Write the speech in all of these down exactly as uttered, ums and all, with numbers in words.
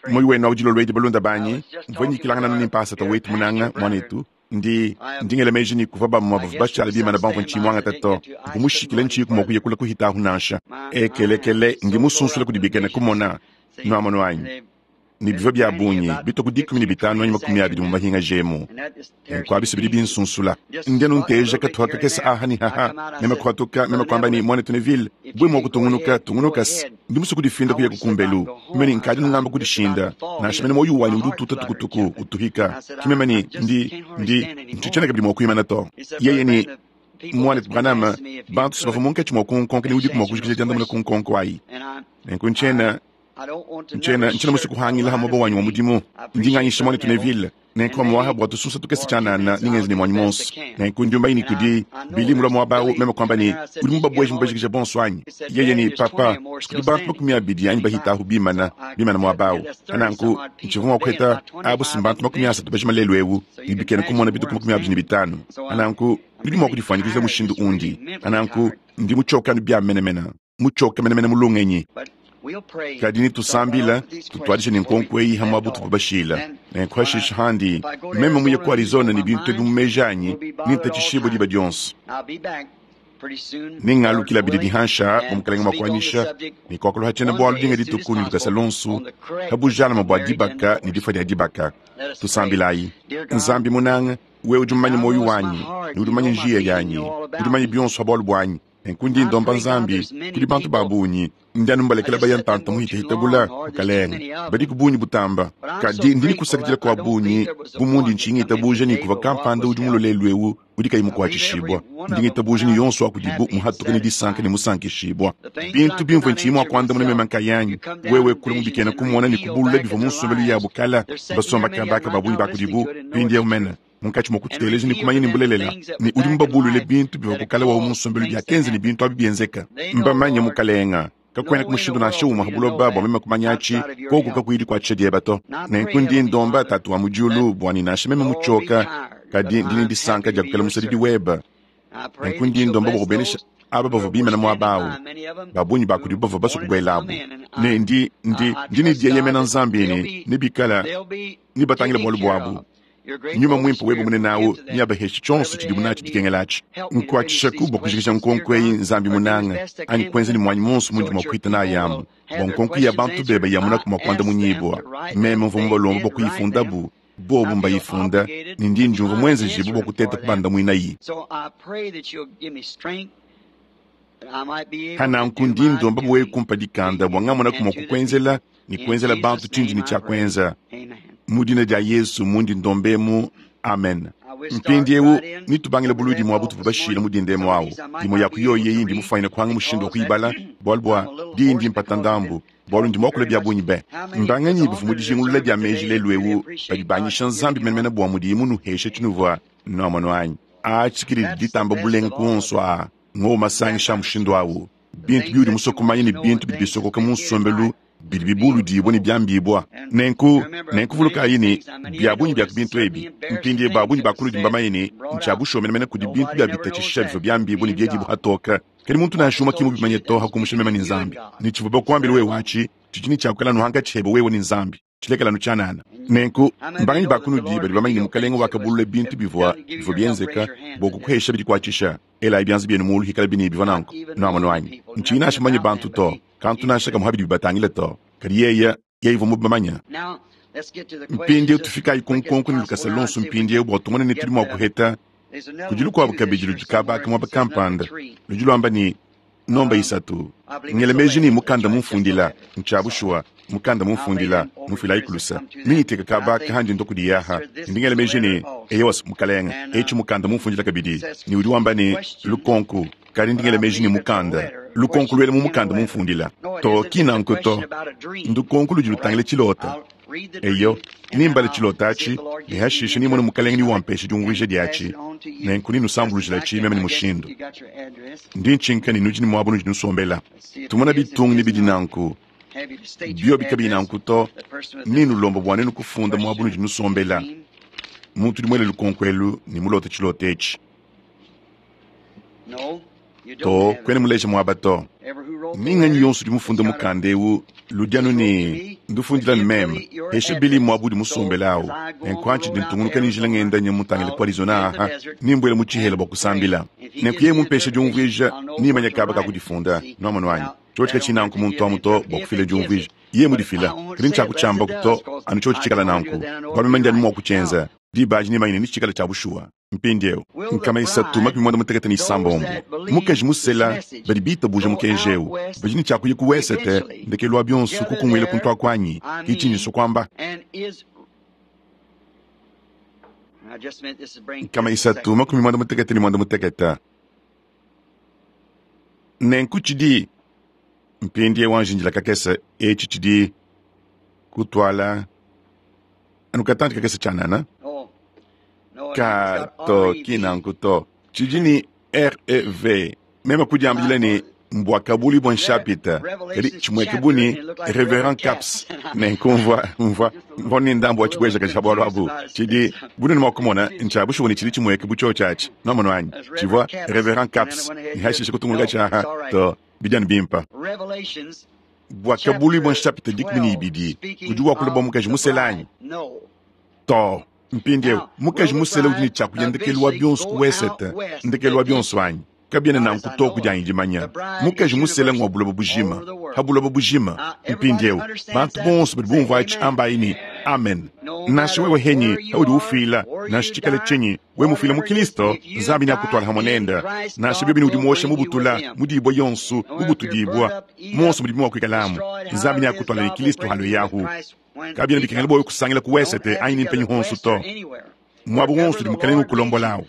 Muoyo wenu awu dilolo edi balunda banyi, mvua nyikilangana ne mpasata wetu munanga muanetu. Ndi ndi ngela meji ne kuvua bamue bavua bashala bimana bamvua ntshiyi muangata to. Mvua mushikile ntshiyi mua kuya kule kuhita ahu nansha. Ekelekele ndi musunsula kudi bikena kumona. Nuamonu anyi? Ne bivua bia bungi bitue ku dikumi ne bitanu anyi makumi abidi mu mahinga jemu. Nenku abi bidi binsunsula. Ndi anu nteja katuha kakese aha ne haha. Meme kuhatuka, meme kuamba ne, muanetu Neville, bue mua kutungunuka, tungunuka se. Ndi musue kudifinda kuya kukumbelu. Meme ne nkadi nungamba kudishinda. Nansha mene muoyo wanyi udi ututa tukutuku, utuhika. Ki meme ne, ndi, ndi, ntshitshiena kabidi mua kuimana to. Yeye ne, muanetu Branham, bantu si bavua munkatshi mua kunkonka ne udiku mua kujikija diandamuna ku nkonko ayi. Nenku ntshiena, ntshiena, ntshiena musue kuhangila ha muaba wanyi wa mudimu. Ndi nganyisha muanetu Neville. Nenku amuaha bua tusunsa tukese tshianana ningenze ne muanyi monso. Nenku ndi umbayi ne kudi Billy mulua muaba awu, meme kuamba ne, udi mubabueje mubajikija bonso anyi? Yeye ne, papa, kudi bantu makumi abidi anyi bahita ahu bimana, bimana muaba awu. Nanku, ntshivua mua kuheta abu si mbantu makumi asatu bajima lelu ewu, ne bikena kumona bituku makumi abidi ne bitanu. Nanku, nudi mua kudifuanyikija mushindu undi. Nanku, ndi mutshioka anu bia menemene, mutshioka menemene mu lungenyi. Kadi nitusambila, tutuadije ne nkonko eyi ha muaba utuvua bashila. Nenku hashishe handi, meme muye ku Arizona ne bintu ebi mu meji anyi, nintatshishibue diba dionso. Ningalukila bidi dihansha bua mukalenge mua kuanyisha ne kuakula tshiena bualu dinga dituku ne lukasa lonsu ha bujalama bua dibaka ne difua dia dibaka. Tusambilayi. Nzambi munanga, wewe udi mumanye muoyo wanyi ne udi mumanye njiya yanyi, udi mumanye bionso ha bualu buanyi. Nenku ndi ndomba Nzambi kudi bantu ba bungi, ndi anu mbalekela baya ntanta muhitahita bula mukalenge, badi ku bungi butamba. Kadi ndi nikusakidila kwa bungi bu mundi ntshinga itabuja ne kuva kampanda udi mulue lelu ewu udi kayi mukuatshishibua. Ndi ngitabuja ne yonso wa kudibu muhatuke ne disanka ne musankishibua. Bintu bimvue ntshiyi mua kuandamuna meme nkayanyi, wewe kule mubikena kumona ne kubulula bivua mu nsombelu yabu kala, basomba kabaka ba bungi ba kudibu mpindieu mene. Munkatshi mua kututeleja ne kumanya ne mbulelela ne udi mubabulule bintu bivua kukala wawu mu nsombelu biakenza ne bintu abi bienzeka. Mbamanye mukalenga, kakuena ku mushindu nansha umue ha buloba bua meme kumanyatshi koku kakuyi dikuatshisha dieba to. Nenku ndi ndomba Tatu wa mu diulu bua ne nansha meme mutshioka, kadi ndi ne disanka dia kukala musadidi weba. Nenku ndi ndomba bua kubenesha aba bavua bimana muaba awu, ba bungi ba kudibu bavua basue kubuelabu. Ne ndi, ndi, ndi ne dieyemena Nzambi ne nebikala ne batangila bualu buabu. Nyuma mwimpe webe munene awu neabaheshe tshionso tshidibu natshi dikengela atshi. Nkuatshishaku bua kujikija nkonko eyi Nzambi munanga, anyi kuenza ne muanyi monso mundi mua kuhita nayi amu bua nkonko ya bantu bebe yamunaku mua kuandamunyibua. Meme mvua mubalomba bua kuyifundabu, bobu mbayifunda, ne ndi ndiumvua muenzejibu bua kuteta kubandamuinayi. Hananku ndi ndomba bua wewe kumpa dikanda bua ngamonaku mua kukuenzela ne kuenzela bantu tshindi ne tshia kuenza. Mu dina dia Yesu mundi ndombemu, amen. Mpindieu nitubangile buludi muabu tuvua bashila mu dindemu awu. Imue ya ku yoyi eyi ndi mufanyine kuhanga mushindu wa kuyibala, bualu bua diyi ndi mpata ndambu, bualu ndi muakula bia bungi be. Mbanganyi bavua mu dijingulula dia meji lelu ewu badi banyisha Nzambi menemene bua mudiyi munuheshe tshinuvua nuamonu anyi? Aa tshikidi ditamba bulenga ku onso aa ngowu masangisha a mushindu awu. Bintu biudi musue kumanya ne bintu bidi bisokoka mu nsombelu bidi bibuludibua ne biambibua. Nenku, nenku vulukayi ne, bia bungi bia ku bintu ebi, mpindieu ba bungi ba kunudi mbamanye ne, ntshia bushuwa menemene kudi bintu bia bitatshisha bivua biambibua ne biedibua hatoka. Kadi muntu nansha umue ki mubimanye to hakumusha meme ne Nzambi. Ne tshivua bakuambila wewe atshi, tshidi ne tshia kuikala anu hankatshi hebe wewe ne Nzambi. Tshilekela anu tshianana. Nenku, mbanganyi ba kunudi badi bamanye ne mukalenge wakabulula bintu bivua bivua bienzeka bua kukuhesha bidikuatshisha? Elayi bianza bienu mulu hikala bine bivua nanku. Nuamonu anyi? Ntshiyi nansha mumanye bantu to, kantu nansha kamue habidi bibatangile to. Kadi yeye, yeye uvua mubamanye. Mpindieu tufikayi ku nkonko ne lukasa lonso mpindieu bua tumone ne tudi mua kuheta. Kudi lukuabu kabidi ludi kabaka muaba kampanda, ludi luamba ne, nomba isatu. Ngela meji ne mukanda mumfundila, ntshia bushuwa, mukanda mumfundila, mufilayi kulusa. Ningiteka kabaka handi ndo kudi yaha. Ndi ngela meji ne, eyowa mukalenge, etshi mukanda mumfundila kabidi. Ne udi wamba ne, lukonko, kadi ndi ngela meji ne mukanda. Lukonko luela mu mukanda mumfundila. To ki nanku to. Ndukonko ludi lutangila tshilota. Eyo, nimbale tshilota atshi, ne hashishe nimone mukalenge ni wampesha diumvuija diatshi. Nenku ninusambulujila tshi meme ne mushindu. Ndi ntshinka ne nudi ne muaba unudi nusombela. Tumona bitungu ne bidi nanku. Biobi kabiyi nanku to, ninulomba bua nenu kufunda muaba unudi nusombela. Muntu udi muele lukonko elu ne mulota tshilota etshi. To, kwena muleje mwaba to. Ninga yonso udi mufunde mukanda ewu ludi anu ne ndufundila ne meme heshe bili mwabu udi musombela awu nenku antshi di ntungunuka ne njila ngenda nye mutangile ku Arizona aha nimbwele mu tshihela bua kusambila nenku yeye mumpeshe diumvuija nimanya kaba ka kudifunda nwamonu wanyi tshotshi katshina nanku muntu amu to bua kufila diumvuija yeye mudifila kadi ntshiakutshiamba to anu tshotshi tshikala nanku bua meme ndi anu mua kutshienza diba adi nimanyine ni tshikala tshia bushuwa. Mpindieu nkama isatu makumi mwanda mutekete ne isambombo mukaji musela badi bitabuja mukenji ewu badi ne tshiakuya ku wesete ndekelu wa bionso kukunguila kuntu akwanyi ke tshinyiso kwamba nkama isatu makumi mwanda mutekete ne mwanda mutekete nenku tshidi mpindieu wanjinjila kakese etshi tshidi kutwala anu katanji kakese tshianana ka to kinanku to tshidi ni R E V meme kudiambila ne mbwa kabuli bwa nshapita kadi tshimweke buni Reverend Caps nenku mvwa mvwa mvwa ni ndambu wa tshibweja kaji bwalo abu tshidi buni ni mwakumona ntsha bushuwa ni tshidi tshimweke bu tshotshatshi nomono anyi tshivwa Reverend Caps ni hashishe kutunguluka tshaha to bijani bimpa bwa kabuli bwa nshapita dikumi ni ibidi udi wakula bwa mukaji muselanyi to mpindieu mukaji musele udi ne tshiakuya ndekelu wa bionso ku wesete ndekelu wa bionso anyi kabiena nanku to kudianyi dimanya mukaji musele ngwa buloba bujima ha buloba bujima mpindieu bantu bonso badi bumvua atshi ambayi ne amen nansha wewe henyi haudi ufila nansha tshikale tshinyi we mufila mu Kristo Nzambi ne akutwala hamwe nenda nansha biobi ne udi muosha mubutula mudibwa yonso mubutudibwa monso mudi muwakuikalamu Nzambi ne akutwala ne Kristo halo yahu kabiena bikengela bwa kusangila ku wesete anyi ne mpenyi honso to mwabo wonso udi mukalenge ukulombolawo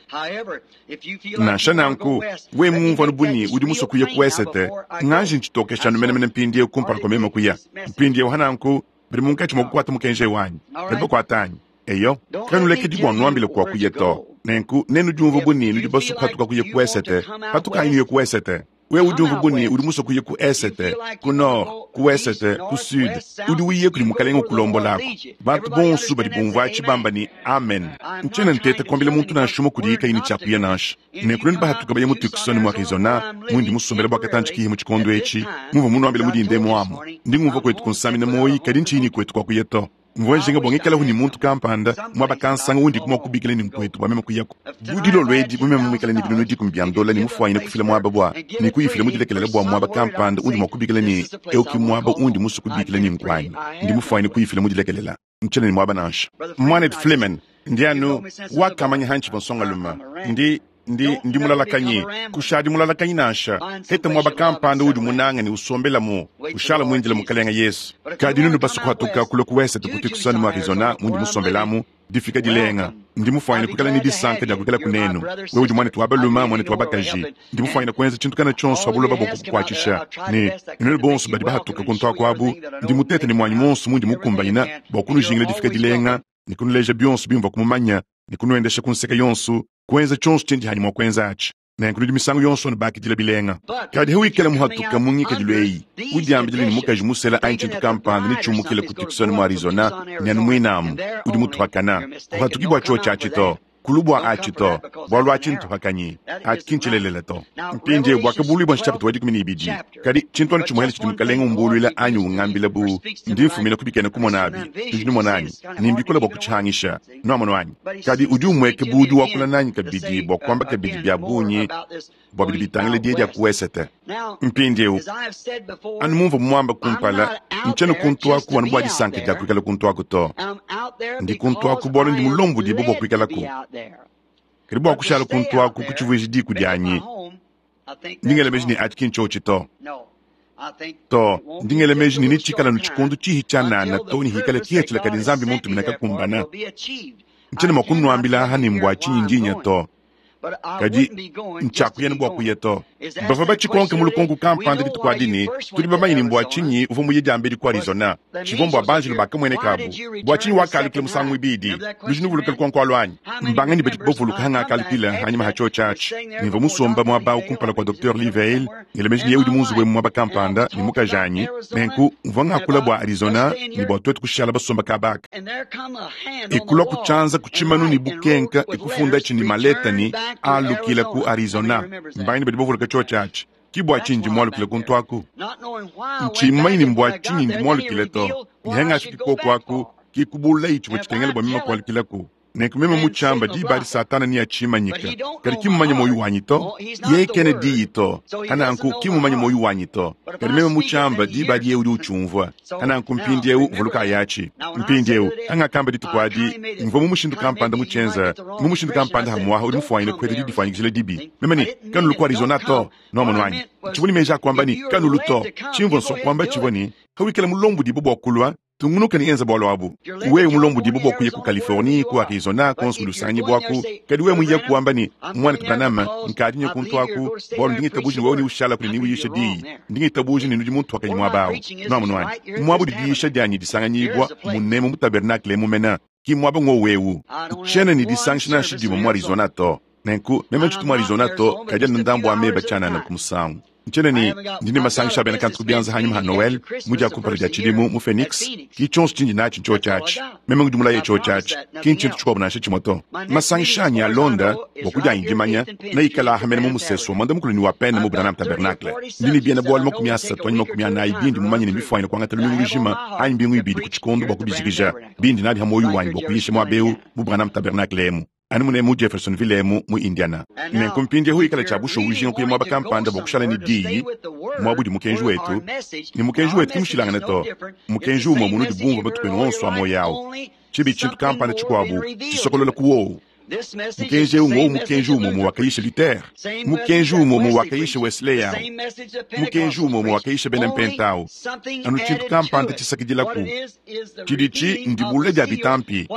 nansha nanku we mumva nubuni udi musue kuya ku wesete nganji ntshitokesha numenemene mpindieu kumpala kwa meme kuya mpindieu hananku bidi munkatshi mua kukwata mukenji wanyi badi bakwata anyi eyo kanulekedi bua nuambile kwa kuya to nenku nenu diumva buni nudi basue kuhatuka kuya ku wesete hatuka anyi nuye ku wesete we udi umva buni udi musue kuya ku esete ku nord ku wesete ku sud udi uye kudi mukalenge ukulombolako bantu bonso badi bumvua tshibamba ni amen ntshiena nteta kuambila muntu nansha umue kudi yikayi ne tshiakuya nansha nenku nenu bahatuka baye mu Tucson mu Arizona mundi musombela bua katanji kihi mu tshikondo etshi mumvua munuambila mudinde muamu ndi ngumvua kwetu kunsamina moyi kadi ntshinyi kwetu kwa kuya to mvua njinga bua ngikalahu ni muntu kampanda mwaba kansanga undi kumwa kubikila ni nkwetu bua meme kuyako budilo lwedi bumeme mwikala ni binunu dikumi bya ndola ni mufuanyine kufila mwaba bua ni kuyifila mudilekelele bua mwaba kampanda undi mwa kubikila ni euki mwaba undi musu kubikila ni nkwanyi ndi mufuanyine kuyifila mudilekelela ntshene ni mwaba nansha mwanet Flemen ndi anu wakamanya hantshi bonsonga ndi ndi ndi mulalakanyi kushadi mulalakanyi nansha hete mwaba kampanda udi munanga ni usombelamu ushala mwindile mukalenga Yesu kadi nunu basukuhatuka kula ku wesete ku Tucson mu Arizona mundi musombelamu difika dilenga ndi mufuanyine kukala ni disanka dia kukala kunenu we udi mwanetu wa baluma mwanetu wa bakaji ndi mufuanyine kuenza tshintu kana tshonso ha buloba bua kukukuatshisha ne nenu bonso badi bahatuka kuntu akuabu ndi mutete ne mwanyi monso mundi mukumbanyina bua kunujingila difika dilenga ni kunuleja bionso bimvua kumumanya ni kunuendesha kunseka yonso kuenza tshonso tshindi hanyi mua kuenza atshi nenku nudi misangu yonso nubakidila bilenga kadi hewikala muhatuka mungikadilu eyi udiambidile ni mukaji musela anyi tshintu kampanda ni tshiumukile ku Tucson mu Arizona ni anu muinamu udi mutuhakana kuhatuki bua tshio tshiatshi to kulu bua atshi to bualu atshi ntuhakanyi atshi ki ntshilelela to mpindieu bua kabulu bua nshapita wa dikumi ne ibidi kadi tshintu anu tshimuhele tshidi mukalenge umbuluila anyi ungambila bu ndi mfumina kubikena kumona abi tudi numona anyi nimbikola bua kutshihangisha nuamono anyi kadi udi umweke bu udi wakula nanyi kabidi bua kuamba kabidi bia bungi bua bidi bitangila die dia ku wesete mpindieu anu mumvua muamba kumpala ntshiena kuntu aku anu bua disanka dia kuikala kuntu aku to ndi kuntu aku bualu ndi mulombodibue bua kuikalaku kadi bua kushala kuntu aku kutshivuija diku dianyi ndingela meji ne atshi ki ntshotshi to to ndingela meji ne nitshikala nu tshikondo tshihi tshianana to ne hikala kihetshila kadi Nzambi muntu kakumbana ntshiena mua kunuambila aha ne mbua tshinyi ndinya to kadi ntshiakuya ne bua kuya to bavua batshikonke mu lukonko kampanda dituku adi ne tudi bamanye ne mbua tshinyi uvua muye diambedi ku Arizona tshivua mbua banjelu bakamuenekabu bua tshinyi wakalukila musangu ibidi nudi nuvuluka lukonko alu anyi mbangani badi bavuluka hangakalukila hanyima ha tshio tshiatshi nimvua musomba muaba kumpala kua Docteur Lee Vayle ngela meji ne ye udi munzubu emu muaba kampanda ne mukaji anyi nenku mvua ngakula bua Arizona ne bua tuetu kushala basomba kabaka ekulua kutshianza ku tshimanu ne bukenka ekufunda tshi ne maleta ne Alukila ku Arizona. Mbanganyi badi bavuluka tshiotshi atshi. Ki bua tshinyi ndi mualukile kuntu aku? Ntshimmanyi ne mbua tshinyi ndi mualukile to. Nihangafiki koku aku, ki kubulayi tshivua tshikengela bua meme kualukilaku. Nenku meme mutshiamba diba adi Satana niyatshimanyika. Kadi ki mmumanye muoyo wanyi to. Yeye kena diyi to. Hananku ki mmumanye muoyo wanyi to. Kadi meme mutshiamba diba adi yeye udi utshiumvua. Hananku mpindieu vuluka yatshi. Mpindieu angakamba dituku adi mvua mu mushindu kampanda mutshienza, mu mushindu kampanda hamuaha udi mufuanyine kuheta didifanyikijila dibi. Meme ne kanulu ku Arizona to. Nwamonu wanyi. Tshivua ne meji a kuamba ne kanulu to. Tshimvua nsua kuamba tshivua ne hawikala mulombodi bua kulua tungunuka ne enza bualu abu. Wewe mulombodi bua kuya ku Californie, ku Arizona, konso udi bwaku. Kadi wewe muya kuamba ne mwana Branham nkadi nya kuntu aku, bualu ndi ngitabuja ne wewe ni ushala kuli ni uyisha diyi. Ndi ngitabuja ne nudi muntu wakanyi muaba awu. Nwamonu wanyi. Muabu di diyisha dianyi disanganyibwa munemu mu tabernacle mumena. Ki muaba ngo wewu. Tshena ni disangisha nansha dimwe mu Arizona to. Nenku meme ntshitu mu Arizona to, kadi anu ndambu wa meba tshianana ku musangu. Ntshena ni ndi ne masangisha abena kantu kubianza hanyuma ha Noel, mu dia kumpala dia tshidimu mu Phoenix, ki tshionso tshindi natshi ntshio tshiatshi. Meme ngudi mulaye tshio tshiatshi, ki ntshintu tshikuabu nansha tshimwe to. Masangisha anyi alonda bua kudianyi dimanya, neikala ahamene mu musesu wa mwanda mukulu ni wa pene mu Branham Tabernacle. Ndi ne biena bualu makumi asatu anyi makumi anayi bindi mumanye ne mifuanyine kuangata lumingu lujima anyi mbingu ibidi ku tshikondo bua kubijikija. Bindi nabi ha muoyo wanyi bua kuyisha muaba eu mu Branham Tabernacle emu. Anu mune mu Jeffersonville emu mu Indiana. Nenku mpindieu ikala tshia bushuwa ujinga kuya muaba kampanda bua kushala ne diyi, muaba udi mukenji wetu, ne mukenji wetu ki mushilangane to. Mukenji umue munudi bumvua matuku enu onso a muoyo awu. Tshibi tshintu kampanda tshikuabu tshisokolola ku wowu. Mukenji eu ng'owu mukenji umue umue wakayisha Luther, mukenji umue umue wakayisha Wesley awu, mukenji umue umue wakayisha bena Mpenta awu. Anu tshintu kampanda tshisakidilaku. Tshidi ndibula dia bitampi.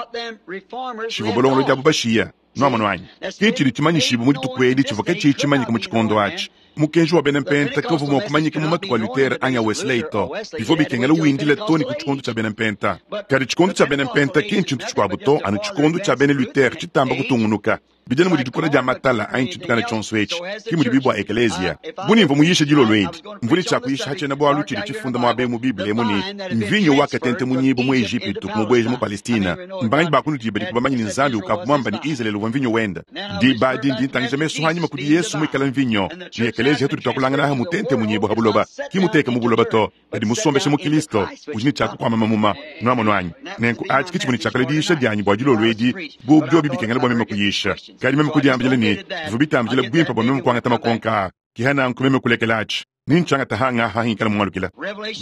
Tshivua bolongolo diabu bashiya. Nwamonu wanyi. Ki tshidi tshimanyishibu mu dituku edi tshivua katshiyi tshimanyika mu tshikondo atshi. Mukenji wa bena Mpenta kavua mua kumanyika mu matuku a Luther anyi a Wesley to. Bivua bikengela windila to ne ku tshikondo tshia bena Mpenta. Kadi tshikondo tshia bena Mpenta ki ntshintu tshikuabu to, anu tshikondo tshia bena Luther tshitamba kutungunuka. Bidi mudi dikula dia matala anyi tshintu kana tshionso etshi, ki mudi bibua ekeleziya. Buni mvua muyisha dilolo edi, mvua ne tshia kuyisha hatshiena bualu tshidi tshifunda muaba mu Bible emu ne mvinyo wakatente munyibu mu Ejipitu kumubueja mu Palestina. Mbanganyi bakunudi badi kubamanya ne Nzambi ukavua muamba ne Israele uvua mvinyo wenda. Diba adi ndi ntangija mesu anyima kudi Yesu muikala mvinyo, ne ekeleziya tudi tuakulangana aha mutente munyibu ha buloba. Ki muteke mu buloba to, kadi musombeshe mu Kristo, udi ne tshia kukuama mamuma. Nwamonu anyi. Nenku atshi ki tshivua ne tshiakala diyisha dianyi bua dilolo edi, bu biobi bikengela bua meme kuyisha. Kadi meme kudiambila ne bivua bitambila bimpe bua meme kuangata makonka a. Ki hananku meme kulekela atshi. Nintshiangata hanga hahikala mualukila.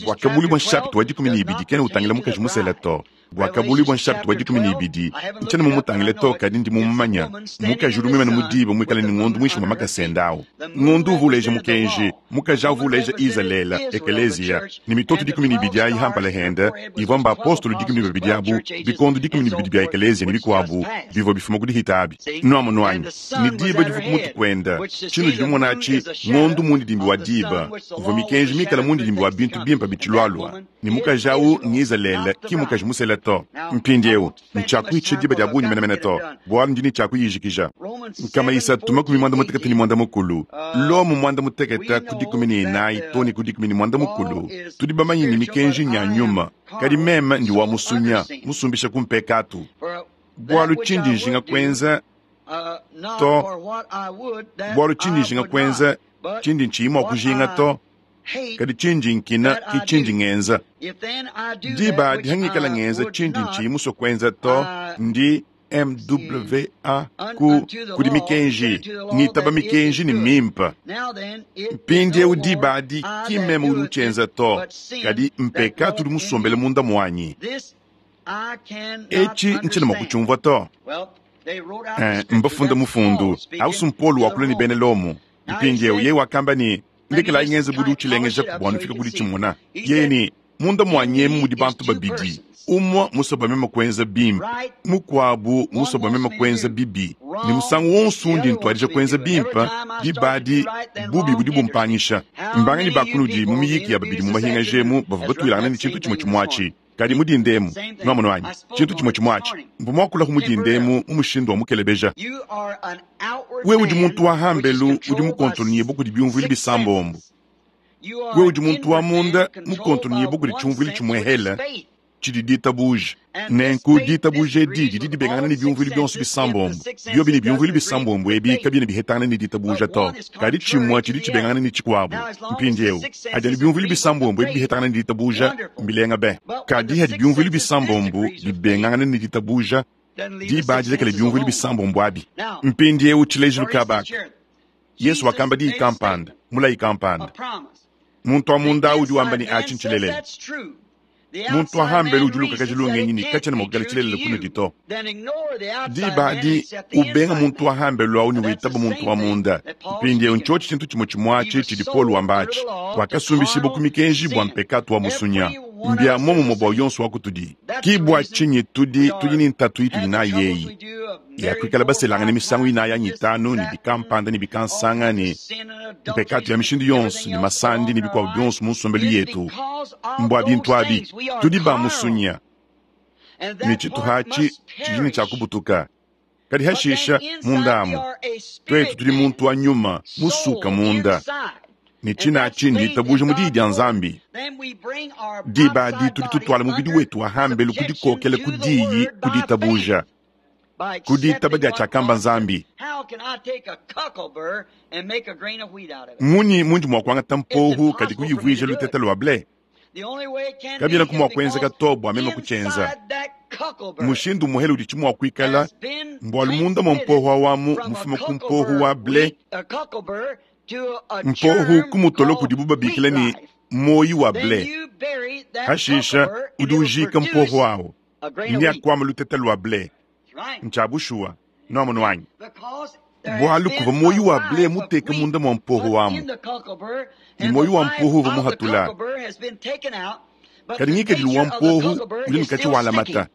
Bwakabulibwa nshapita wa dikumi ne ibidi kena utangila mukaji musela to. Bwakabulibwa nshapita wa dikumi ne ibidi ntshiena mumutangile to, kadi ndi mumumanya. Mukaji udi muimane mu diba muikale ne ngondu muinshi mua makasende awu. Ngondu uvua uleja mukenji, mukaji awu uvua uleja Izalele, ekeleziya, ne mitoto dikumi ne ibidi ayi hampala hende, ivua mbaapostolo dikumi ne babidi abu, bikondo dikumi ne bibidi bia ekeleziya ne bikuabu bivua bifuma ku dihita abi. Nwamonu wanyi, ne diba divua ku mutu kuenda, tshinudi dimona atshi ngondu mundidimbi wa diba, uvua mikenji mikala mundidimbi wa bintu bimpe bitshilualua. Ne mukaji awu ng'Izalele, ki mukaji musela to. Mpindieu ntshiakuitsha diba dia bungi menemene to, bualu ndi ne tshiakuyijikija. Nkama isatu makumi mwanda mutekete ne mwanda mukulu, Lomo mwanda mutekete ku dikumi ne inayi to ne ku dikumi ne mwanda mukulu. Tudi bamanye ne mikenji nya nyuma, kadi meme ndi wa musunya, musumbisha ku mpekatu. Bualu tshindi njinga kuenza to, bualu tshindi njinga kuenza tshindi ntshiyi mua kujinga to, kadi tshindi nkina ki tshindi ngenza. Diba adi hangikala ngenza tshindi ntshiyi musue kuenza to, ndi M W A ku kudi mikenji, ngitaba mikenji ne mimpa. Mpindieu diba adi ki meme udi utshienza to, kadi mpekatu udi musombele munda muanyi. Etshi ntshiena mua kutshiumvua to. Eh, mbafunda mufundu ausu Mpolo wakula ne bena Lomo. Mpindieu yeye wakamba ne ndekela ngenze budi utshilengeja bua nufika kudi tshimuna. Yeye ne munda muanyi emu mudi bantu babidi, umwe musue meme kuenza bimpe, mukuabu musue meme kuenza bibi. Ne musangu wonso undi ntuadija kuenza bimpe, diba adi bubi budi bumpangisha. Mbanganyi bakunudi mu miyiki ya babidi mu mahinga emu bavua batuilangana ne tshintu tshimue tshimue atshi. Kadi mudinde emu, nwamonu wanyi, tshintu tshimue tshimue atshi. Mvua muakula ku mudinde emu mu mushindu wa mukelebeja. Wewe udi muntu wa hambelu udi mukontonyibu kudi biumvuilu bisambombo. Wewe udi muntu wa munda mukontonyibu kudi tshiumvuilu tshimuehele, Tshidi ditabuja. Nenku ditabuja edi didi dibengangana ne byumvuilu byonso bisambombo. Byobi ne byumvuilu bisambombo ebi kabyena bihetangana ne ditabuja to. Kadi tshimue tshidi tshibengangana ne tshikuabu. Mpindieu hadi anu byumvuilu bisambombo ebi bihetangana ne ditabuja mbilenga be. Kadi hadi byumvuilu bisambombo bibengangana ne ditabuja diba dilekele byumvuilu bisambombo abi. Mpindieu tshilejilu kabaka. Yesu wakamba diyi kampanda, mulayi kampanda. Muntu wa munda udi wamba ne achi ntshilelela. Muntu wa hambelu udi ulukakaja lungenyi ne katshiena mua kukala tshilelela kunudi to. Diba adi ubenga muntu wa hambelu awu ne witaba muntu wa munda. Mpindieu ntshiotshi tshintu tshimue tshimue atshi tshidi Paul wamba atshi. Wakasumbishibwa ku mikenji bua mpekatu wa musunya. Mbia muomumue bua yonso wa kutudi. Ki bua tshinyi tudi tudi ne ntatu itudi nayi eyi. Ya kuikala baselangane misangu inayi anyi itanu ne bikampanda ne bikansanga ne mpekatu ya mishindu yonso ne masandi ne bikuabu byonso mu nsombelu yetu. Mbua bintu abi tudi ba musunya ne tshituha atshi tshidi ne tshia kubutuka. Kadi hashisha mundamu twetu tudi muntu wa nyuma musuka munda. Ne tshina atshi nditabuja mu diyi dia Nzambi. Diba adi tudi tutwala mubidi wetu wa hambelu kudikokela ku diyi kuditabuja. Kuditaba dia tshiakamba Nzambi. Munyi mundi mua kuangata mpohu kadi kuyivuija lutete lua ble? Kabyena ku mua kuenzeka to bua meme kutshienza. Mushindu muhele udi tshimua kuikala mbualu munda mua mpohu awamu mufuma ku mpohu wa ble. Mpohu ku mutolo kudibu babikila ne moyi wa ble. Hashisha udi ujika mpohu awu ndi akwama lutete lua ble. Ntsha bushuwa noamono wanyi. Bualu kuva moyi wa ble muteka munda mua mpohu wamu. Ni moyi wa mpohu uva muhatula. Kadi ngikadilu wa mpohu udi nkatshi walamata.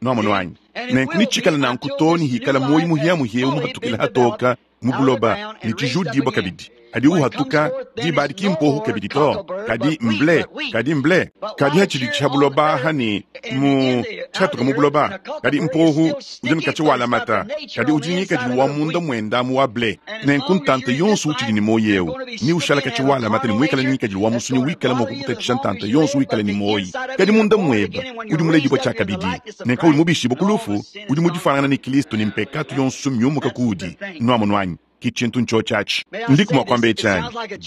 Noamono wanyi. Nenku nitshikala nanku to ni hikala moyi muhiamuhia muhatukila hatoka mu buloba ni tshijudibwa kabidi. Hadi uhatuka diba adi ki mpohu kabidi to. Kadi mble, kadi mble. Kadi hatshidi tsha buloba hani mu tshatuka mu buloba. Kadi mpohu udi nkatshi walamata. Kadi udi ngikadilu wa munda muenda mu wa ble. Nenku ntanta yonso utshidi ne moyi eu. Ni ushala katshi walamata ne muikala ngikadilu wa musunyi wikala mua kukutatshisha ntanta yonso wikala ne moyi. Kadi munda mueba udi muledibwa tshia kabidi. Nenku udi mubishibwa ku lufu udi mudifanana ne Kristo ne mpekatu yonso myumuka kuudi. Nuamono anyi. Ki tshintu ntsho atshi. Ndiku mua kuamba etshi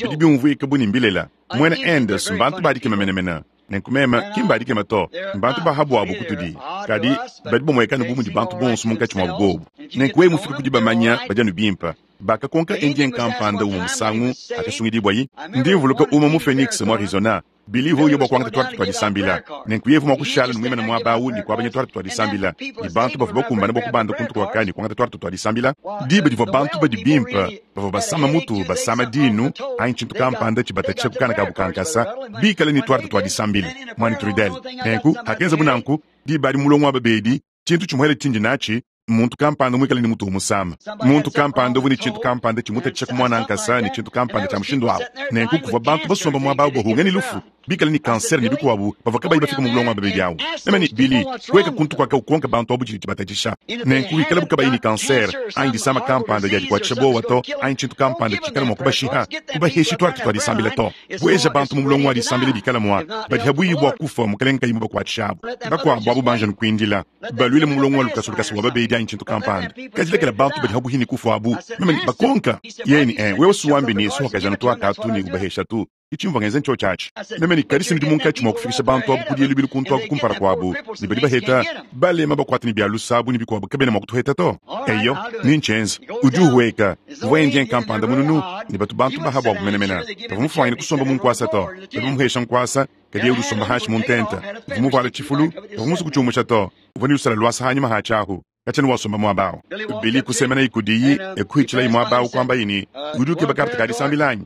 bidi byumvuika bu ne mbilela. Mwene Anderson bantu badikema menemene. Nenku meme ki mbadikema to. Mbantu bahabu abu kutudi. Kadi badi bamuekana bu mudi bantu bonso munkatshi muabu bobu. Nenku wewe mufike kudi bamanya badi anu bimpe. Bakakonka Indien kampanda umue musangu akasungidibwa yi. Ndi mvuluka umue mu Phoenix mu Arizona. Bilivu uyo bua kuangata twarte twa disambila. Nenku yevu mua kushala nomwimana muaba awu ne kuabanya twarte twa disambila. Ne bantu bavua bakumbana bua kubanda kuntu kuaka ne kuangata twarte twa disambila. Diba divua bantu badi bimpe bavua basama mutu basama dinu anyi tshintu kampanda tshibatatshisha kukana kabu kankasa bikale ne twarte twa disambila. Mwani Trudel. Nenku hakenza bunanku diba adi mulongo wa babedi tshintu tshimuhele tshindi natshi muntu kampanda muikale ne mutu umusama. Muntu kampanda uvu ne tshintu kampanda tshimutatshisha ku mwana nkasa ne tshintu kampanda tshia mushindu awu. Nenku kuvua bantu basomba muaba awu bahunga ne lufu bikale ne kanser ne bikuabu bavua kabayi bafika mu bulongo wa babedi awu. Meme ne Billy kueka kuntu kuaka ukonka bantu abu tshidi tshibatatshisha. Nenku wikala bukabayi ne kanser anyi disama kampanda dia dikuatshisha bowa to anyi tshintu kampanda tshikala mua kubashiha kubaheshi twarte twa disambila to. Bueja bantu mu bulongo wa disambila bikala mua badi habuyi bua kufa mukalenge kayi mubakuatshishabu. Bakuabu abu banja nukuindila baluile mu bulongo wa lukasu lukasa wa babedi anyi tshintu kampanda. Kadi bantu badi habuhi ne kufa abu. Meme bakonka yeni eh wewe suwambi ne suhakajana twakatu ne ubahesha tu. Ichimva ngenze ntsho tshatshi. Meme ni kadisi ndi munkatshi mua kufikisha bantu abu kudielu bilu kuntu aku kumpala kuabu. Ne badi baheta balema bakuata ne bia lusabu ne bikuabu kabena mua kutuheta to. Eyo ni nchenza udi uhueka uvua Indien kampanda mununu ne batu bantu bahabu abu menemene. Bavua mufuangine kusomba mu nkuasa to. Badi bamuhesha nkuasa kadi yeye udi usomba hashi mu ntenta. Uvua muvuala tshifulu bavua musu kutshiumusha to. Uvua ne lusala luasa hanyuma hatshi ahu. Kachani wasomba muaba awu. Billy kusemena ikudiyi ekuhitshila muaba awu kuamba yini udi ukeba karta ka disambila anyi?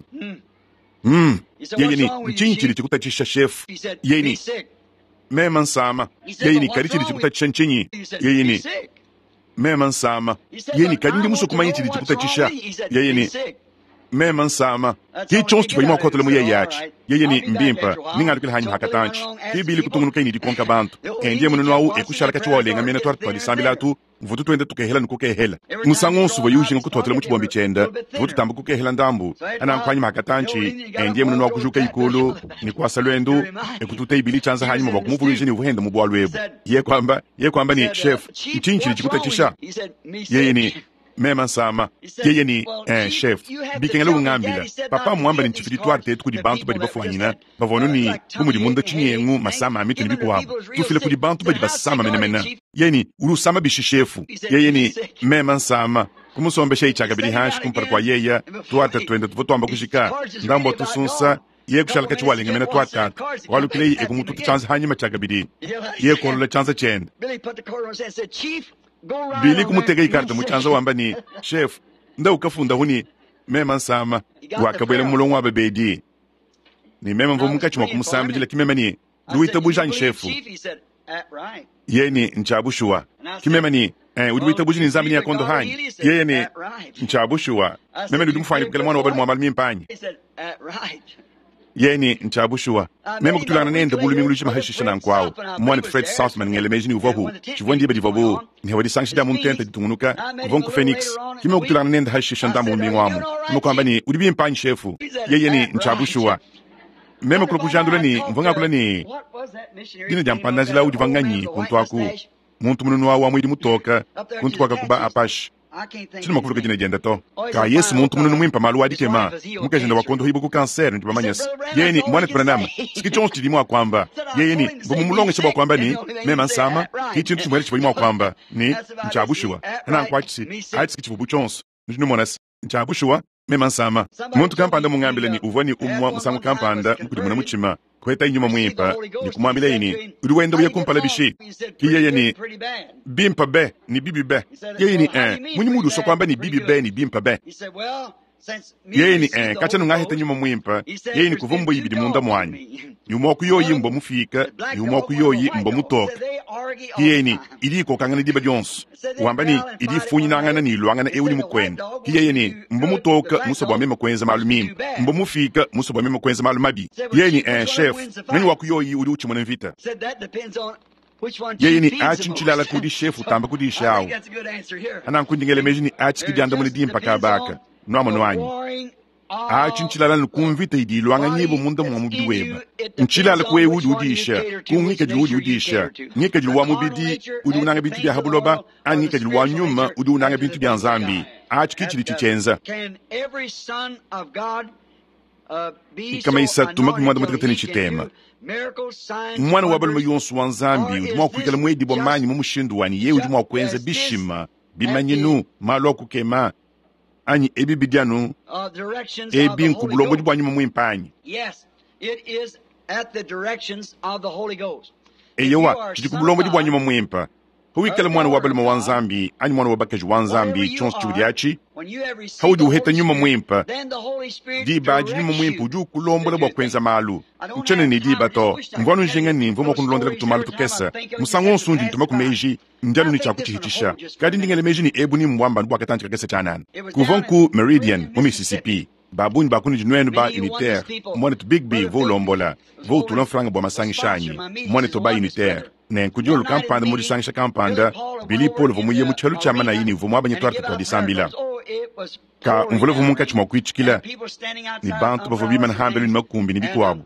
Hmm. Yeye ni ntshinyi tshidi tshikutatshisha shefu? Yeye ni mema nsama. Yeye ni kadi tshidi tshikutatshisha ntshinyi? Yeye ni mema nsama. Yeye ni kadi ndi musue kumanya tshidi tshikutatshisha. Yeye ni mema nsama. Ki tshionso tshivua mua kuhotela mu yeye atshi. Yeye ni mbimpa ningalukila hanyi hakatantshi. Ki Billy kutungunuka ini dikonka bantu. Endiye mununu awu ekushala katshi walenga mena twarte twa disambila atu Mvua tutuenda tukehela ne kukehela. Musangu wonso uvua ujinga kutuatula mu tshibombi tshienda, tuvua tutamba kukehela ndambu. Ananku anyima akatanchi, endiye mununu wa kujuka ikulu, ne kuasa lwendu, ne kututa ibili tshianza hanyima bua kumuvuluija ne uvua henda mu bualu ebu. Ye kwamba, ye kwamba ni chef, ntshinyi tshidi tshikutatshisha? Yeye ni mema nsama. Yeye ni eh, chef, bikengela ungambila. Papa mwamba ni ntshifidi twarte etu kudi bantu badi bafuanyina, bavua ni bu mudi munda tshinyengu masama a mitu ne bikuabu. Tufile kudi bantu badi basama menemene. Yeye ni uli usama bishi shefu. Yeye ni mema nsama. Kumusombesha ichaka bidi hanshi kumpala kwa yeya, twarte twenda tuvua twamba kushika. Ndambo tusunsa, ye kushalaka chiwalenga mena twatatu. Walukile ekumututa chanza hanyima chaka bidi. Ye kolola chanza chenda. Bili kumutega ikarta muchanza wamba ni chef nda ukafunda huni mema nsama wakabwela mulongo wa babedi ni mema mvo munkachi mwa kumusambijila kimema ni luita bujanyi shefu ye ni nchabushuwa kimema ni eh, udi wita buji ni nzambi ni yakondo hanyi yeye ni nchabushuwa meme ndi mufanye kukela mwana wabali mwambali mimpanyi yeye ni nchabushuwa meme kutulana nende bulu mingu lushima hashisha na nkwao mwana Fred Southman ngele meji ni uvahu chivwa ndibe divabu ni hawadi sanshi da muntente ditungunuka kuvonku Phoenix kime kutulana nende hashisha ndambu mingu amu kime kwamba ni udi bimpanyi shefu yeye ni nchabushuwa meme kula kujandula ni mvanga kula ni dina jampanda njila udi vanganyi kuntwaku muntu mununu wa mwidi mutoka kuntu kwaka kuba apashi chino makuluka jina jenda to ka Yesu muntu mununu mwimpa malu wadikema mukajenda wakondo hibu ku kanser ndi bamanyasa yeye ni mwana tupranama sikichonso chilimo akwamba yeye ni mbumulongesha bwa kwamba ni mema nsama kichintu chimwele chibali mwakwamba ni nchabushuwa na nkwachisi achi kichivubu chonso ndinomona nchabushuwa mema nsama muntu kampanda mungambile ni uvwa ni umwa musangu kampanda mukudimuna muchima kweta inyuma mwimpa ni kumwambila ini uri wenda uye kumpala bishi kiyeye ni bimpa be ni bibi be yeye ni eh munyi mudu so kwamba ni bibi be ni bimpa be yeye ni eh kacha nungaheta nyuma mwimpa yeye ni kuvumbo ibidi munda mwanyi nyuma kuyoyi mbo mufika nyuma kuyoyi mbo mutoka kiyeye ni idi kokangana diba dyonso wamba ni idi funyinangana ni ilwangana ewu ni mukwenda kiyeye ni mbo mutoka muso bwa mema kwenza malu mimpa mbo mufika muso bwa mema kwenza malu mabi yeye ni eh chef nani wakuyoyi uli uchimona mvita yeye ni achi nchilala kudi shefu tamba kudi ishawu anankundingele meji ni achi kidyanda muni dimpa kabaka nwamo nwanyi achi nchilala nikumvita idi ilwanga nyibo munda mwa mubidi weba nchilala kuwe udi udisha kungikadili udi udisha ngikadili wa mubidi udi unanga bintu bya habuloba ani ngikadili wa nyuma udi unanga bintu bya nzambi achi kichili chichenza nkama isatu makumi mwanda mutekete chitema mwana wa balume yonso wa nzambi udi mwa kuikala mwedi bwa manyi mu mushindu wani ye udi mwa kuenza bishima bimanyinu malu akukema anyi ebi bidyanu ebi nkubulongodi bwa nyuma mwimpanyi eyowa chidi kubulongodi bwa nyuma mwimpa huwikala mwana wa balume wa nzambi anyi mwana wa bakaji wa nzambi chonso chiudi achi haudi uheta nyuma mwimpa diba adi nyuma mwimpa udi ukulombola bwa kwenza malu nchene ni diba to mvwanu njinga ni mvwa mwakunulondela kutumalu tukesa musangu onso undi ntuma kumeji ndianu ni chakuchihitisha kadi ndingele meji ni ebu ni mbwamba bwa katanchi kakesa chanana kuva nku Meridian mu Mississippi babunyi bakuni dinwenu ba unitaire mwana tu Big B vo ulombola vo utula mfranga bwa masangishanyi mwana to ba unitaire nenkudiolu kampanda mudisangisha kampanda Billy Paul vumuye mu tshelu tshia manayini vumwa abanye twarte twadisambila ka mvula vumunkachi mwa kuitshikila ni bantu bavua bimana hambelu ni makumbi ni bikuabu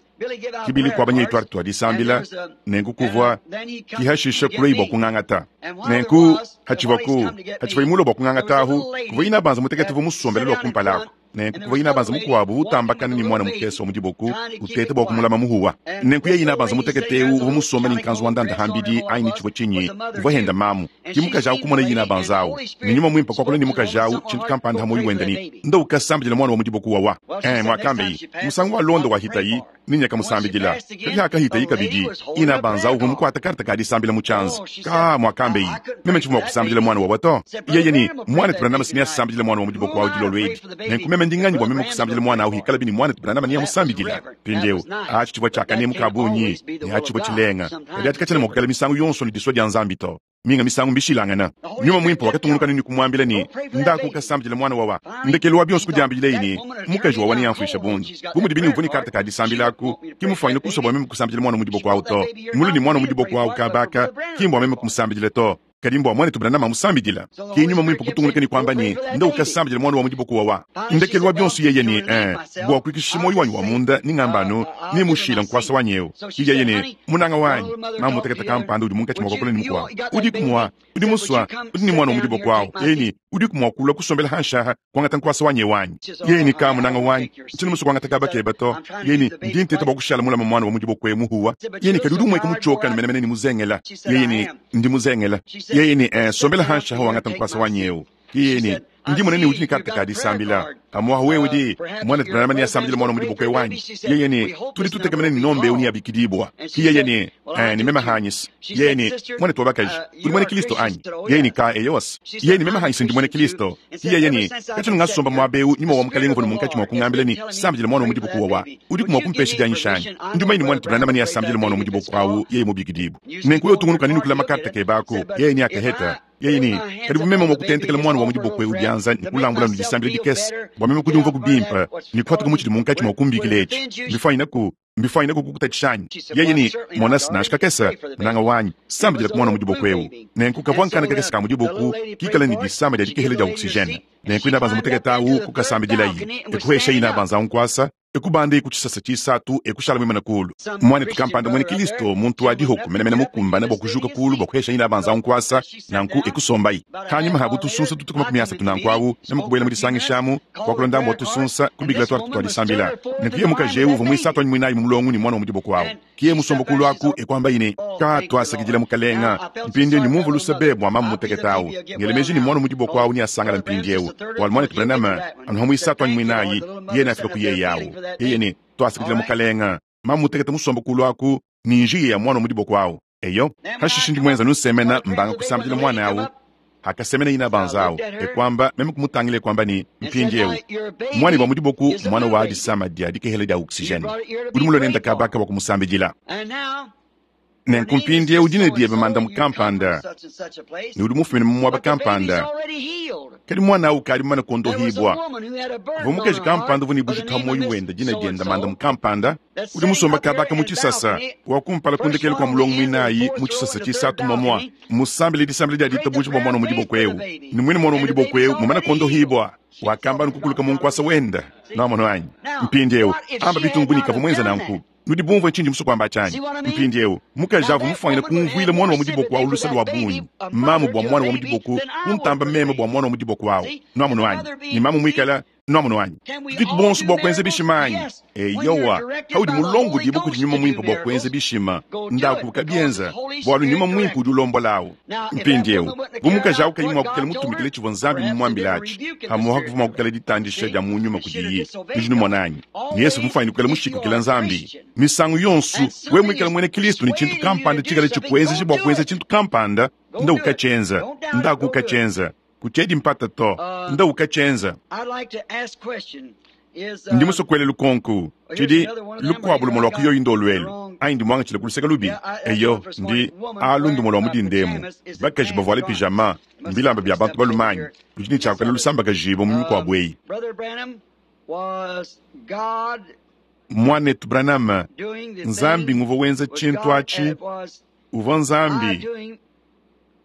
kibili kuabanye twarte twadisambila nenku kuvua kihashisha kuloi bwa kung'ang'ata nenku hachivua ku hachivua imulo bwa kung'ang'ata ahu kuvua ina banza mutekete vumusombela lwa kumpalako nenku kuva ina banza mukuabu utambakana ni mwana mukese wa mudiboku utete bwa kumulama muhuwa nenku ye ina banza muteketeu uva musomba ni nkanzu wa ndanda hambidi aini chivua chinyi uva henda mamu kimukajawu kumona yina banzawu ni nyuma mwimpa kwakula ni mukajawu chintu kampanda hamoyi wenda ni nda ukasambijila mwana wa mudiboku wawa eh mwakambe musangu wa londo wa hitayi ninyaka musambijila kali hakahitayi kabidi ina banzawu uva mukwata karta kadisambila muchanza ka mwakambe meme chivuma kusambijila mwana wawa to yeye ni mwana tupranama sinia sambijila mwana wa mudiboku wawu dilolo edi nenku meme ndinganyi bwa meme kusambijila mwana awu hikala bini mwana tupranama niya musambijila pindeu achi chivua chakane mukabunyi ni achi chivua chilenga kadi ati kachana mwakukala misangu yonso ni diswa dya nzambi to minga misangu mbishilangana nyuma mwimpa wakatungunuka nini kumwambila ni ndako kasambijila mwana wawa ndekelo wa bionso kudiambila ini mukaji wawa niyamfuisha bundi bumudi bini uvuni karta kadisambilaku kimufanyile kuso bwa meme kusambijila mwana mudiboko awu to mulu ni mwana mudiboko awu kabaka kimbwa meme kumusambijila to Kadi mbua mwanetu Branham amusambidila. Ke Nyuma Mwimpe kutungunuka ne kuamba ne, nda ukasambidila mwana wa mu diboko wawa. Ndekelu wa bionso yeye ne, eh, bua kuikisha moyo wanyi wa munda ni ngamba anu, ne mushila nkuasa wanyi eu. Yeye ne, munanga wanyi, mamu mutekete kampanda udi munkatshi mua kuakula ne mukuabu. Udiku mua, udi musua, udi ne mwana wa mu diboko awu. Yeye ne, udiku mua kulua kusombela hanshaha, kuangata nkuasa wanyi wanyi. Yeye ne, ka munanga wanyi, ntshiena musue kuangata kaba keba to. Yeye ne, ndi nteta bua kushala mulama mwana wa mu diboko emu huwa. Yeye ne, kadi udi umueka mutshioka menemene ne muzengela. Yeye ne, ndi muzengela. Yeye ne, eh, sombela hanshaha wangata nkuasa wanyi eu. Yeye ne, ndi munene udi ne karte ka disambila. Amuaha wewe udi mwana Branham ne asambila mwana mu diboko wanyi. Yeye ne, tudi tutekemena ne nombe uni abikidibwa. Yeye ne, eh, ni mema hanyis. Yeye ne, mwana tu wabakaji, udi mwene Kristo anyi? Yeye ne ka eyos. Yeye ne mema hanyis ndi mwene Kristo. Yeye ne, kachi ngasomba mwabeu nyuma wa mukalenga vona munkatshi mwa kungambila ni sambila mwana mu diboko wa. Udi kumwa kumpesha janyishani. Ndi maini mwana Branham ne asambila mwana mu diboko awu yeye mubikidibwa. Nenku yo tungunuka nini kula makarta ke bako. Yeye ni akaheta. Yeye ni, karibu mema mwa kutentekela mwana wa mu diboko eu byanza ni kulambula nudisambila dikese. Bwa mema kudiumva kubimpa, ni kuhatuka muchidi munkatshi mwa kumbikila etshi. Mbifanyina ku, mbifanyina ku kukutatshishani. Yeye ni, mwana sinashika kesa, munanga wanyi, sambila ku mwana mu diboko eu. Nenku kavua nkana kakese ka mu diboko, kikala ni disamba dia dikehela dia oxygène. Nenku ina banza mutekete awu kukasambidilayi. Ekuhesha ina banza nkwasa, ekubanda ekuchisasa chisatu ekushala mwimana kulu. Mwana tukampanda mwene Kristo muntu wa dihoku menemene mukumbana bwa kujuka kulu bwa kuhesha ina banza nkwasa nanku ekusombayi. Hanyuma habu tusunsa tutukuma kumyasa tunankwawu namukubwela mu disangishamu kwa kulonda mbo tusunsa kubikila twatu twalisambila. Nenku ye mukaje uvu mwisatu anyi mwinayi mu mulongo ni mwana wa mu diboko awu. Kiye musombo kulu aku ekwamba ine ka twasakidila mukalenga mpindi ni mumvu lusabe bwa mamu mutekete awu. Ngelemeji ni mwana wa mu diboko awu ni asangala mpindi eu. Wal mwana Branham anuha mwisatu anyi mwinayi ye nafika ku yeye awu. Yeye ni twasakidila mukalenga mamu mutekete musombo kulu aku ni njiye ya mwana wa mu diboko awu. Eyo hashishi ndi mwenza nusemena mbanga kusambila mwana awu. Akasemena ina banzawu ekwamba meme kumutangile kwamba ni mpindi eu mwana wa mu diboko mwana wa disama dia dikehela dia oxygène. Udi mulonenda kabaka wa kumusambidila. Nenku mpindi eu dina diebe manda mukampanda ni udi mufumine mu mwaba kampanda. Kadi mwana awu kali mumane kondohibwa. Vua mukaji kampanda vua ni bujitu ha moyo wenda dina dienda manda mukampanda udi musomba kabaka mu chisasa wa kumpala kundekela kwa mulongo mwinayi mu chisasa chisatu momwa musambile disambile dia ditabuja bwa mwana wa mu diboko eu. Ni mwine mwana wa mu diboko eu mumane kondohibwa. Wakamba nukukuluka mu nkwasa wenda. Namona wanyi mpindi eu amba bitungu nikava mwenza nanku. Nudi bumvue tshindi musu kuamba tshanyi. Mpindi eu mukaji avu mufwanyina kumvuila mwana wa mu diboko awu lusa lwa bunyi. Mamu bwa mwana wa mu diboko kuntamba meme bwa mwana wa mu diboko awu. Nwamunu wanyi ni mamu mwikala nwamunu wanyi. Tudiku bonso bwa kuenza bishimanyi. Eyowa haudi mulongo diboko di nyuma mwimpe bwa kuenza bishima. Ndaku kabyenza bwalu nyuma mwimpe udi ulombolawu. Mpindi eu bu mukaji awu kayi mua kukela mutumikile tshivua Nzambi mumuambilatshi. Hamuha kuvua kukela ditandisha dia mu nyuma kudiyi. Nudi numonanyi. Ni Yesu mufwanyina kukela mushikukila Nzambi. Misangu yonso we mwikala mwene Kristo ni tshintu kampanda tshikala tshikuenzesha bwa kuenza tshintu kampanda nda ukatshyenza nda kukatshyenza kuchedi mpata to nda ukatshyenza. Ndi musokwele lukonku tshidi lukuabu lumo lwa kuyoyi ndo lwelu ayi ndi mwanga kuluseka lubi. Eyo ndi alu ndumo lwa mudindemu bakaji bavuale pijama mbilamba bya bantu balumanyi ludi ni tshiakala lusambaka jibo mu mikuabu eyi. Mwanetu Branham Nzambi nguvua wenza tshintu atshi uvua Nzambi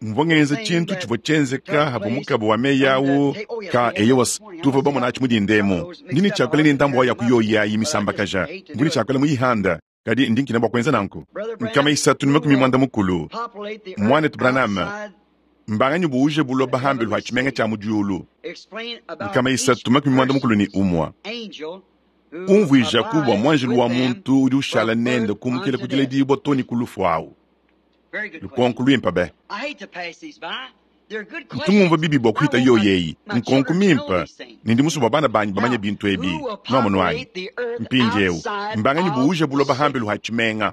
mvua ngenza tshintu tshivua tshienzeka havua mukaba wa meyi awu ka eyowas tuvua bamona atshi mudindemu. Ndi ni tshiakala ni ndambu wa ya kuyoyi ayi misambakaja nguni tshiakala muyihanda kadi ndi nkina bua kuenza nanku. Nkama isatu ni makumi mwanda mukulu Mwanetu Branham mbanganyi buuje buloba hambelu ha tshimenga tshia mu diulu. Nkama isatu makumi mwanda mukulu ni umwa umvuija kubwa mwanjelu wa muntu udi ushala nende kumukila kudila dibwa toni kulufu awu. Lukonku lwimpa be. Ntungumva bibi bwa kuhita yoyeyi nkonku mimpa nindi musu bwa bana banyi bamanya bintu ebi nwamunu wanyi. Mpindi eu mbanganyi buuje buloba hambelu ha tshimenga.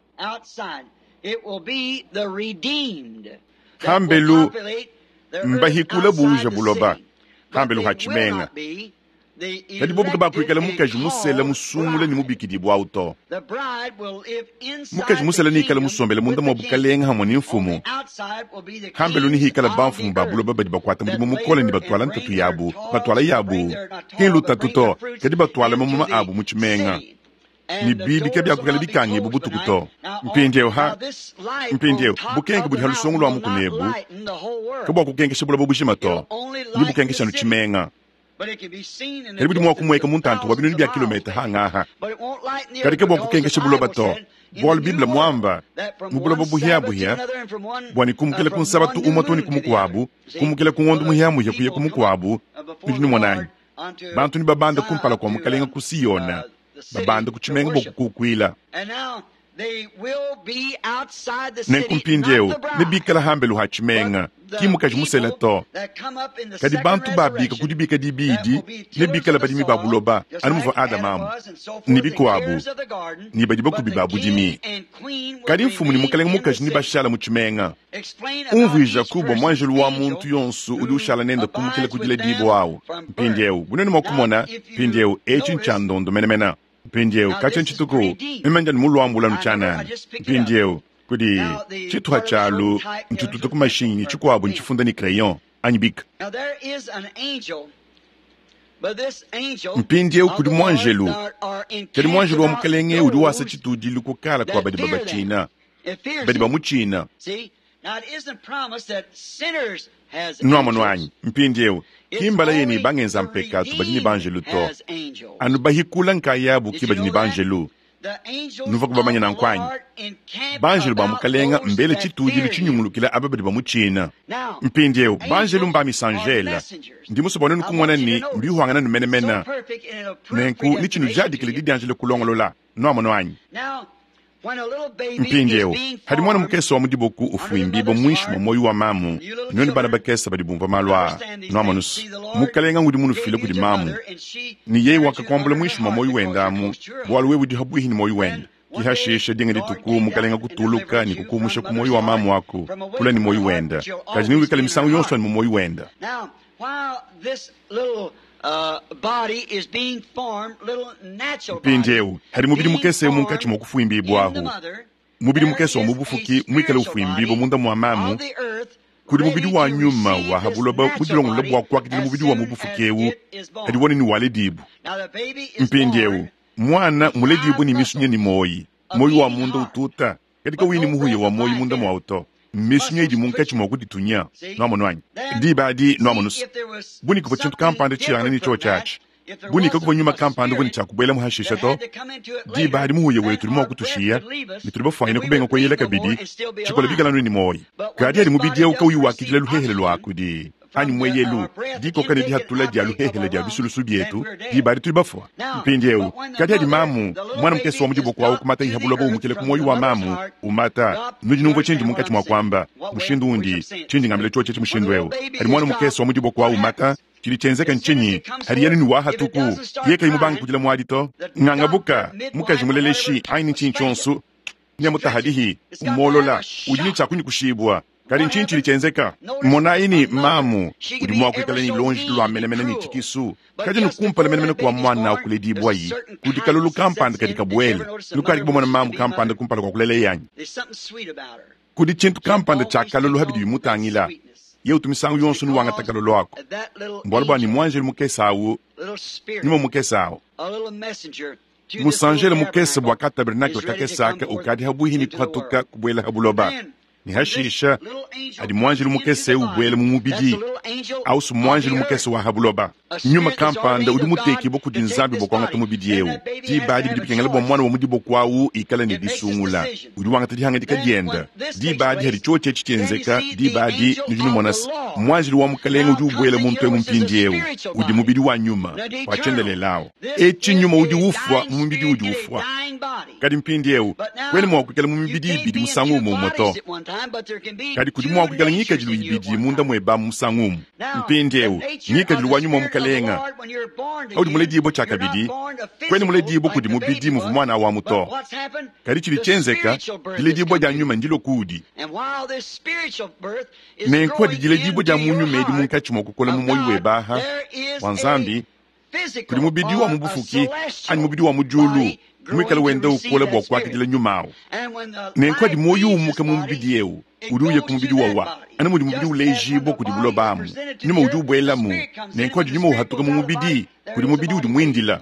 Hambelu mbahikula buuje buloba hambelu ha tshimenga. Kadi bobu kabakuikala mukaji musela musungula ni mubikidibwa awu to. Mukaji musela niikala musombele munda mwa bukalenga hamwe ni mfumu. Hambelu nihikala bamfumu ba buloba badi bakuata mudimu mukole ni batwala ntatu yabu, batwala yabu. Ki lutatu to, kadi batwala mamuma abu mu tshimenga. Ne biibi kabiakukala bikangibu butuku to. Mpindieu ha mpindieu bukenke budi ha lusongo lua mukuna ebu kabuakukenkesha buloba bujima to, ne bukenkesha anu tshimenga. Kadi budi mua kumueka mu ntantu wa binunu bia kilometa hangaha, kadi kabuakukenkesha buloba to, bualu Bible muamba mu buloba buhiabuhia bua ne kumukila ku nsabatu umue to ne ku mukuabu, kumukila ku ngondo muhiamuhia kuya ku mukuabu. Nudi numonanyi bantu ne babanda kumpala kua mukalenga ku Siyona, babanda ku tshimenga bua kukukuila. Nenku mpindieu nebikala hambelu ha tshimenga, ki mukaji musela to. Kadi bantu babika ku dibika dibidi nebikala badimi ba buloba, anu muvua Adama amu ne bikuabu, ne badi bakubi ba budimi. Kadi mfumu ne mukalenga mukaji ne bashala mu tshimenga. Umvuija kubwa muanjelu wa muntu yonso udi ushala nende kumukila ku diledibua awu. Mpindieu bunene mua kumona mpindieu etshi ntshia ndondo menemene. Mpindieu katshia ntshituku meme ndi muluambula nutshianana. Mpindieu kudi tshituha tshialu ntshituta ku mashinyi ne tshikuabu ntshifunda ne crayon anyi bika. Mpindieu kudi muanjelu, kadi muanjelu wa mukalenge udi wasa tshitudilu kukala kua badi babatshina, badi bamutshina. Nuamono anyi mpindieu kimbala yene bangenza mpekatu badi ne banjelu to, anu bahikula nkayabu ki badi ne banjelu. Nuva kubamanya nanku anyi? Banjelu ba mukalenga mbele tshitudilu tshinyungulukila aba badi bamutshina. Mpindieu banjelu mba misanjela, ndi musue bua nenu kumona ne mbihwangana numenemene, nenku ni tshinujadikile didianjila kulongolola. Nuamono anyi? Mpindieu hadi mwana mukese wa mudiboku ufuimbibwa muinshi mwa moyo wa mamu, nuenu bana bakese badi bumvua malu aa. Nuamonusu mukalenga ngudi munufile kudi mamu, ne yeye wakakuambula muinshi mwa moyo wenda amu, bualu wewe udi habuihi ne moyo wenda. Kihashisha dinga dituku mukalenga kutuluka ne kukumusha ku moyo wa mamu aku kula ne moyo wenda, kadi niwikale misangu yonso ne mu moyo wenda. Mpindieu hadi mubidi mukese munkatshi mua kufuimbibwahu, mubidi mukese wa mubufuki muikale ufuimbibwa munda mua mamu, kudi mubidi wa nyuma wa habuloba budilongolola bua kuakidila mubidi wa mubufuki ewu hadi wone ni waledibu. Mpindieu mwana muledibwe ni misunya ni moyi, moyi wa munda ututa kadi kawini muhuya wa moyi munda mwawu to. Misunya idi munkatshi mua kuditunya. Nuamono anyi? Diba adi nuamonusu bunika bua tshintu kampanda tshiyangana ne tshiotshi atshi, bunika kuvua nyuma kampanda uvua ne tshiakubuela muhashisha to. Diba adi muhuya wetu udi mua kutushiya ne tudi bafuanyine kubenga kueyela kabidi tshikola bikala nu ne moyi. Kadi adi mubidi ewu kauyi wakidila luhehele lua kudi anyi mweyelu dikoka ne dihatula dia luhehele dia bisulusu bietu, diba adi tudi bafua. Mpindieu kadi adi mamu mwana mukese wa mudiboku awu kumata iha buloba umukile ku moyo wa mamu umata. Nudi numvua tshindi munkatshi mua kuamba mushindu undi tshindi ngambila tshiotshi etshi mushindu ewu. Adi mwana mukese wa mudiboku awu umata, tshidi tshienzeka ntshinyi? Hadi yanu ni wahatuku ye kayi mubanga kudila muadi to. Ngangabuka mukaji muleleshi anyi ntshinyi tshionso nyamutahadihi umolola udi ne tshiakunyi kushibwa. Kadi ntshinyi tshidi tshienzeka? Monayi ni mamu udi mua kuikala ne lonji lua menemene ne tshikisu, kadi nukumpala menemene kua mwana akuledibwa yi kudi kalulu kampanda kadi kabuele. Nukadi kubamona mamu kampanda kumpala kua kulela yanyi. Kudi tshintu kampanda tshia kalulu habidi bimutangila. Ye utu misangu yonso nuwangata kalulu ako. Mbualu bua ni muanjelu mukese awu, nyuma mukese awu. Musanjele mukese bua ka tabernacle kakese aka ukadi habuihi ni kuhatuka kubuela habuloba. Ni hashisha adi muanjelu mukese ubuela mu mubidi ausu muanjelu mukese wa habuloba. Nyuma kampanda udi mutekibwa kudi Nzambi bua kuangata mubidi ewu. Diba adi bidi bikengela bua mwana wa mudiboku awu ikala ne disungula, udi wangata dihangadika dienda. Diba adi hadi tshiotshi etshi tshienzeka, diba adi nudi numona se muanjelu wa mukalenga udi ubuela muntu emu mpindiewu udi mubidi wa nyuma wa tshiendelele awu. Etshi nyuma udi ufua mu mubidi udi ufua. Kadi mpindiewu kwene mua kuikala mu mibidi ibidi musangu umue umue to. Kadi kudi mua kuikala ngikadilu ibidi munda mueba musangu umue. Mpindiewu ngikadilu wa nyuma wa mukalenga audi muledibwa tshiakabidi, kwene muledibwa kudi mubidi muvua mwana wamu to. Kadi tshidi tshienzeka, diledibwa dia nyuma ndilo kuudi. Nenku adi diledibwa dia mu nyuma edi munkatshi mua kukola mu moyo webaha wa Nzambi, kudi mubidi wa mubufuki anyi mubidi wa mudiulu muikale wenda ukola bua kuakidila nyuma awu. Nenku adi moyo umuka mu mubidi ewu udi uya ku mubidi wawa, anu mudi mubidi ulejibwa kudi buloba amu, nyuma udi ubuelamu. Nenku adi nyuma uhatuka mu mubidi kudi mubidi udi muindila.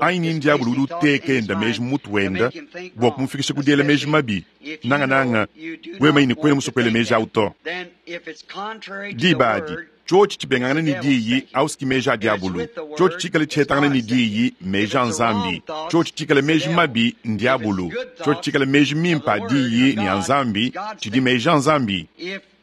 Anyi ni ndiabulu udi uteka enda meji mu mutu wenda bua kumufikisha ku diela meji mabi, nangananga wewe ne kuena musue kuela meji awu to. Diba adi, Tshiotshi tshibengangana ne diyi auski meji a diabulu. Tshiotshi tshikale tshihetangana ne diyi meji a Nzambi. Tshiotshi tshikale meji mabi ndiabulu. Tshiotshi tshikale meji mimpe a diyi ne a Nzambi tshidi meji a Nzambi.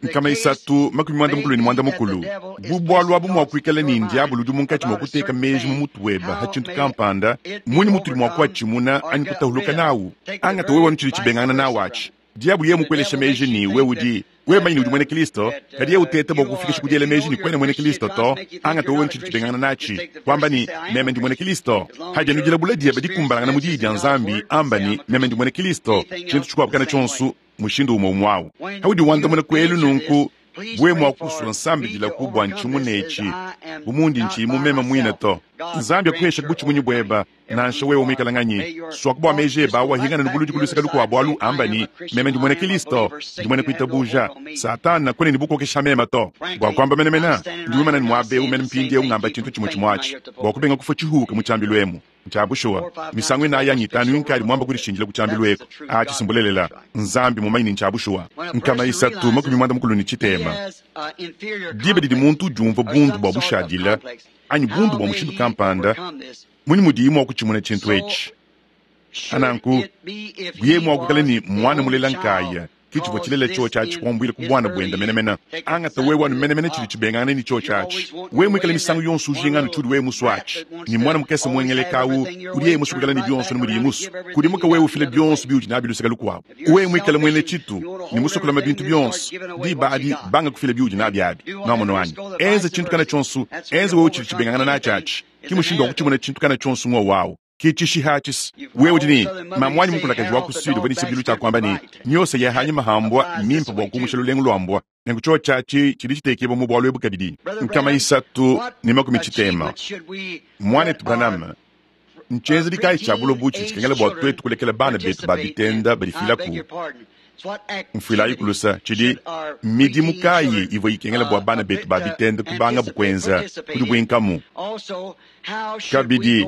Nkama isatu makumi muanda mukulu ne muanda mukulu. Bu bualu abu mua kuikala ne ndiabulu udi munkatshi mua kuteka meji mu mutu webe ha tshintu kampanda, munyi mutudi mua kuatshimuna anyi kutahuluka nawu? Angata wewe wanu tshidi tshibengangana nawu atshi. Diabu yeye mukuelesha meji ni wewe udi wewe manyi udi mwene Kristo, kadi yeye uteta bua kufikisha kudiela meji ni kwena mwene Kristo to. Angata wewe tshidi tshibengangana natshi, kwamba ni meme ndi mwene Kristo. Haja nujila bula diebe dikumbalangana mu diyi dia Nzambi, amba ni meme ndi mwene Kristo. Tshintu tshikuabukana tshionso mushindu umwe umwawu. Haudi wandamuna kwelu nunku bwe mwa kuswa nsambi dila kubwa nchimunetshi bumundi nchi mumema mwina to. Nzambi akuhesha kubuchimunyi bweba nansha wewe umwikala nganyi swakubwa meji eba wahingana nubuludi kuluseka lukuabo alu amba ni meme ndi mwene Kristo ndi mwene kuitabuja Satana kwene ni bukokesha mema to. Bwa kwamba menemena ndi wimana ni mwabe umene mpindi eu ngamba chintu chimwe chimwachi bwa kubenga kufa chihuka mu chambilu emu nchabushuwa misango ina yanyi itanu yunkali mwamba kulishinjila ku chambilu eku achisimbulelela Nzambi mumanyi nchabushuwa. Nkama isatu makumi mwanda mukulu ni chitema dibe didi muntu jumva bundu bwa bushadila anyi bundu bwa mushindu kampanda munyi mudiyi mwa kuchimuna chintu etshi ananku buye mwa kukala ni mwana mulela nkaya kichivwa chilela cho chachi kwambwile ku bwana bwenda menemena angata we wanu menemene chili chibengana ni cho chachi we mwikala misango yonso ujingana chudi we musu achi ni mwana mukese mwengelekawu uli musu kukala ni byonso ni muli musu kudimuka we ufile byonso biuti nabi luseka lukwabo we mwikala mwene chitu ni musu kulama bintu byonso di badi banga kufile biuti nabi abi namono anyi enze chintu kana chonso enze we uchili chibengana na chachi kimushindu wakuchimuna chintu kana chonso ng'o wawo kichishihachis wewe dini mamwanyi mukulakaji wa kusudi bani sibilu cha kwamba ni nyose ya hanyi mahambwa mimpa bwa kumusha lulengu lwambwa nengu cho chachi chili chitekebwa mu bwalo ebu kadidi nkama isatu ni makumi chitema mwane Branham nchenzi likai cha bulo buchi chikengela bwa twetu kulekela bana betu babitenda balifilaku mfuilayi kulusa chidi midimu kayi ivo ikengela bwa bana betu babitenda kubanga bukwenza kudi bwinkamu kabidi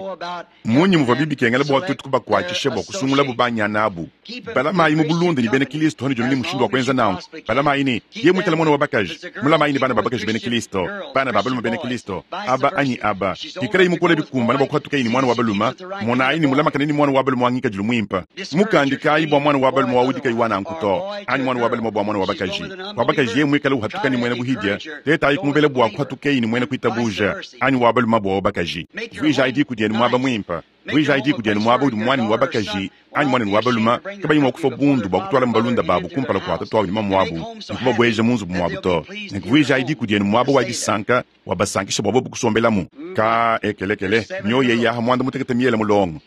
munyi muvua bibikengela bwa twetu kubakuatshisha bwa kusungula bubanyana abu balamayi mu bulunda ni bena Kristo hano joni ni mushindu wa kwenza nangu balamayi ni ye mwikala mwana wa bakaji mulamayi ni bana ba bakaji bena Kristo bana ba baluma bena Kristo aba anyi aba ikala imukola bikumbana bwa kuhatuka ni mwana wa baluma monayi ni mulamakana ni mwana wa baluma wangika julu mwimpa mukandikayi bwa mwana wa baluma wawudika iwana nkuto anyi mwana wa baluma bwa mwana wa bakaji wa bakaji ye mwikala uhatukani mwene buhidya tetayi kumuvela bwa kuhatukeyi ni mwene kuitabuja anyi wa baluma bwa bakaji vwijaidi kudienu mwaba mwimpa vwijaidi kudienu mwaba udi mwana wa bakaji anyi mwana wa baluma kabayi mwa kufa bundu bwa kutwala mbalunda babu kumpala kwa tatu ni mamwabu nikubabweja munzu mwabu to nikuvwijaidi kudienu mwaba wa disanka wabasankisha bwa bobu kusombelamu ka ekelekele nyoye yaha mwanda mutekete miele mulongo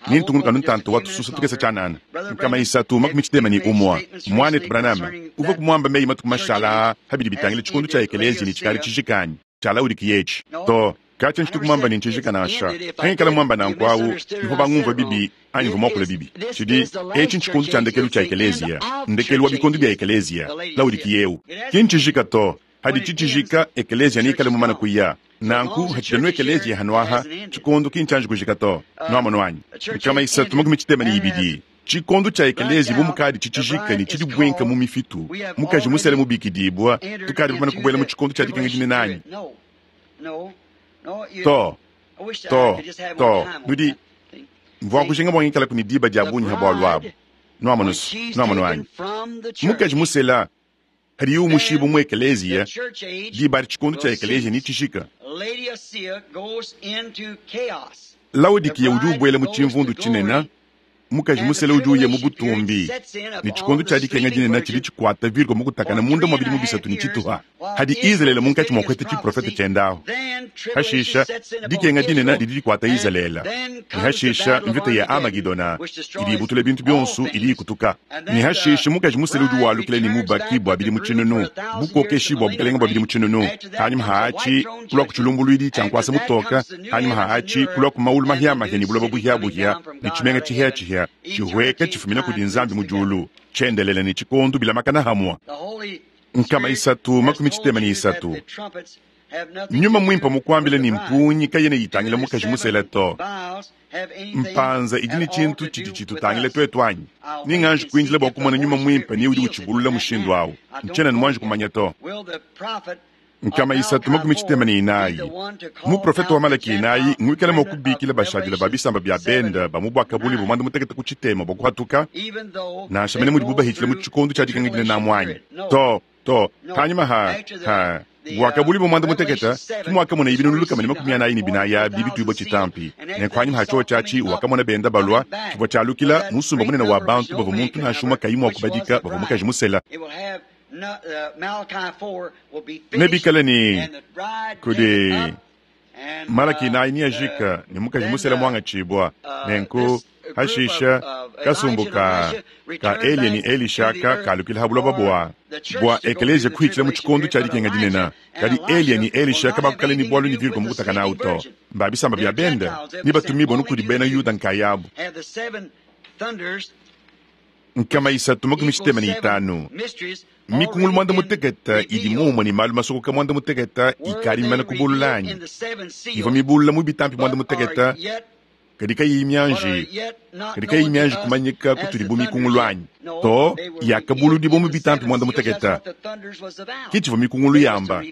nintungunuka nuntantu watususa tukesa chanana nkama isatu makumi chitema ni umwa mwane Branham uva kumwamba meyi matuku mashala habidi bitangile chikundu cha ekelezi ni chikali chijikanyi chalaudi to kacha nchitu kumwamba ni nchijikanasha hengekala mwamba nankwawu niho bangumva bibi anyi vumwakula bibi chidi echi nchikundu cha ndekelu cha ekelezia ndekelu wa bikundu bya ekelezia laudikiyeu kinchijika to hadi chichijika ekelezia nikale mumana kuya nanku hachidanu ekelezia hanwaha chikundu kinchanji kujika to nwamano anyi nkama isatu makumi chitema ni ibidi chikondu cha ekelezi bumukadi chichijika ni chidi bwenka mu mifitu mukaji musele mubikidibwa tukadi bumana kubwela mu chikondu cha dikenga dine nanyi to to to nudi mvua kujinga bwangikala kuni diba dia bunyi ha bwalu abu nwamano nwamano anyi mukaji musela hadi yu mushibu mu ekelezia diba adi chikondu cha ekelezia ni chishika Laodikiya udi ubwela mu chimvundu chinena mukaji musele udi uya mu butumbi ni chikondo cha dikenga dinene chidi chikwata virgo mukutakana munda mwa bidimu bisatu ni chituha hadi Israele munkatshi mwa kwete chiprofeta chendaho hashisha dikenga dinene didi dikwata Israele ni hashisha mvita ya Amagidona idi ibutula bintu byonso idi ikutuka ni hashisha mukaji musele udi walukile ni mubaki bwa bidimu tshinunu bukokeshi bwa bukalenga bwa bidimu tshinunu hanyuma haachi kulwa kuchilumbulwidi cha nkwasa mutoka hanyuma haachi kulwa kumaulu mahiamahia ni buloba buhiabuhia ni chimenga chihiachihia chihweka chifumina kudi nzambi mujulu chendelele ni chikondu bila makana hamwa nkama isatu makumi chitema ni isatu nyuma mwimpa mukwambile ni mpunyi kayene yitangile mukaji musele to mpanza idi ni chintu chidi chitutangile twetu anyi ninganji kuinjila bwa kumona nyuma mwimpa ni udi uchibulula mushindu awu nchena ni mwanji kumanya to Nkama isatu makumi tshitema ne inayi muprofeta wa Malaki inayi ngwikala mua kubikila bashadile ba bisamba bya benda ba mu bwakabuli bwa mwanda mutekete ku tshitema bwa kuhatuka nansha mene mudibu bahitshile mu tshikondo tshia dikangidila na mwanyi to to hanyuma ha ha bwakabuli bwa mwanda mutekete kimwakamona ibinunu lukama ne makumi anayi ne binayi abi bituibwa tshitampi nenku hanyuma ha tshiwo tshiatshi wakamona benda balwa tshivua tshialukila musumba munene wa bantu bavua muntu nansha umue kayi mua kubadika bavua mukaji musela nebikale ne kudi Malaki inayi niajika ne mukaji musela mwangatshibwa nenku hashisha kasumbu ka ka Eliya ne Elisha ka kalukila ha buloba bwa bwa ekeleziya kuhitshila mu tshikondo tshia dikenga dinene kadi Eliya ne Elisha kabakukala ne bwalu ne virgo mu kutaka nawu to mba bisamba bya benda ni batumibwa nukudi bena Yuda nkayabu nkama isatu makumi tshitema ne itanu mikungulu mwanda muteketa idi mumwe ne malu masokoka mwanda muteketa ikali mimana kubululanyi ivua mibulula mu bitampi mwanda muteketa kadi kayiyi mianji kadi kayiyi mianji kumanyika kutudi bu mikungulu anyi to yakabuludibwa mu bitampi mwanda muteketa ke tshivua mikungulu yamba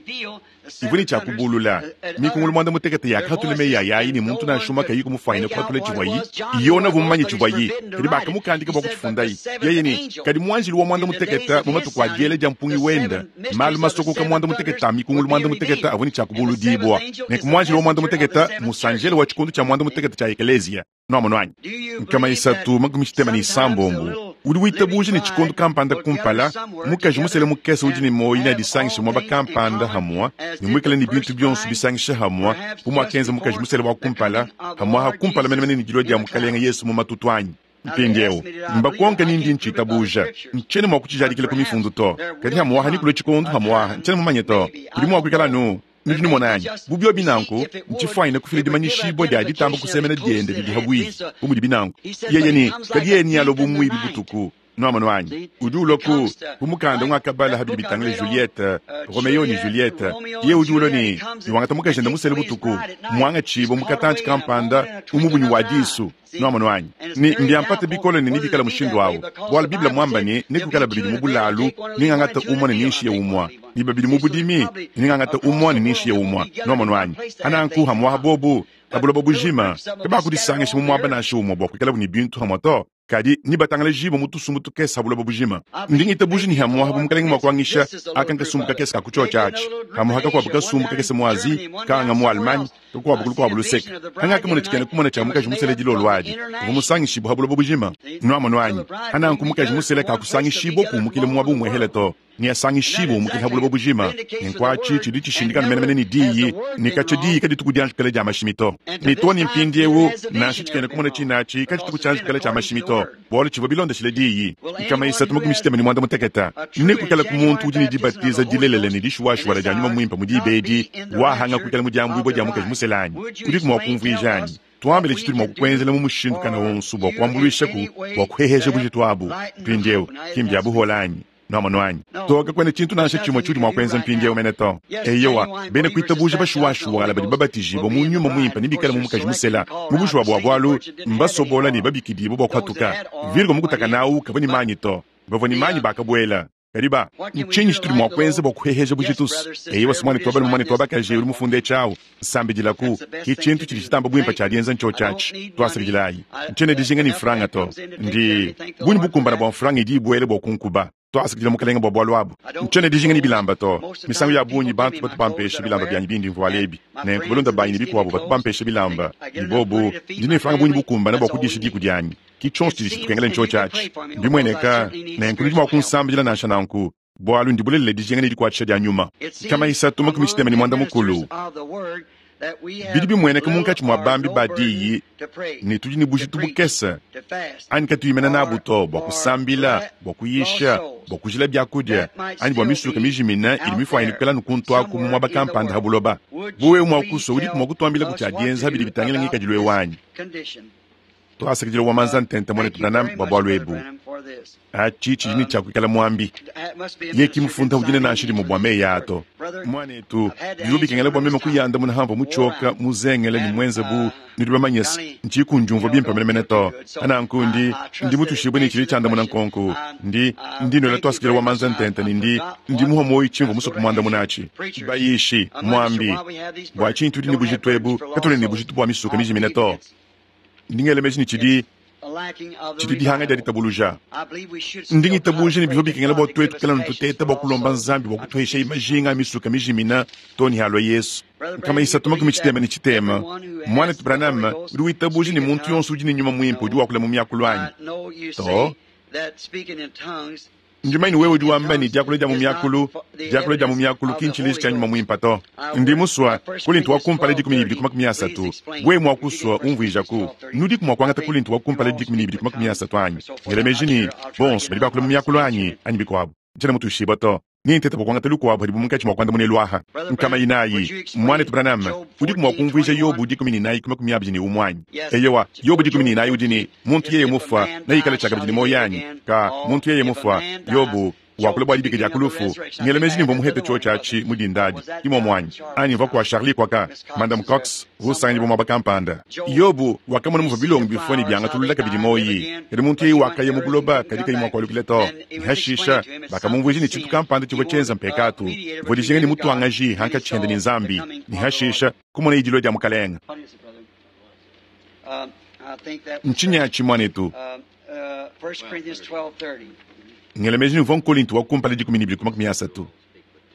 ivua ne tshia mikungulu mwanda muteketa yakahatula meyi ayayi ne muntu nansha umue kayi kumufwanyina kuhatula tshivuayi yona vua mumanye tshivuayi kadi bakamukandika bua kutshifundayi yeye ne kadi muanjelu wa mwanda muteketa mu matuku a diela dia mpungi wenda malu masokoka mwanda muteketa a mikungulu mwanda muteketa avua ne tshia kubuludibwa nenku muanjelu wa mwanda muteketa musanjele wa tshikondo tshia mwanda muteketa tshia ekeleziya noamono anyi nkama isatu makumi tshitema ne isambombo udi witabuja ne tshikondo kampanda kumpala mukaji musele mukese udi ne moyi ne adisangisha muaba kampanda hamwa ne muikale ne bintu bionso bisangisha hamwa bu muakenza mukaji musele wa kumpala hamwa ha kumpala menemene ne dilua dia mukalenga Yesu mu matutu anyi mpindieu mbakonka nindi ntshitabuja ntshene mua kutshijadikila ku mifundu to kadi hamwaha nikulue tshikondo hamwaha ntshene mumanye to kudi mua kuikala nu nudi numona anyi bubio binanku ntshifwanyine kufila dimanyishibwa dia ditamba kusemena diende didi habwihi bu mudi binanku yeye ni kadi yeye ni alo bumwibi butuku noamano anyi udi ulua ku ku mukanda ngwakabala habidi bitangile Juliette Romeo ni Juliette ye udi ulua ni niwangata mukajenda musele butuku mwangatshibwa mukatantshi kampanda umubunyi wa disu noamano anyi ni mbiampate bikole ne nibikala mushindu awu bwala biblia mwamba ni nikukala babidi mu bulalu ningangata umwa ne ninshiye umwa ni babidi mu budimi ningangata umwa ne ninshiye umwa noamano anyi ananku hamwaha bobu kabuloba bujima kabakudisangisha mu mwaba nansha umwa bua kuikala ni bintu hamwa to kadi ni batangala jibo mu tusumbu tukese habuloba bujima ndingita buji ni hamwaha bu mukalenge mua kuangisha aka nkasumbu kakese ka kutshotsha atshi hamuha kakuabu kasumbu kakese mu Asie kanga mu Allemagne kakuabu kulukuabu luseka hangaka mona tshikene kumona tshia mukaji musele dilolo adi uvua musangishibwa habuloba bujima nuamono anyi hananku mukaji musele kakusangishibwa kumukile muaba umwehele to ni asangishibwa umukile habuloba bujima nenkuatshi tshidi tshishindikana menemene ni diyi ni katshia diyi kadituku dianjukele dia mashimi to ni to ni mpindiewu nansha tshikene kumona tshinatshi katshituku tshianjukele tshia mashimi to bwalu tshivua bilondeshile diyi nkama isatu makumi tshitema ne mwanda muteketa nekukala ku muntu udi ne dibatiza dilelele ne dishuwashuwala dia nyuma muimpe mu dibedi wahanga kuikala mu diambuibwa dia mukaji muselanyi udiku mua kumvuija anyi tuambile tshitudi mua kukuenzela mu mushindu kana wonso bua kuambuluishaku bua kuheheja bujitu abu mpindiewu kimbi abuhola anyi noamano anyi toka kwene tshintu nansha tshimue tshiudi mua kuenza mpindiewu mene to eyowa bena kuitabuja bashuwashuwala badi babatijibwa mu nyuma muimpe ne bikale mu mukaji musela mu bushuwa bua bwalu mbasobola ne babikidibwa bua kuhatuka virgo mukutaka nawu kavua ne manyi to bavua ne manyi bakabuela kadi ba ntshinyi tshitudi mua kuenza bua kuheheja bujitusu eyowa simwane tuabale mumane tuabakaje uli mufunde tshiawu nsambidilaku ki tshintu tshidi tshitamba buimpe tshia dienza ntsho tshiatshi tuasakidilayi ntshiene dijinga ni mfranga to ndi bunyi bukumbana bua mfranga idi ibuele bua kunkuba tuasakidila mukalenge bua bualu abu ntshiene dijinga ni bilamba to misangu ya bungi bantu batu bampesha bilamba byanyi bindi mvuala ebi nenku balonda banyi ne bikuabu batu bampesha bilamba ni bobu ndi ne mfranga bunyi bukumbana bua kudisha diku dianyi ki tshionso tshidi tshitukengela ntsho tshiatshi mbimueneka nenku nudi mua kunsambidila nansha nanku bualu ndi bulelela dijinga ne dikuatshisha dia nyuma kama isatu makumi tshitema ne mwanda mukulu bidi bimueneka munkatshi mua bambi ba diyi ne tudi ne bujitu bukese anyi katuyimena nabu to bua kusambila bua kuyisha bua kujila biakudia anyi bua misuka mijimina idi mifuanyine kuikala nukuntu aku mu muaba kampanda ha buloba bu wewe mua kusua udiku mua kutuambila ku tshia dienza bidi bitangila ngikadilu ewanyi tuasakidila wa manza ntente mwane Branham bua bualu ebu. Achi tshidi ne tshia kuikala muambi. Ye kimufunda udi nansha dimue bua meyi ato. Mwanetu, bivua bikengela bua meme kuyandamuna hamvua mutshioka muzengele ne muenze bu nudi bamanye se ntshiku ndiumvua bimpe menemene to. Ananku ndi ndi mutushibue ne tshidi tshiandamuna nkonku. Ndi ndi nwela twasikila wa manza ntenta ne ndi ndi muha moyo tshimvua musue kumuandamuna atshi. Bayishi, muambi, bua tshinyi tudi ne bujitu ebu katuena ne bujitu bua misuka mijimine to. Ndi ngela meji ne tshidi tshidi dihanga dia ditabuluja. Ndi ngitabuja ne bivua bikengela bua tuetu kala ntuteta bua kulomba Nzambi bua kutuhesha majinga a misuka mijimina to ne halua Yesu. Nkama isatu makumi tshitema ne tshitema. Mwanetu Branham udi witabuja ne muntu yonso udi ne nyuma mwimpe udi wakula mu miakulu anyi? To. Ndi wewe udi wamba ne diakula dia mu miakulu, diakula dia mu miakulu ki ntshileji tshia nyuma mwimpe to. Ndi musua Kolinto wa kumpala dikumi ne ibidi ku makumi asatu. Wewe mua kusua umvuijaku. Nudiku mua kuangata Kolinto wa kumpala dikumi ne ibidi ku makumi asatu anyi? Ngela meji ne bonso badi bakula mu miakulu anyi anyi bikuabu. Ntshiena mutuishibue to. Nintete bua kuangata lukuabu hadibu munkatshi mua kuandamuna eluaha. Nkama inayi, mwanetu Branham, udiku mua kumvuija Yobu dikumi ne inayi ku makumi abidi ne umue anyi? Eyowa, Yobu dikumi ne inayi udi ne muntu yeye mufua nayikala tshiakabidi ne moyo anyi? Ka muntu yeye mufua, Yobu wakula bua dibika dia kulufu. Ngela meji ne mvua muhete tshio tshiatshi mu dindadi imue muanyi anyi mvua kua Charlie kwaka Madam Cox usanganyibua muaba kampanda. Yobu wakamona muvua bilongo bifua ne biangatulula kabidi moyi. Kadi muntu yeye wakaya mu buloba kadi kayi mua kualukila to. Hashisha bakamumvuija ne tshintu kampanda tshivua tshienza mpekatu. Mvua dijinga ne mutuangaji hankatshi hende ne Nzambi. Ne hashisha kumona idilo dia mukalenga. Ntshinyi atshi mwanetu? Ngela meji ne mvua Nkolinto wa kumpala dikumi ne ibidi ku makumi asatu.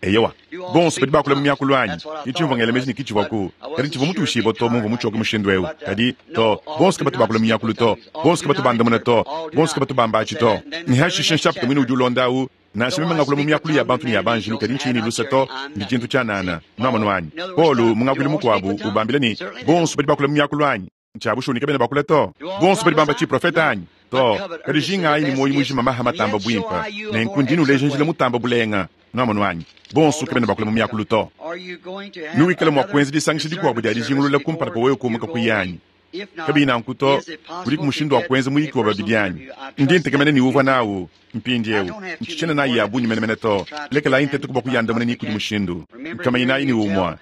Eyowa, bonso badi bakula mu miakulu anyi? Kitshimvua ngela meji ne kitshivuaku. Kadi tshivua mutuishibue to mumvua mutshioke mushindu eu. Kadi to, bonso kabatu bakula mu miakulu to. Bonso kabatu bandamuna to. Bonso kabatu bamba atshi to. Ne hashisha nshapita mwine udi ulonda awu. Nansha meme ngakula mu miakulu ya bantu ne ya banjilu kadi ntshinyi ne lusa to, ndi tshintu tshianana. Nuamonu anyi? Paulo mu ngakuilu mukuabu ubambila ne bonso badi bakula mu miakulu anyi? Ntshiabu shoni kabena bakula to. Bonso badi bamba tshiprofeta anyi? To. Kadi jingayi ne moyo mujima maha matamba bwimpa. Nenku ndi nuleja njila mutamba bulenga. Nuamonu anyi? Bonso kabena bakula mu miakulu to. Nuwikala mua kuenza disangisha dikuabu dia dijingulula kumpala kwa wewe kumuka kuyanyi. Kabi nanku to, kudi mushindu wa kuenza muyiki wa babidi anyi. Ndi ntekemena ne uvua nawu mpindiewu. Ntshitshena nayi ya bungi menemene to. Lekelayi ntete kuba kuyandamuna ni kudi mushindu. Nkama inayi ni umua.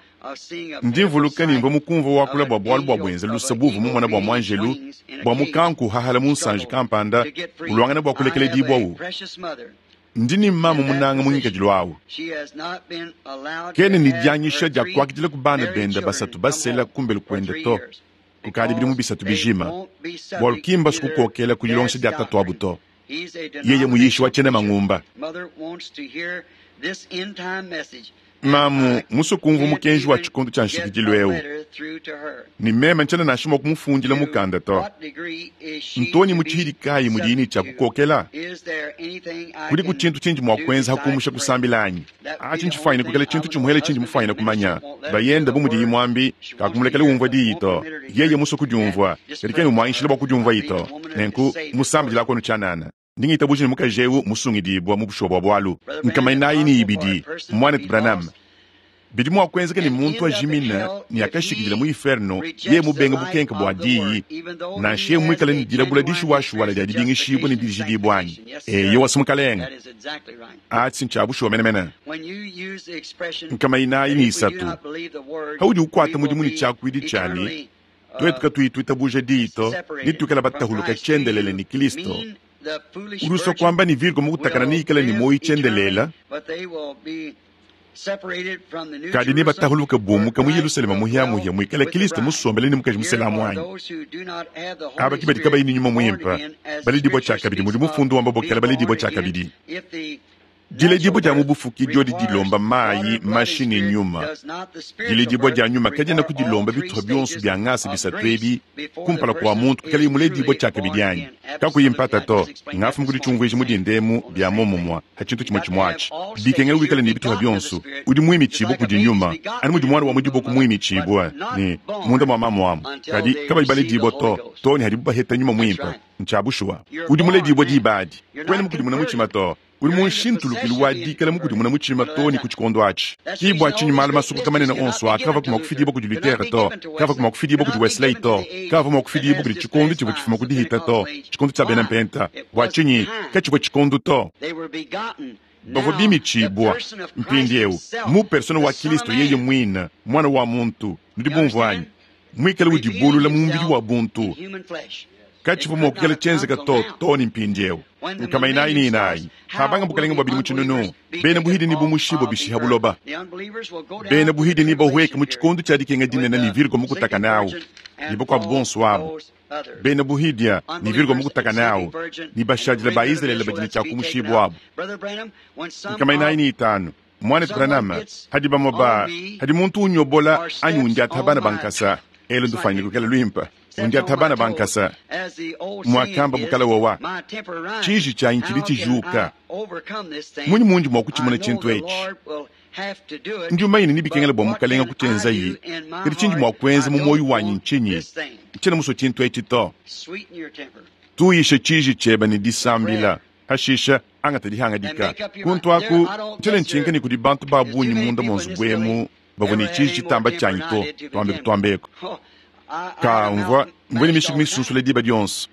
Ndi mvuluka ne mvua mukumvua wakula bua bualu bua buenza lusa buvu mumona bua muanjelu bua mukanku hahala mu nsanji kampanda ulwangana bua kulekela dibwawu. Ndi ne mama munanga munyikadilu awu. Kene ne dianyisha dia kuakidila ku bana benda basatu basela kumbelu kuenda to. Kukadi bidi mu bisatu bijima. Bualu kimba sukukokela ku dilongesha dia tatu abu to. Yeye muyishi wa tshiena mangumba. Mamu musue kumvua mukenji wa tshikondo tshia nshikidilu eu. Ne meme ntshiena nansha mua kumufundila mukanda to. Ntoni mu tshihidi kayi mudiyi ne tshia kukokela? Kudi ku tshintu tshindi mua kuenza hakumusha kusambila anyi? Atshi ntshifanyine kukela tshintu tshimuhele tshindi mufanyine kumanya. Bayenda bu mudiyi muambi, kakumulekela umvua diyi to. Yeye musue kudiumvua, kadi kena umuanyishila bua kudiumvua to. Nenku musambidila kono tshianana. Ndi ngitabuja ne mukaji eu musungidibua mu bushuwa bua bualu. Nkama inayi ne ibidi, mwanetu Branham. Bidi mua kuenzeka ne muntu ajimina ne akashikidila mu inferno ye mubenga bukenka bua diyi nansha ye muikale ne dilabula dishuwashuwala dia dibingishibua ne dijidibua anyi. Eyowa simukalenga. Atshi ntshia bushuwa menemene. Nkama inayi ne isatu. Haudi ukuata mudimu ne tshiakuidi tshiani, tuetu katuyi tuitabuja diyi to, ne tuikala batahuluka tshiendelele ne Kristo. Udi kwamba ni virgo mukutakana ni ikala ni moyo tshiendelela. Kadi ne batahuluka bumuka mu Yerusalema muhiamuhia muikale Kristo musombele ne mukaji muselamu anyi. Aba ki badi kabayi ne nyuma muimpe, baledibua tshiakabidi mudi mufundu wamba bokela baledibua tshiakabidi. Diledibua dia mu bufuki diodi dilomba mayi, mashi ne nyuma. Diledibua dia nyuma kadiena kudilomba bituha bionso bia ngasa bisatu ebi kumpala kua muntu kukala muledibua tshiakabidi anyi. Kakuyi mpata to, ngafu mukudi tshiumvuija mu dindemu bia momumua ha tshintu tshimue tshimue atshi. Bikengela wikale ne bituha bionso, udi muimitshibua kudi nyuma, ani mudi mwana wa mudibo kumuimitshibua ne munda mua mamu amu. Kadi kabayi baledibua to, to ne hadibu baheta nyuma muimpe. Ntshiabushuwa. Udi muledibua diba adi. Kwena mukudimuna mutshima to. Uli mu nshintulukilu wa dikala mukudimuna mutshima to ne ku tshikondo atshi. Ki bua tshinyi malu masukuka manene onso akavua mua kufidibua kudi Luther to, kavua mua kufidibua kudi Wesley to, kavua mua kufidibua kudi tshikondo tshivua tshifuma ku dihita to, tshikondo tshia bena mpenta. Bua tshinyi katshivua tshikondo to? Bavua bimitshibua mpindieu mu persona wa Kristo yeye muine, mwana wa muntu. Nudi bumvua anyi? Muikale udibulula mu mubidi wa buntu. Katshivua mua kuikala tshienzeka to to ne mpindieu. Nkama inayi ne inayi habanga bukalenge bua bidimu tshinunu, bena buhidi ne bumushibua bishiha buloba. Bena buhidi ne bahueka mu tshikondo tshia dikenga dinene ne virgo mukutaka nawu ne bakuabu bonso abo. Bena buhidia ne virgo mukutaka nawu ne bashadila ba Israele badi ne tshia kumushibua abo. Nkama inayi ne itanu mwana Branham hadi bamwe ba hadi muntu unyobola anyi undiata bana bankasa elo ndufanyile kukela lwimpa undiata bana bankasa mwakamba bukala wawa tshiji tshanyi tshidi tshijuka munyi mundi mua kutshimuna tshintu etshi ndi umanyine nibikengela bua mukalenga kutshenzayi kadi tshindi mua kuenza mu moyo wanyi ntshinyi ntshiena musue tshintu etshi to tuyishe tshiji tshieba ne disambila hashisha angata dihangadika kuntu aku ntshiena ntshinka ne kudi bantu ba bungi munda mua nzubu emu bavua ne tshiji tshitamba tshianyi to tuambe kutuambeko ka mvua mvua ne mishiku misunsula diba dionso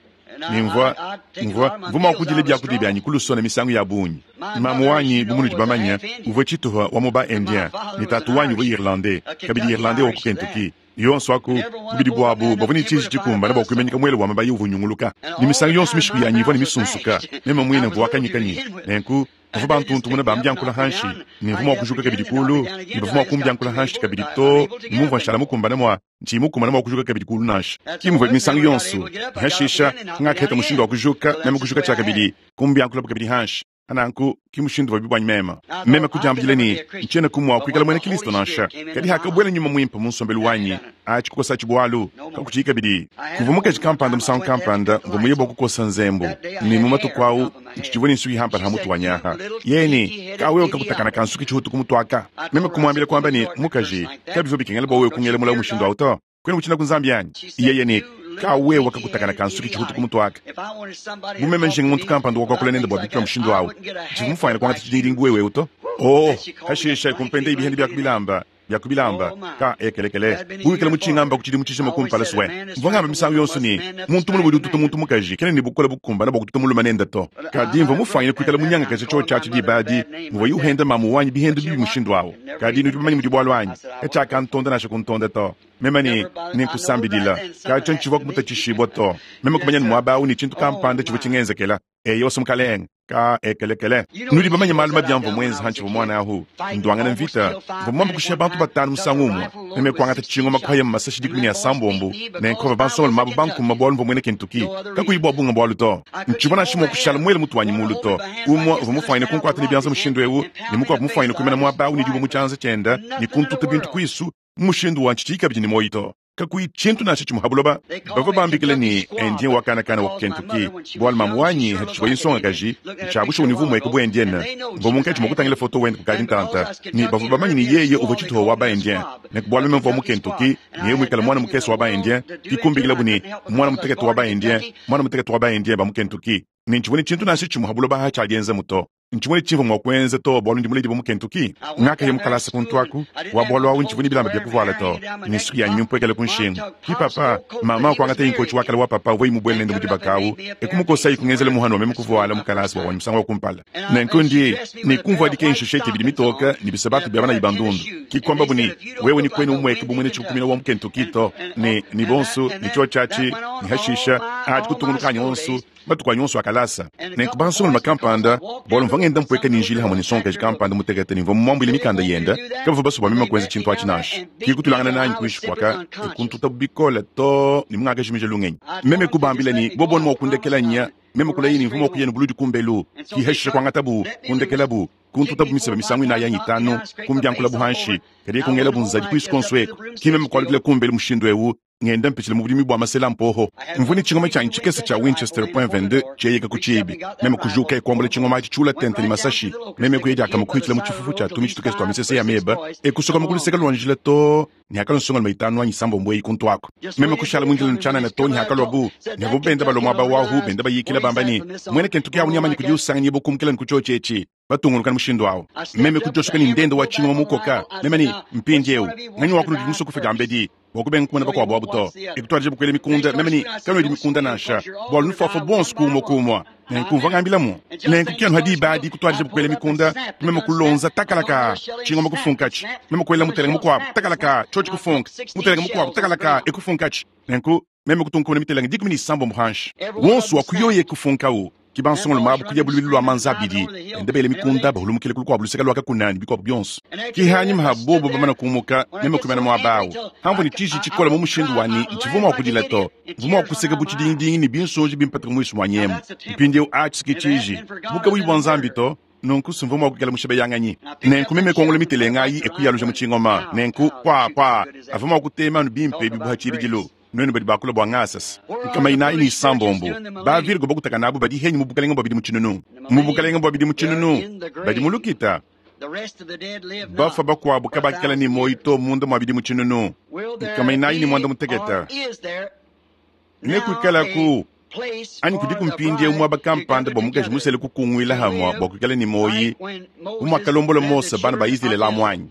ne mvua mvua mvua mua kudila biakudia bianyi kulusona misangu ya bungi. Mamu wanyi bu munudi bamanya uvua tshituha wa mu ba indien ne tatu wanyi uvua irlandais kabidi irlandais wa ku Kentucky. Yonso aku bubidi buabu bavua ne tshiji tshikumbana bua kuimanyika muele wa mabayi uvua unyunguluka ne misangu yonso mishiku yanyi ivua ne misunsuka meme muine mvua wakanyikanyi nenku bavua bantuntumuna bambiankula hanshi ne mvua mua kujuka kabidi kulu ne bavua mua kumbiankula hanshi kabidi to ne mumvua nshala mukumbana mua ntshiyi mukumbana mua kujuka kabidi kulu nansha ki muvua misangu yonso hashisha ngakaheta mushindu wa kujuka meme kujuka tshia kabidi kumbiankula kabidi hanshi ananku ki mushindu wa bibwanyi mema meme kudiambila ne ntshiena kumua kuikala muena Kristo nansha kadi hakabuela nyuma muimpe mu nsombelu wanyi atshi kukosa tshibualu kakutshiyi kabidi kuvua mukaji kampanda musangu kampanda mvua muye bua kukosa nzembu ne mu matuku awu ntshitshivua ne nsuki hampala ha mutu wanyi aha yeni kawewe kakutakana kansuki tshihutu kumutuaka meme kumuambila kuamba ne mukaji kabivua bikengela bua wewe kungela mulawu mushindu awu to kwena kuchina kunzambi yanyi iyeye ne kawewe kakutakana kansuki tshihutu kumutuaka bumeme nshinga muntu kampanda wakwakula nende bua bikila mushindu awu tshivua mufuanyile kuangata tshidingidingi wewewu to oh hashisha kumpenda ibihende byakubilamba byakubilamba ka ekelekele buikala mutshingamba ku tshidimu tshijima kumpala sue mvua ngamba misangu yonso ne muntu mulume udi ututa muntu mukaji kena ne bukole bukumbana bua kututa mulume nende to kadi mvua mufuanyile kuikala munyangakaja tshio tshiatshi diba adi mvua yuhenda mamu wanyi bihendo bibi mushindu awu kadi nudi bamanye mudi bualu anyi katshiakantonda nansha kuntonda to meme ne nenkusambidila katsho ntshivua kumutatshishibua to meme kumanya ne muaba awu ne tshintu kampanda tshivua tshingenzekela eyo mukalenga ka ekelekele nudi bamanye malu mabi amvua muenza hantshivua mwana ahu nduangana mvita mvua muambe kushiya bantu batanu musangu umue meme kuangata tshingoma kuhaya mu masashi dikumi ne asambombo nenkova bansongalume abo bankuma bualu mvua muena Kentucky kakuyi bua bunga bualu to ntshivua nansha mua kushala muele mutu wanyi mulu to umue uvua mufuanyine kunkuata ne bianza mushindu ewu ne mukuabu mufuanyine kuimana muaba awu ne dibue mu tshianza tshienda ne kuntuta bintu kuisu mushindu wa ntshitshiyi kabidi ne moyi to kakuyi tshintu nansha tshimue ha buloba bavua bambikila ne indien wa kanakana wa ku Kentucky bualu mamu wanyi hatshivua insongakaji ntshiabusha univu mueke bu indienne mvua munkatshi mua kutangila foto wende kukadi ntanta ne bavua bamanye ne yeye uvua tshituha wa ba indien ne bualu meme mvua mu Kentucky ne yeye muikala mwana mukese wa ba indien kikumbikila bu ne mwana mutekete wa ba indien mwana mutekete wa ba indien ba mu Kentucky ne ntshivua ne tshintu nansha tshimue ha buloba ha tshiadienza to ntshimue tshivua mua kuenza to bualu ndi muledi bua mu Kentucky ngakaya mu kalasa kuntu aku wa bualu awu ntshivua ne bilamba bia kuvuala to ne nsuki yanyi mimpuekele ku nshingu ki papa mama kuangata inkochi wakala wa papa uvua imubuele nende mu dibaka awu ekumukosa ikungenzela muhanu wa meme kuvuala mu kalasa bua wanyi musangu wa kumpala nenku ndi ne kumvua dikensha shete bidi mitoka ne bisabatu bia bana ibandundu kikwamba bu ne wewe ni kwenu umweke bumwene tshikukumina wa mu Kentucky to ne ni bonso ni tshio tshiatshi ni hashisha adi kutunguluka onso matuku anyi onso akalasa nenku bansongalume kampanda bualu mvua ngenda mpueka ne njila hamwe ne nsongakaji kampanda mutekete ne mvua mumuambuile mikanda yenda kabavua basue bua meme kuenza tshintu atshi nansha kikutulangana nanyi kuinshi kuaka ekuntuta bikole to ne mungakajimija lungenyi meme kubambila ne boboni mua kundekela nya meme kulayi ne mvua mua kuya ne buludi kumbelu kiheshisha kuangatabu kundekelabu kuntutabu miseba misangu inayi yanyi itanu kumbiankulabu hanshi kadi kungelabu nzadi kuisu konso eku ki meme kualukila kumbelu mushindu ewu Ngenda mpitshila mu budimi bwa masela mpoho. Mvua ne tshingoma tshanyi tshikese tshia Winchester point vingt-deux tshieyeka ku tshiibi. Meme kujuka e kuambula tshingoma atshi tshiula tente ne masashi. Meme kuya diakama kuhitshila mu tshifufu tshia tumitshi tukese twa misese ya meba e kusoka mu kuluseka lwa njila to ne hakalua nsongalume itanu anyi isambombo eyi kuntu ako. Meme kushala mu njila ntshianana to ne hakalua bu ne havua benda balua muaba wahu benda bayikila bamba ne mwene Kentucky awu nyamanyi kudi usanganyibua kumukila ne ku tshiotshi etshi. Batunguluka mushindu awu. Meme kujosuka ne ndende wa tshingoma mukoka. Meme ne mpindiewu nganyi wa kunudi musokufa diambedi bua kubenga kumona bakuabu abu to. Ekutwadije bukwela mikunda meme ne kanwedi mikunda nansha bua lunufafa bonso kumwa kumwa. Nenku mvua ngambilamu. Nenku kianu hadi ibadi kutwadije bukwela mikunda meme kulonza takalaka tshingoma kufunkachi. Meme kwela mutelenga mukuabu takalaka tshiotshi kufunka. Mutelenga mukuabu takalaka ekufunkachi. Nenku meme kutunkumuna mitelenga dikumi ne isambombo hanshi. Wonso wa kuyoye kufunkawu. Kibansongolo mabu kuya bulubilu lwa manza abidi. Ende bele mikunda bahulumukile kulu kwabu luseka lwa kakunani bikwabu byonso. Kihanyi mha bobo bamana kumuka meme kumena mwabawu. Hamvu ni tshiji tshikola mu mushindu wani ntshivuma wa kudila to. Mvuma wa kuseka bu tshidingidingi ne binsonji bimpataka muisu mwa nyemu. Mpindiewu atshi tshiji. Buka buyi bwa nzambi to. Nunku sumvuma wa kukela mushebe yanganyi. Nenku meme kongolo mitelenga ayi ekuyaluja mu tshingoma. Nenku kwa kwa avuma wa kutema anu bimpe bibuha tshibidilu. Nwenu badi bakula bwa ngasas. Nkama inayi ni isambombo. Ba Virgo bakutaka nabo badi henyi mu bukalenga bwa bidi mu tshinunu. Mu bukalenga bwa bidi mu tshinunu. Badi mu lukita. Bafa bakuabu kabakala ni moyi to munda mwa bidi mu tshinunu. Nkama inayi ni mwanda muteketa. Nekuikala ku anyi kudi kumpindie muaba kampanda bwa mukaji musele kukungwila hamwa bwa kuikala ni moyi. Umwakalombola Mose bana ba Israele la mwanyi.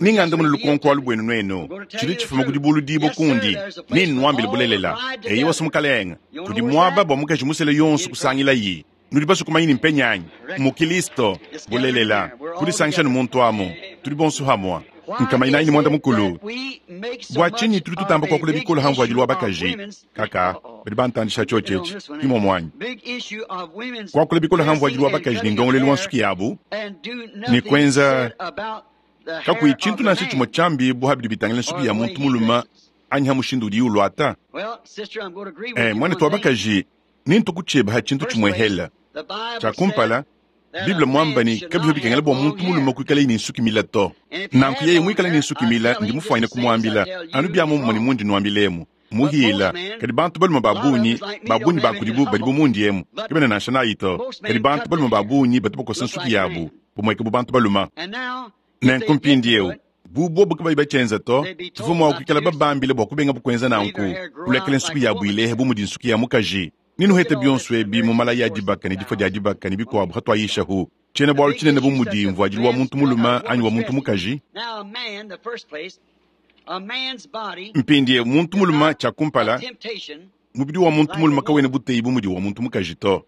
Ninganda muno lukonko alu bwenu nwenu. Tshidi tshifuma kudi bulu dibo kundi. Nini nwambile bulelela. Eyi wasu mukalenga. Kudi muaba bwa mukaji musele yonso kusangila yi. Nudi basu kumanyi mpenyanyi. Mukilisto bulelela. Kudisangisha ne muntu amu. Tudi bonso hamwa. Nkama inayi ni mwanda mukulu. Bwa tshinyi tudi tutamba kuakula bikolo hamvu adi lwa bakaji. Kaka, badi bantandisha tshiotshi imo mwanyi. Kuakula bikolo hamvu adi lwa bakaji ni ndongolelu wa nsuki yabu. Ni kwenza kakuyi tshintu nansha tshimue tshiambi bu bidi bitangila nsuki ya muntu muluma anyi ha mushindu udi ulwata. Eh, mwana twa bakaji nintu kutshieba ha tshintu tshimue hela. Tshia kumpala Bible mwamba ni kabivyo bikengela bwa muntu muluma kuikala ni nsuki mila to. Nanku yeye mwikala ni nsuki mila ndi mufuanyine kumwambila anu bya mummo ni mundi nwambilemu. Muhila kadi bantu baluma babunyi babunyi bakudibu badi bumundi emu kibena nansha nayi to. Kadi bantu baluma babunyi batu bakosa nsuki yabu bumweke bu bantu baluma. Nenku mpindiewu bubobo kabayi bachenza to tuvua mua kuikala babambile bua kubenga bukwenza nanku kulekela nsuki yabu ilehe bu mudi nsuki ya mukaji. Ninuhete byonso ebi mu malaya ya dibaka ne difua dia dibaka ne bikuabu hatwayishahu. Tshiena bualu tshinene bu mudi mvuadilu wa muntu muluma anyi wa muntu mukaji. Mpindie muntu muluma tshia kumpala mubidi wa muntu muluma kawena buteyi bu mudi wa muntu mukaji to.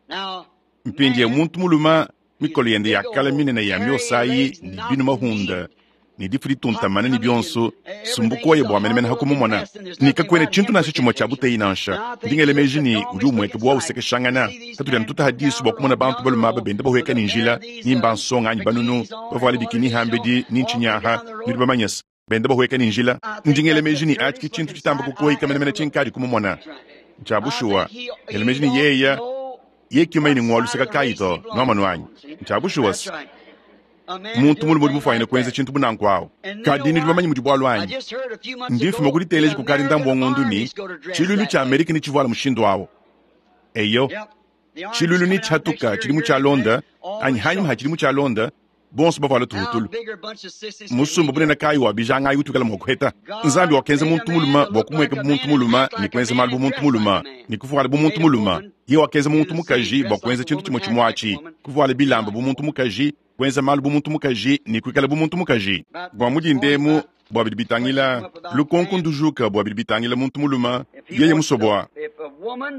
Mpindie muntu muluma mikolo yende ya kala minene ya miosayi ne binu mahunda ne difu dituntamana ne bionso sumbukoye bwa menemene hakumumona. Nikakwene tshintu nansha tshimue tshia buteyi nansha. Ndingele meji ni udi umweke bwa usekeshangana. Tatudi anu tutahadisu bwa kumona bantu baluma aba benda bahweka ni njila, ni mbansonga anyi banunu, bavuale bikini hambedi ni ntshinyaha, nudi bamanyasa. Benda bahweka ni njila. Ndingele meji ni atshi tshintu tshitamba kukoyika menemene tshinkadi kumumona. Tshia bushuwa, ngele meji ni yeya, yekiuma ini ng'waluseka kayi to, nwamanu anyi. Tshia bushuwa se. Muntu mulume udi mufuanyine kuenza tshintu bunanku awu. Kadi nudi bamanyi mudi bualu anyi. Ndifuma kuditeleja kukadi ndambu wa ng'ondu ni tshilulu tshia Amerika ni tshivuala mushindu awu. Eyo, tshilulu ni tshatuka tshidi mu tshialonda, anyi hanyima ha tshidi mu tshialonda, bonso bavuala tuhutulu. Musumba bunene kayi wa bijanga ayi utukala mua kuheta. Nzambi wakenza muntu muluma bua kumweka bu muntu muluma ne kuenza malu bu muntu muluma ne kuvuala bu muntu muluma. Ye wakenza muntu mukaji bua kuenza tshintu tshimue tshimue atshi, kuvuala bilamba bu muntu mukaji, kuenza malu bu muntu mukaji ne kuikala bu muntu mukaji. Bua mudi ndemu bua bidi bitangila lukonko ndujuka bua bidi bitangila muntu muluma yeye musobwa.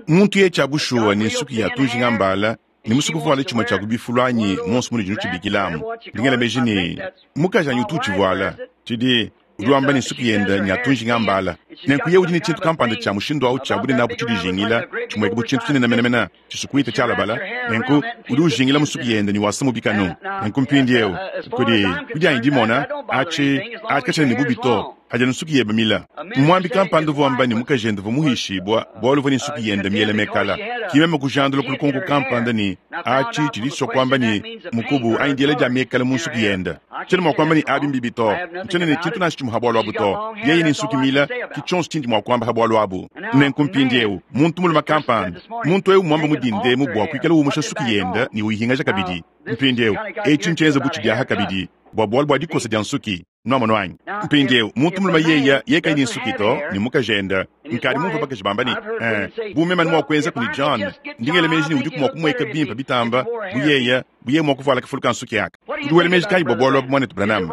Muntu ye tshia bushuwa ne nsuki ya tujinga mbala ni musuku vuala tshimue tshia kubifulu anyi monso mudi dinu tshibikilamu. Ndingela meji ni mukaji anyi utu utshivuala tshidi udi wamba ni nsuki yende ni atunjinga mbala. Nenku ye udi ne tshintu kampanda tshia mushindu awu tshia bunene abu tshidijingila tshimweke bu tshintu tshinene menemene tshisukuita tshialabala. Nenku udi ujingila musuki yende ni wasa mubikanu. Nenku mpindiewu kudi kudi anyi dimona atshi atshi katshina ne bubi to. Adi anu nsuki yebe mila. Mwambi kampanda uvua wamba ne mukajende uvua muhishibua bualu uvua ne nsuki yende miele mekala. Ki meme kujandula ku lukonko kampanda ne atshi tshidi tshisua kuamba ne mukubu anyi diela dia mekala mu nsuki yende. Tshiena mua kuamba ne abi mbibi to. Ntshiena ne tshintu nansha tshimue ha bualu abu to. Yeye ne nsuki mila ki tshionso tshindi mua kuamba ha bualu abu. Nenku mpindiewu muntu mulume kampanda, muntu ewu muamba mu dindemu bua kuikala umusha nsuki yende ne uyihingaja kabidi. Mpindiewu etshi ntshienza bu tshidiaha kabidi bua bualu bua dikosa dia nsuki. Nwamonu anyi? Mpindiewu muntu mulume yeya yeye kayi ne nsuki to ne mukajende. Nkadi mumvue bakaji bamba ne, eh, bu meme mua kuenza kuni John, ndingele meji ne udiku mua kumueka bimpe bitamba bu yeya, bu yeye mua kuvuala kafulu ka nsuki aka. Udi wela meji kayi bua bualu abu mwanetu Branham?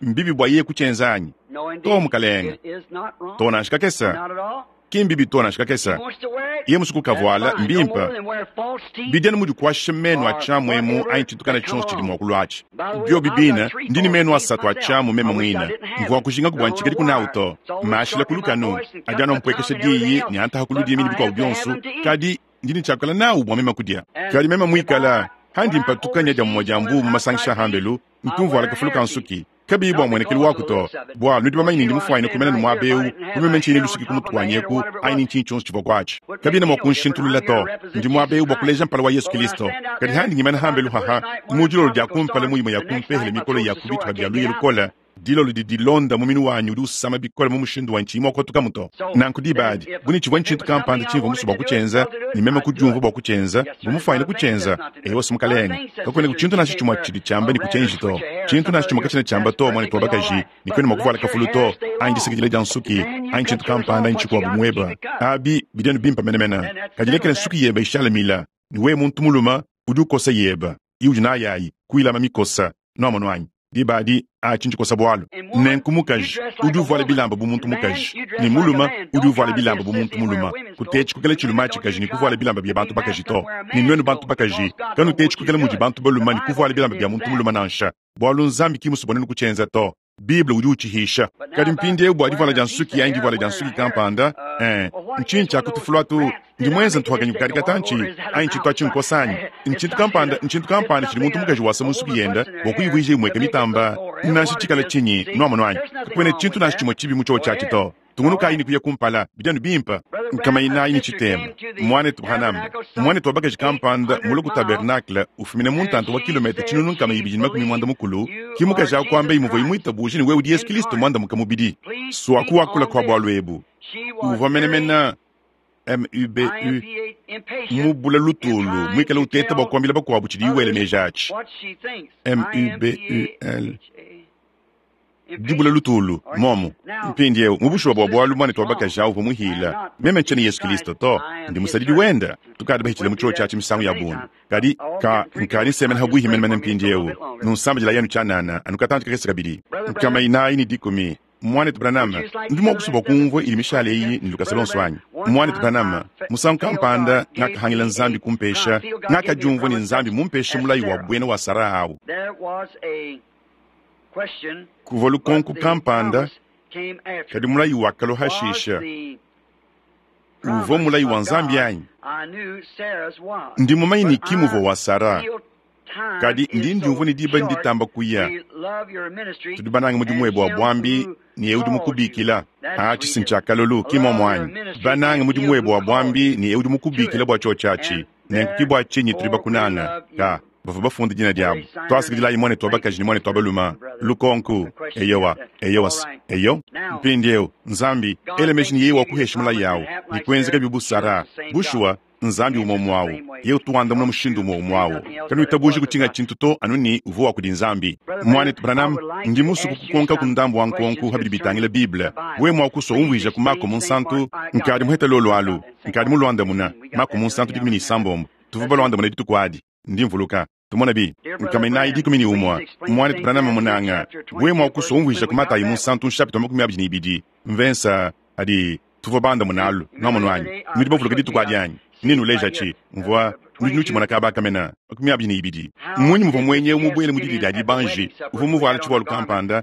Mbibi bua yeye kutshienza anyi? To mukalenge. To nansha kakesa. Ki mbibi to nansha kakesa. Ye musuku kavuala mbimpe. Bidi anu mudi kuasha menu a tshiamu emu anyi tshintu kana tshionso tshidi mua kulua atshi. Biobi bina, ndi ne menu asatu a tshiamu meme muine. Mvua kujinga kubua ntshikadi kunawu to. Mashila ku lukanu, adi anu ampuekesha diyi ne antaha ku ludimi ne bikuabu bionso, kadi ndi ne tshiakula nawu bua meme kudia. Kadi meme muikala, handi mpatuka nya dia mumue dia mbu mu masangisha a hambelu, ntumvuala kafulu ka nsuki. Kabiyi bua muenekelu waku to. Bua nudi bamanye ne ndi mufuanyine kumena ne muaba ewu, bu meme ntshiyi ne lusuki ku mutu wanyi eku, anyi ne ntshinyi tshionso tshivua kuatshi. Kabiena mua kunshintulula to. Ndi muaba ewu bua kuleja mpala wa Yesu Kristo. Kadi handi ngimana hambelu haha, mu dilolo dia kumpala mu imue ya kumpehele mikolo ya ku bitupa bia luya lukole, dilolo didi dilonda muminu wanyi udi usama bikole mu mushindu wa ntshiyi mua kuatukamu to. Nanku diba adi, bu ne tshivua ntshintu kampanda tshimvua musue bua kutshienza, ne meme kudiumvua bua kutshienza, bu mufuanyine kutshienza, ewa si mukalenge. Kakuena ku tshintu nansha tshimue tshidi tshiamba ne kutshienji to. Tshintu nansha tshimue katshiena tshiamba to, mwanetu wa bakaji, ne kuena mua kuvuala kafulu to, anyi disakidila dia nsuki, anyi tshintu kampanda anyi tshikuabu mueba. Abi bidi anu bimpe menemene. Kadi lekela nsuki yebe ishala mila, ne wewe muntu mulume udi ukosa yeba, iudi nayi ayi, kuyilama mikosa. Nwamonu anyi? Diba adi, atshi ntshikosa bualu. Nenku mukaji udi uvuala bilamba bu muntu mukaji, ne mulume udi uvuala bilamba bu muntu mulume. Kutetshi kukela tshilume atshikaji ne kuvuala bilamba bia bantu bakaji to. Ne nuenu bantu bakaji, kanutetshi kukela mudi bantu balume ne kuvuala bilamba bia muntu mulume nansha. Bualu Nzambi ki musue bua nuenu kutshienza to. Bible udi utshihisha. Kadi mpindiewu bua divuala dia nsuki anyi divuala dia nsuki kampanda, eh, ntshinyi tshia kutufulu atu? Ndi muenze ntuhakanyi kukadi katantshi, anyi tshintu atshi nkosa anyi? Ntshintu kampanda, ntshintu kampanda tshidi muntu mukaji wasa mu nsuki yende bua kuyivuija imueka mitamba, nansha tshikala tshinyi, nwamonu anyi? Kakuena tshintu nansha tshimue tshibi mu tshiotshi atshi to. Tungunukayi ne kuya kumpala, bidi anu bimpe. Nkama inayi ne tshitema. Mwanetu Branham, mwanetu wa bakaji kampanda mulue ku tabernacle ufumina mu ntanta wa kilomètre tshinunu nkama ibidi ne makumi muanda mukulu, ki mukaji awu kuamba imuvua imuitabuja ne wewe udi Yesu Kristo muandamuka mubidi. Swaku wakula kwa bualu ebu. Uvua menemene M U B U mubula lutulu muikale uteta bua kuambila bakuabu tshidi iwele meji atshi. M U B U L dibula lutulu momu. Mpindiewu mu bushuwa bua bualu mwanetu wa bakaji awu uvua muhila. Meme ntshiena Yesu Kristo to, ndi musadidi wenda. Tukadi bahitshile mu tshiotshi atshi misangu ya bungi. Kadi ka nkadi nsemena habuihi menemene mpindiewu. Nunsambidila yenu tshianana, anu katantshi kakese kabidi. Nkama inayi ne dikumi. Mwanetu Branham, ndi mua kusua bua kumvua ili mishale eyi ne lukasa lonso anyi? Mwanetu Branham, musangu kampanda ngakahangila Nzambi kumpesha, ngakadiumvua ne Nzambi mumpeshe mulayi wa buena wa Sara awu. Kuvua lukonko kampanda, kadi mulayi wakalua hashisha. Uvua mulayi wa Nzambi anyi? Ndi mumanye ne ki muvua wa Sara, kadi ndi ndiumvua ne diba nditamba kuya. Tudi banange mudimu webe wa buambi ne ewu udi mukubikila. Atshi si ntshia kalolu, ki momu anyi? Banange mudimu webe wa buambi ne ewu udi mukubikila bua tshiotshi atshi. Nenku ki bua tshinyi tudi bakunanga? Ka bavua bafunde dina diabu. Twasikidilayi mwanetu wa bakaji ne mwanetu wa balume. Lukonko, eyowa, eyowa, eyo. Mpindiewu, Nzambi, ela meji ne yeye wakuhesha mulayi awu, ne kuenzeka bibu Sara. Bushuwa, Nzambi umwe umwe awu. Yeye utuandamuna mushindu umwe umwe awu. Kanuitabuji kutshinga tshintu to anu ne uvua wa kudi Nzambi. Mwanetu Branham, ndi musue kukukonka ku ndambu wa nkonko habidi bitangila Bible. Wewe mua kusua umvuija ku Mako Munsantu, nkadi muheta lolo alu, nkadi muluandamuna. Mako Munsantu dikumi ne isambombo. Tuvua baluandamuna dituku adi. Ndi mvuluka. Tumona bi, nkama inayi dikumi ne umue. Mwanetu Branham munanga. Wewe mua kusua umvuija ku Matayi Munsantu nshapita makumi abidi ne ibidi. Mvensa adi tuvua bandamuna alu. Nwamonu anyi? Nudi bavuluka dituku adi anyi? Ninu leja tshi, mvua nudi nutshimona kaba kamena makumi abidi ne ibidi. Mmunyi muvua mwenye mubuele mu didi dia dibanji, uvua muvuala tshivualu kampanda,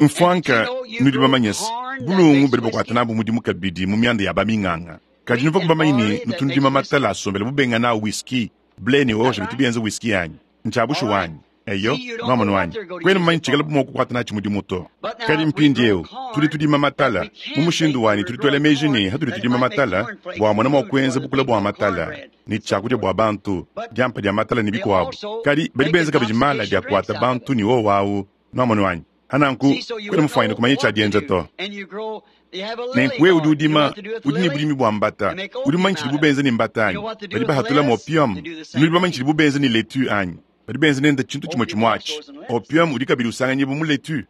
Mfwanka nudi bamanye se bulungu badi bakuata nabu mudimu kabidi mu mianda ya baminganga. Kadi nuvua bamanye ne nutu nudima matala asombela bubenga nawu whisky, ble ne orge bitu bienza whisky anyi? Ntshia bushuwa anyi? Eyo, nwamonu anyi? Kwena mumanye tshikala mua kukuata natshi mudimu to. Kadi mpindieu tudi tudima matala mu mushindu wanyi tudi tuela meji ne hatudi tudima matala bua mona mua kuenza bukula bua matala ne tshiakudia bua bantu, diampa dia matala ne bikuabu. Kadi badi benza kabidi mala dia kuata bantu ne wowawu, nwamonu anyi? Ananku kwena mufwanyine kumanya tshiadienza to. Nenku wewe udi udima, udi ne budimi bwa mbata, udi mumanye tshidibu benza ne mbata anyi? Badi bahatulamu opium. Nudi bamanye tshidibu benza ne laitue anyi? Badi benza nende tshintu tshimue tshimue atshi. Opium udi kabidi usanganyibua mu laitue.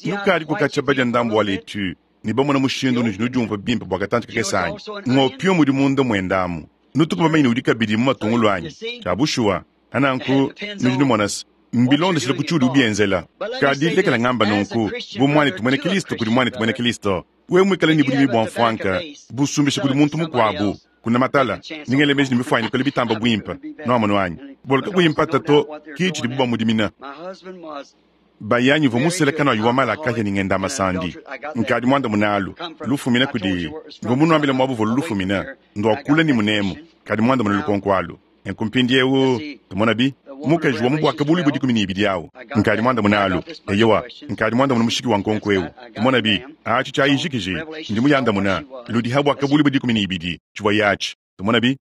Nukadi kukatshia badia ndambu wa laitue ne bamona mushindu unudi nudiumvua bimpe bua katantshi kakese anyi? Ng'opium udi munda muenda amu. Nutuku bamanye ne udi kabidi mu matungulu anyi? Tshia bushuwa. Ananku nudi numona se, mbilondeshile ku tshiudi ubienzela. Kadi lekela ngamba nunku, bu muanetu muena Kristo kudi muanetu muena Kristo, wewe muikale ne budimi bua mfuanka busumbisha kudi muntu mukuabu, kuna matala, ndingele meji ne mifuanyike kole bitamba buimpe. Nuamonu anyi? Bolu kakuyi mpata to, ki tshidibu bamudimina. Bayanyi uvua musele kanayi wa malakahya ne ngenda masandi. Nkadi muanda munalu, lufumina kudi, mvua munuambile muabu vua lufumina, ndua kula ne munemu, kadi muanda muna lukonko alu. Nenku mpindiewu, tumona bi, mukaji wa mu bwaka bulu budi dikumi ne ibidi awu. Nkadi muanda munalu, eyowa, nkadi muanda muna mushiki wa nkonko ewu. Tumona bi, atshi tshia ijikiji, ndi muyandamuna, ludi ha bwaka bulu budi dikumi ne ibidi, tshivua yatshi. Tumona bi,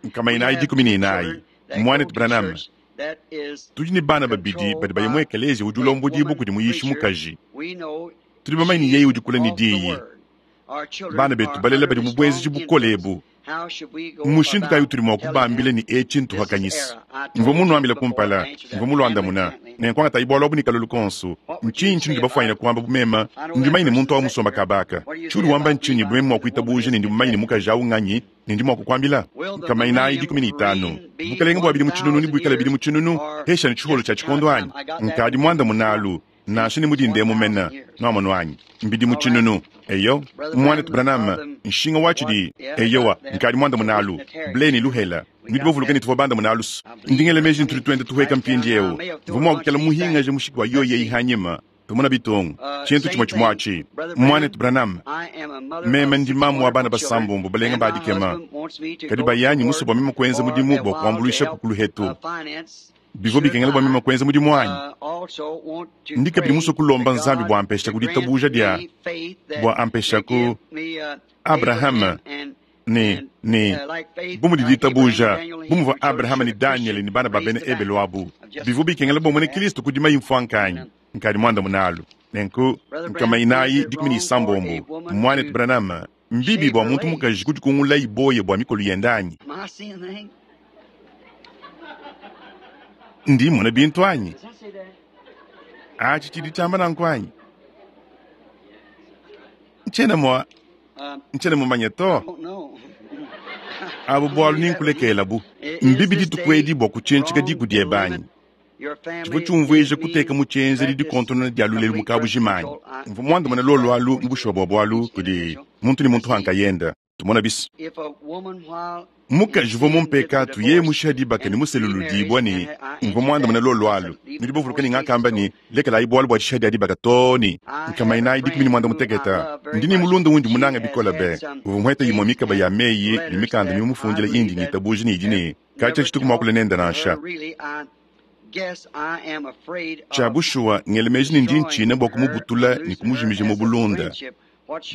nkama inayi dikumi ne inayi. Mwanetu Branham, tudi ne bana babidi badi baya mu ekelezia udi ulombodibua kudi muyishi mukaji. Tudi bamanye ne yeye udi kula ne diyi. Bana betu balela badi mu buenzeji bukole ebu. Mushindu kayi utudi mua kubambila ne etshi ntuhakanyisa? Mvua munuambile kumpala, mvua muluandamuna. Nenku angatayi bualu abu ne kalolu konso. Ntshinyi tshinudi bafuanyine kuamba bu meme ndi mumanye ne muntu awu musomba kabaka? Tshiudi wamba ntshinyi bu meme mua kuitabuja ne ndi mumanye ne mukaji awu nganyi ne ndi mua kukuambila? Nkama inayi dikumi ne itanu. Bukalenge bua bidimu tshinunu ne buikale bidimu tshinunu, hesha ne tshiholo tshia tshikondo anyi? Nkadi muandamunalu, nansha ne mudinde mumena, nuamonu anyi? Mbidimu tshinunu. Eyo, mwanetu Branham, nshinga wa tshidi, eyowa, nkadi muandamunalu, ble ne luhela. Nudi bavuluka ne tuvua bandamunalu. Ndingele meji ne tudi tuenda tuheka mpindiewu. Mvua mua kukela muhingaje mushiki wa yoyi eyi hanyima. Tumona bitungu, tshintu tshimue tshimue atshi. Mwanetu Branham, meme ndi mamu wa bana basambombo balenga badikema. Kadi bayanyi musue bua meme kuenza mudimu bua kuambuluisha kukulu hetu. Bivua bikengela bua meme kuenza mudimu wanyi. Ndi kabidi musue kulomba Nzambi bua ampesha ku ditabuja dia, bua ampesha ku Abraham ne, ne, bu mudi ditabuja, bu muvua Abraham ne Daniel ne bana ba bena Ebelu abu. Bivua bikengela bua muena Kristo kudima imfuanka anyi? Nkadi muandamunalu. Nenku, nkama inayi dikumi ne isambombo. Mwanetu Branham, mbibi bua muntu mukaji kudikungula iboye bua mikolo yende anyi? Ndi mmona bintu anyi? Atshi tshidi tshiamba nanku anyi? Ntshiena mua, ntshiena mumanye to. Abu bualu ninkulekela bu. Mbibi dituku edi bua kutshintsika diku diebe anyi? Tshivua tshiumvuija kuteka mu tshienzedi dikontonona dia lulelu mu kabujima anyi? Mvua muandamune lolu alu mu bushuwa bua bualu kudi muntu ne muntu hankayenda. Tumona bis. Mukaji uvua mu mpekatu yeye mushiha dibaka ne museluludibua ne mvua muandamune lolu alu. Nudi bavuluka ne ngakamba ne lekelayi bualu bua dishiha dia dibaka too ne nkama inayi dikumi ne muanda mutekete. Ndi ne mulunda wundi munanga bikole be. Uvua muhete imue mikaba ya meyi ne mikanda mimufundile indi ngitabuja ne idi ne katshia tshituku muakule nende nansha. Tshia bushuwa ngele meji ne ndi ntshina bua kumubutula ne kumujimija mu bulunda.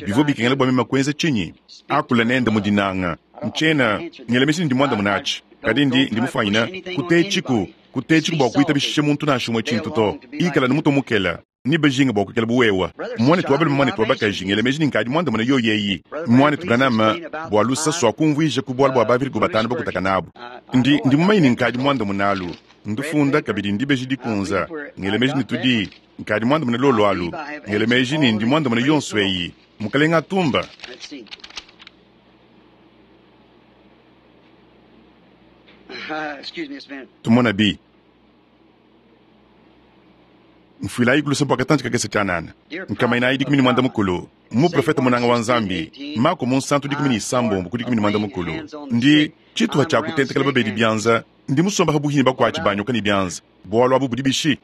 Bivua bikengela bua meme kuenza tshinyi? Akula nende mu dinanga. Ntshiena ngele meji ne ndi muandamunatshi. Kadi ndi, ndi mufuanyina kutetshiku, kutetshiku bua kuitabishisha muntu nansha umue tshintu to. Ikala ne mutu mukela, ni bajinga bua kuikala bu wewa. Mwanetu wa balume, mwanetu wa bakaji, ngele meji ne nkadi muandamuna yoyi eyi. Mwanetu Branham, bua lusa sua kumvuija ku bualu bua bavirigo batanu bakutaka nabu. Ndi, ndi mumanye ne nkadi muandamunalu. Ndufunda kabidi ndibeji dikunza. Ngele meji ne tudi, nkadi muandamuna lolu alu. Ngele meji ne ndi muandamuna yonso eyi. Mukalenga atumba. Tumona bi. Mfuilayi kulusa bua katantshi kakese tshianana. Nkama inayi dikumi ne muanda mukulu. Muprofeta munanga wa Nzambi, Mako munsantu dikumi ne isambombo ku dikumi ne muanda mukulu. Ndi tshituha tshia kutentekela babedi bianza, ndi musomba ha buhini bakuatshi banyoka ne bianza. Bualu abu budi bishi?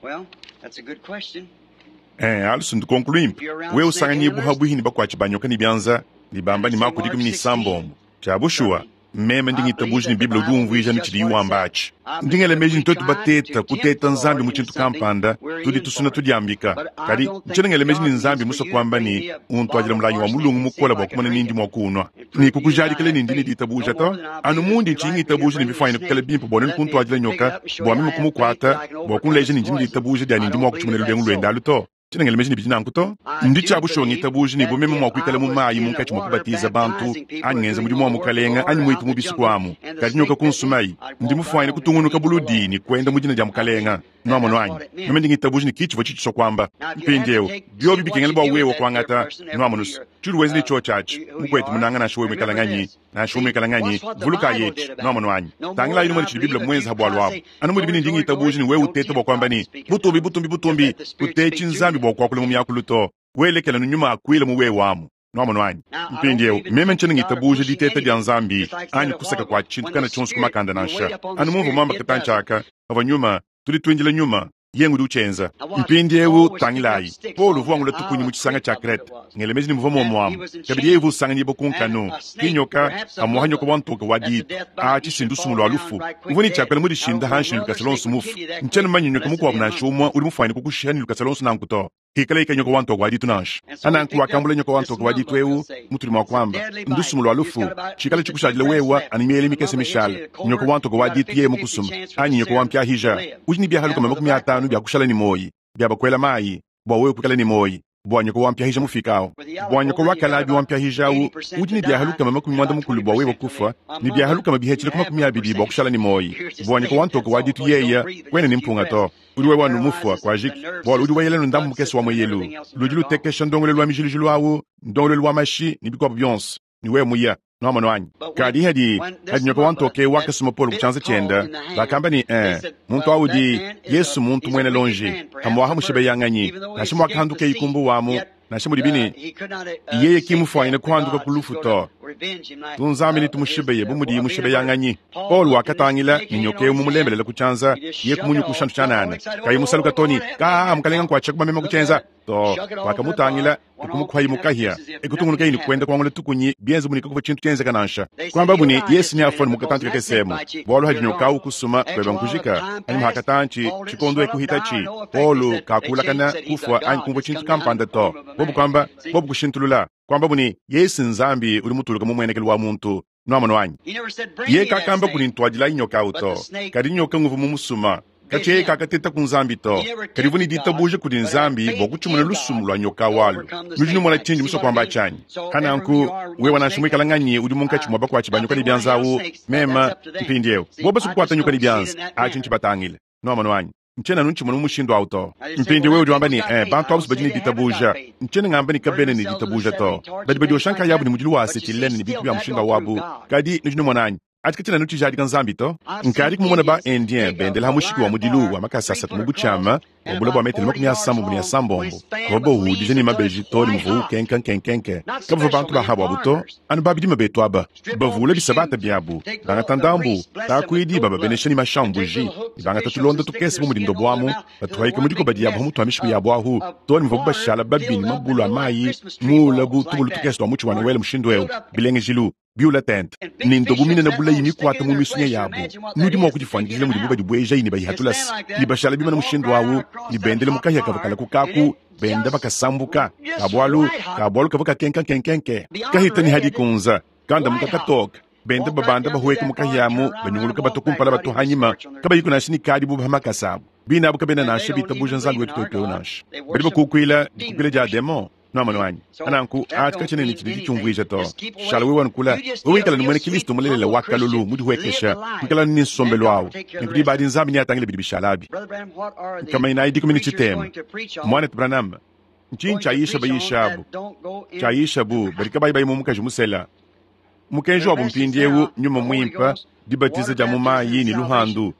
Eh, alu sundu konko luimpe. Wewe usanganyibu ha buhini bakuatshi banyoka ne bianza, ne bamba ne Mako dikumi ne isambombo. Tshia bushuwa, Meme ndi ngitabuja ne Bible udi umvuija ne tshidiye wamba atshi. Ndi ngela meji ne tuetu bateta kuteta Nzambi mu tshintu kampanda, tudi tusuna tudiambika. Kadi ntshiena ngela meji ne Nzambi musue kuamba ne untuadila mulangi wa mulungu mukole bua kumona ne ndi mua kuunua. Ne kukujadikila ne ndi ne ditabuja to. Anu mundi ntshiyi ngitabuja ne bifuanyine kukala bimpe bua nuenu kuntuadila nyoka bua meme kumukuata bua kunleja ne ndi ne ditabuja dia ne ndi mua kutshimuna lulengu luende alu to. Tshiena ngela meji ne bidi nanku to. Ndi tshia bushuwa ngitabuja ne bu meme mua kuikala mu mayi munkatshi mua kubatiza bantu anyi ngenza mudimu wa mukalenga anyi muitu mu bisuku amu. Kadi nyoka kunsumayi, ndi mufuanyine kutungunuka buludi ne kuenda mu dina dia mukalenga. Nuamono anyi? Meme ndi ngitabuja ne kitshivua tshitshisua kuamba. Mpindieu biobi bikengela bua wewe kuangata nuamono tshiudi wenza ne tshio tshiatshi. Mukwetu munanga nansha wewe muikala nganyi, nansha wewe muikala nganyi, vuluka yetshi. Nuamono anyi? Tangilayi numone tshidi Bible muenza bualu abu. Anu mudi bine ndi ngitabuja ne wewe uteta bua kuamba ne butumbi butumbi butumbi, kutetshi Nzambi bua kuakula mu miakulu to. Welekela no nyuma akuila mu wewe amu. Nuamono anyi? Mpindieu meme ntshiena ngitabuja diteta dia Nzambi anyi kusaka kua tshintu kana tshionso ku makanda nansha. Anu mumvua muamba katantshi aka, pavua nyuma, tudi tuindila nyuma yengu udi uchenza. Mpindieu tangilayi, Paul uvua wangula tukunyi mu tshisanga tshia Krete. Ngela meji ne muvua muomuamu. Kabidi yeye uvua usanganyibua ku nkanu. Kinyoka amuha nyoka wa ntoka wa ditu. Atshi ndusumu lua lufu. Uvua ne tshiakuela mu dishinda hanshi ne lukasa lonso mufu. Ntshiena mumanye nyoka mukuabu nansha umue udi mufuanyine kukushiha ne lukasa lonso nanku to. Hikala ika nyoka wa ntoka wa ditu nansha. Ananku wakambula nyoka wa ntoka wa ditu eu mutudi mua kuamba ndusumu lua lufu. Tshikala tshikushadila wewa anu miele mikese mishala. Nyoka wa ntoka wa ditu yeye mukusuma anyi nyoka wa mpiahija. Udi ne biahaluka makumi atanu bia kushala ne moyi, bia bakuela mayi bua wewe kuikala ne moyi. Bua nyoka wa mpiahija mufikao. Bua nyoka wa kalabi wa mpiahija au udi ne biahaluka makumi mwanda mukulu bua wewe kufa, ne biahaluka mabihechile ku makumi abidi bua kushala ne moyi. Bua nyoka wa ntoka wa ditu yeya kwene ne mpunga to. Udi wewe wanu mufua kwa jiki. Bua udi weyela ndambu mukese wa mweyelu. Ludi lutekesha ndongolelu wa mijilujilu awu, ndongolelu wa mashi ne bikuabu bionso. Ni wewe muya. Nuamono anyi? Kadi hadi hadi nyoka wa ntoke wakasuma Paul ku tshianza tshienda, bakamba ne eh, muntu awudi Yesu muntu mwene lonji, amuaha mushibeyanganyi, nansha mwakahanduka ikumbu wamu, nansha mudi bine yeye kimufuanyine kuhanduka ku lufu to. Tunzambi ne tumushibeye bu mudi mushibeyanganyi. Paul wakatangila ne nyoka eu mumulembelela ku tshianza, ye kumunyukusha ntshanana. Kayi musaluka toni, ka mukalenga nkuatsha kumamema ku tshianza. To wakamutangila kumukhwayi mukahia ekutungunuka ini kwenda kuangula tukunyi bienze munika kuva tshintu tshienzeka nansha. Kwamba buni Yesu ni afoni mukatanti kakesemo. Bwalu hadi nyoka u kusuma kweba nkujika anyi muhakatanchi chikondo ekuhitachi. Paul kakulakana kufwa anyi kumva tshintu kampanda to. Bobu kwamba bobu kushintulula. Kwamba buni Yesu Nzambi uli mutuluka mu mwenekelo wa muntu. Nuamono anyi? Ye kakamba kuni ntwadila nyoka uto. Kadi nyoka nguvu mu musuma. Kache kakateta ku Nzambi to. Kadi vuni ditabuja kudi Nzambi bua kutshimuna lusumu lua nyoka walu. Nudi numona tshindi musua kuamba tshianyi. Hananku wewe nansha muikala nganyi udi munkatshi mua bakuatshi ba nyoka ne bianza awu mema mpindieu. Bo basu kukuata nyoka ne bianza atshi ntshibatangile. Nuamono anyi? Ntshiena ntshimona mu mushindu awu to. Mpindieu wewe udi wamba ne eh, bantu abu badi ne ditabuja. Ntshiena ngamba ne kabena ne ditabuja to. Badi badiosha nkayabu ne mudilu wa asetilene ne bintu bia mushindu wabu. Kadi nudi numona anyi? Atika tshina nutshijadika Nzambi to. Nkadi kumumona ba Indien bendela ha mushiki wa mudilu wa makasa asatu mu butshiama wa bula bua metelo makumi asambombo ne asambombo. Kobo hudija ne mabeji to ne muvu kenka nkenkenke. Kabavua bantu bahabu abu to, anu babidima betu aba. Bavula bisabata biabu, bangata ndambu, takuidi bababenesha ne mashambuji, bangata tulonda tukese bu mudindo buamu, batuhaika mudikoba diabu ha mutu wa mishiku yabu ahu, to ne muvu bashala babini mabulu a mayi, mula bu tubulu tukese twa mutshi wa Noel mushindu eu, bilengejilu. Biula tente ni ndobu minene bulayi mikwata mu misunya yabu. Nudi mua kudifuanyikijila mudi bubadi bueja ini bayihatulasi. Ni bashala bimana mushindu awu, ni bendele mukahia kavakala kukaku, benda bakasambuka. Kabualu, kabualu kava kakenka kenkenke. Kahita ni hadi kunza, kanda mukakatoka. Benda babanda bahueka mukahiamu, banyunguluka batukumpala batuhanyima, kabayiku nansha ni kadi bu bamakasa abu. Bina abu kabena nansha bitabuja Nzambi wetu twetu nansha. Badi bakukuila dikukila dia demon. Nuamono anyi? Ananku atika tshine ne tshidi tshumvuija to. Shala wewe wankula, wewe wikala ni mwene Kristo mulelela wa kalulu mudi huekesha, wikala ni nsombelo awu. Nikudi badi Nzambi ni atangile bidi bishalabi. Kama ina idi kumini chitema. Mwana Branham, ntshinyi tshiayisha bayisha abu. Tshiayisha bu badi kabayi bayi mu mukaji musela. Mukenji wa bumpindiewu nyuma muimpa dibatiza dia mu mayi ne luhandu.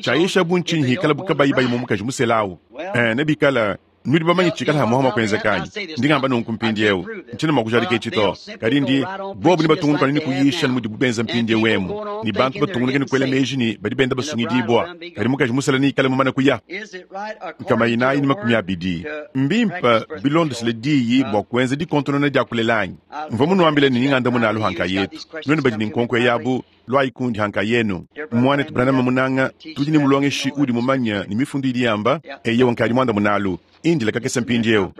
Tshiayisha bu ntshinyi hikala bu kabayi bayi mu mukaji musela awu. Eh, nebikala Nudi bamanye tshikala hamuhama kwenzekanyi ndingamba nunku mpindiewu ntshiena mua kujadika etshi to kadi ndi bobu ne batungunuka ne kuyisha ne mudibu benza mpindiewu emu ne bantu batungunuke ne kuela meji ne badi benda basungidibua kadi mukaji musela neikale mumane kuya nkama inayi ne makumi abidi mbimpa bilondeshile diyi bua kuenza dikontonona dia kulelanyi mvua munuambile ne ninganda munalu hanka yetu nuenu badi ne nkonko yabu lwayi kundi hanka yenu mwanetu Branham munanga tudi ne mulongeshi udi mumanya ne mifundu idi yamba eyewa nkadi muanda munalu indila kakese mpindiewu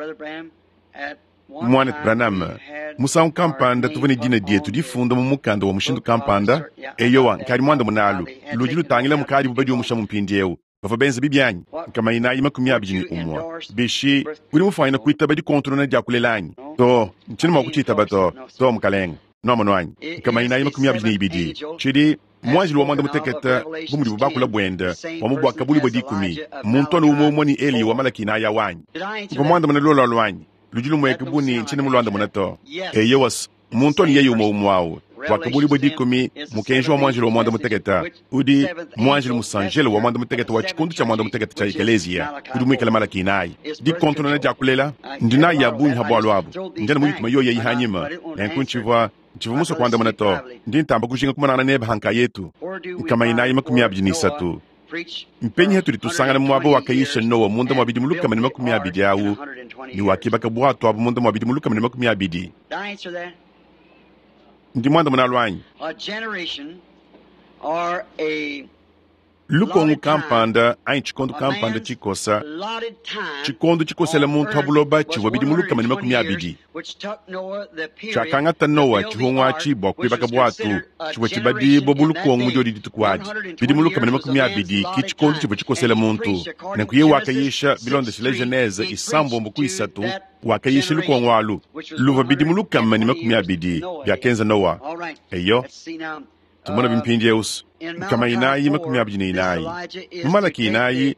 mwanetu Branham musangu kampanda tuvua ne dina dietu difunda mu mukanda wa mushindu kampanda eyowa nkadi muanda munalu ludi lutangila mukadi bubadi umusha mu mpindiewu bavua benza bibyanyi nkama inayi makumi abidi ne umwa bishi udi mufanyina kuitaba dikontonona dia kulelanyi to ntshiena mua kutshiitaba to to mukalenga nomono anyi nkama inayi makumi abidi ne ibidi tshidi mwanjili wa mwanda mutekete bu mudibu bakula bwenda wa mubwaka buli bwa dikumi muntu anu umwe umwe ni Eliya wa Malaki inaya wanyi mva mwandamuna lolo lwanyi ludi lumweke buni ntshiena mulwandamuna to eyowas muntu anu yeye umwe umwe awu wakabuli bwa dikumi mukenji wa mwanjili wa mwanda mutekete udi mwanjili musanjele wa mwanda mutekete wa tshikundu tshia mwanda mutekete tshia ekeleziya udi muikale Malaki inayi dikontonona dia kulela ndinayi ya bungi ha bwalu abu ndiana muyituma yoyo yihanyima nenku ntshivua ntshivua musue kuandamuna to ndi ntamba kujinga kumanangana nebe hanka yetu nkama inayi makumi abidi ne isatu mpenyi hatudi tusangana muaba wakayisha Noa munda mua bidimu lukama ne makumi abidi awu ne wakibaka bwatu abu munda mua bidimu lukama ne makumi abidi ndi muandamuna lwanyi lukongo kampanda anyi tshikondo kampanda tshikosa tshikondo tshikosela muntu ha buloba tshivua bidimu lukama ne makumi abidi tshiakangata Noa tshihungu atshi bua kuibaka bwatu tshivua tshibadibua bu lukongo mu diodi dituku adi bidimu lukama ne makumi abidi ki tshikondo tshivua tshikosela muntu nenku ye wakayisha bilondeshile Genese isambombo ku isatu wakayisha lukongo alu luvua bidimu lukama ne makumi abidi biakenza Noa eyo tumona bimpindiewu nkama inayi makumi abidi ne inayi mu Malaki inayi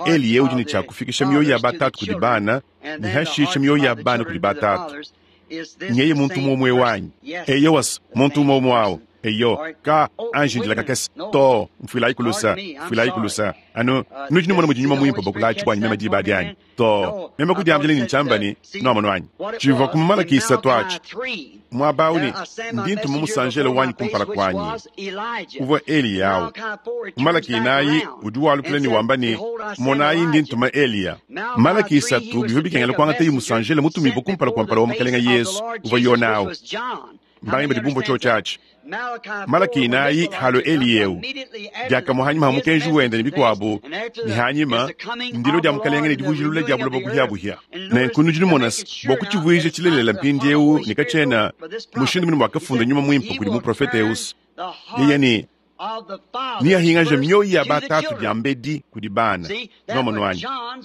Eliya udi ne tshia kufikisha mioyo ya batatu kudi bana ne hashisha mioyo ya bana kudi batatu nyeye muntu umwe wanyi eyowas muntu umwe umwe awu eyo ka anji ndila kakese to mfuilayi kulusa mfuilayi kulusa anu nudi numona mudi nyuma muimpe bakulayi bwanyi meme diba dianyi to meme kudiambila ne ntshambani nomono anyi tshivua ku Malaki isatu atshi muaba awu ne ndi ntuma musanjele wanyi kumpala kuanyi uvua Eliya awu Malaki inayi udi walukila ne wamba ne monayi ndi ntuma Eliya Malaki isatu bivua bikengela kuangata musanjele mutumibue kumpala kua mpala wa mukalenga Yesu uvua Yona awu mbangi badi bumvua tshio tshiatshi Malaki inayi halo Eliyewu diakamue hanyima ha mukenji wende ne bikuabu ne hanyima ndilo dia mukalenga ne dibujilula dia buloba buhiabuhia nenku nudi numona bua kutshivuija tshilelela mpindiewu ne katshiena mushindu mune wakafunda nyuma muimpe kudi muprofete eusi yeye ne niyahingaja mioyo ya batatu dia mbedi kudi bana nomono anyi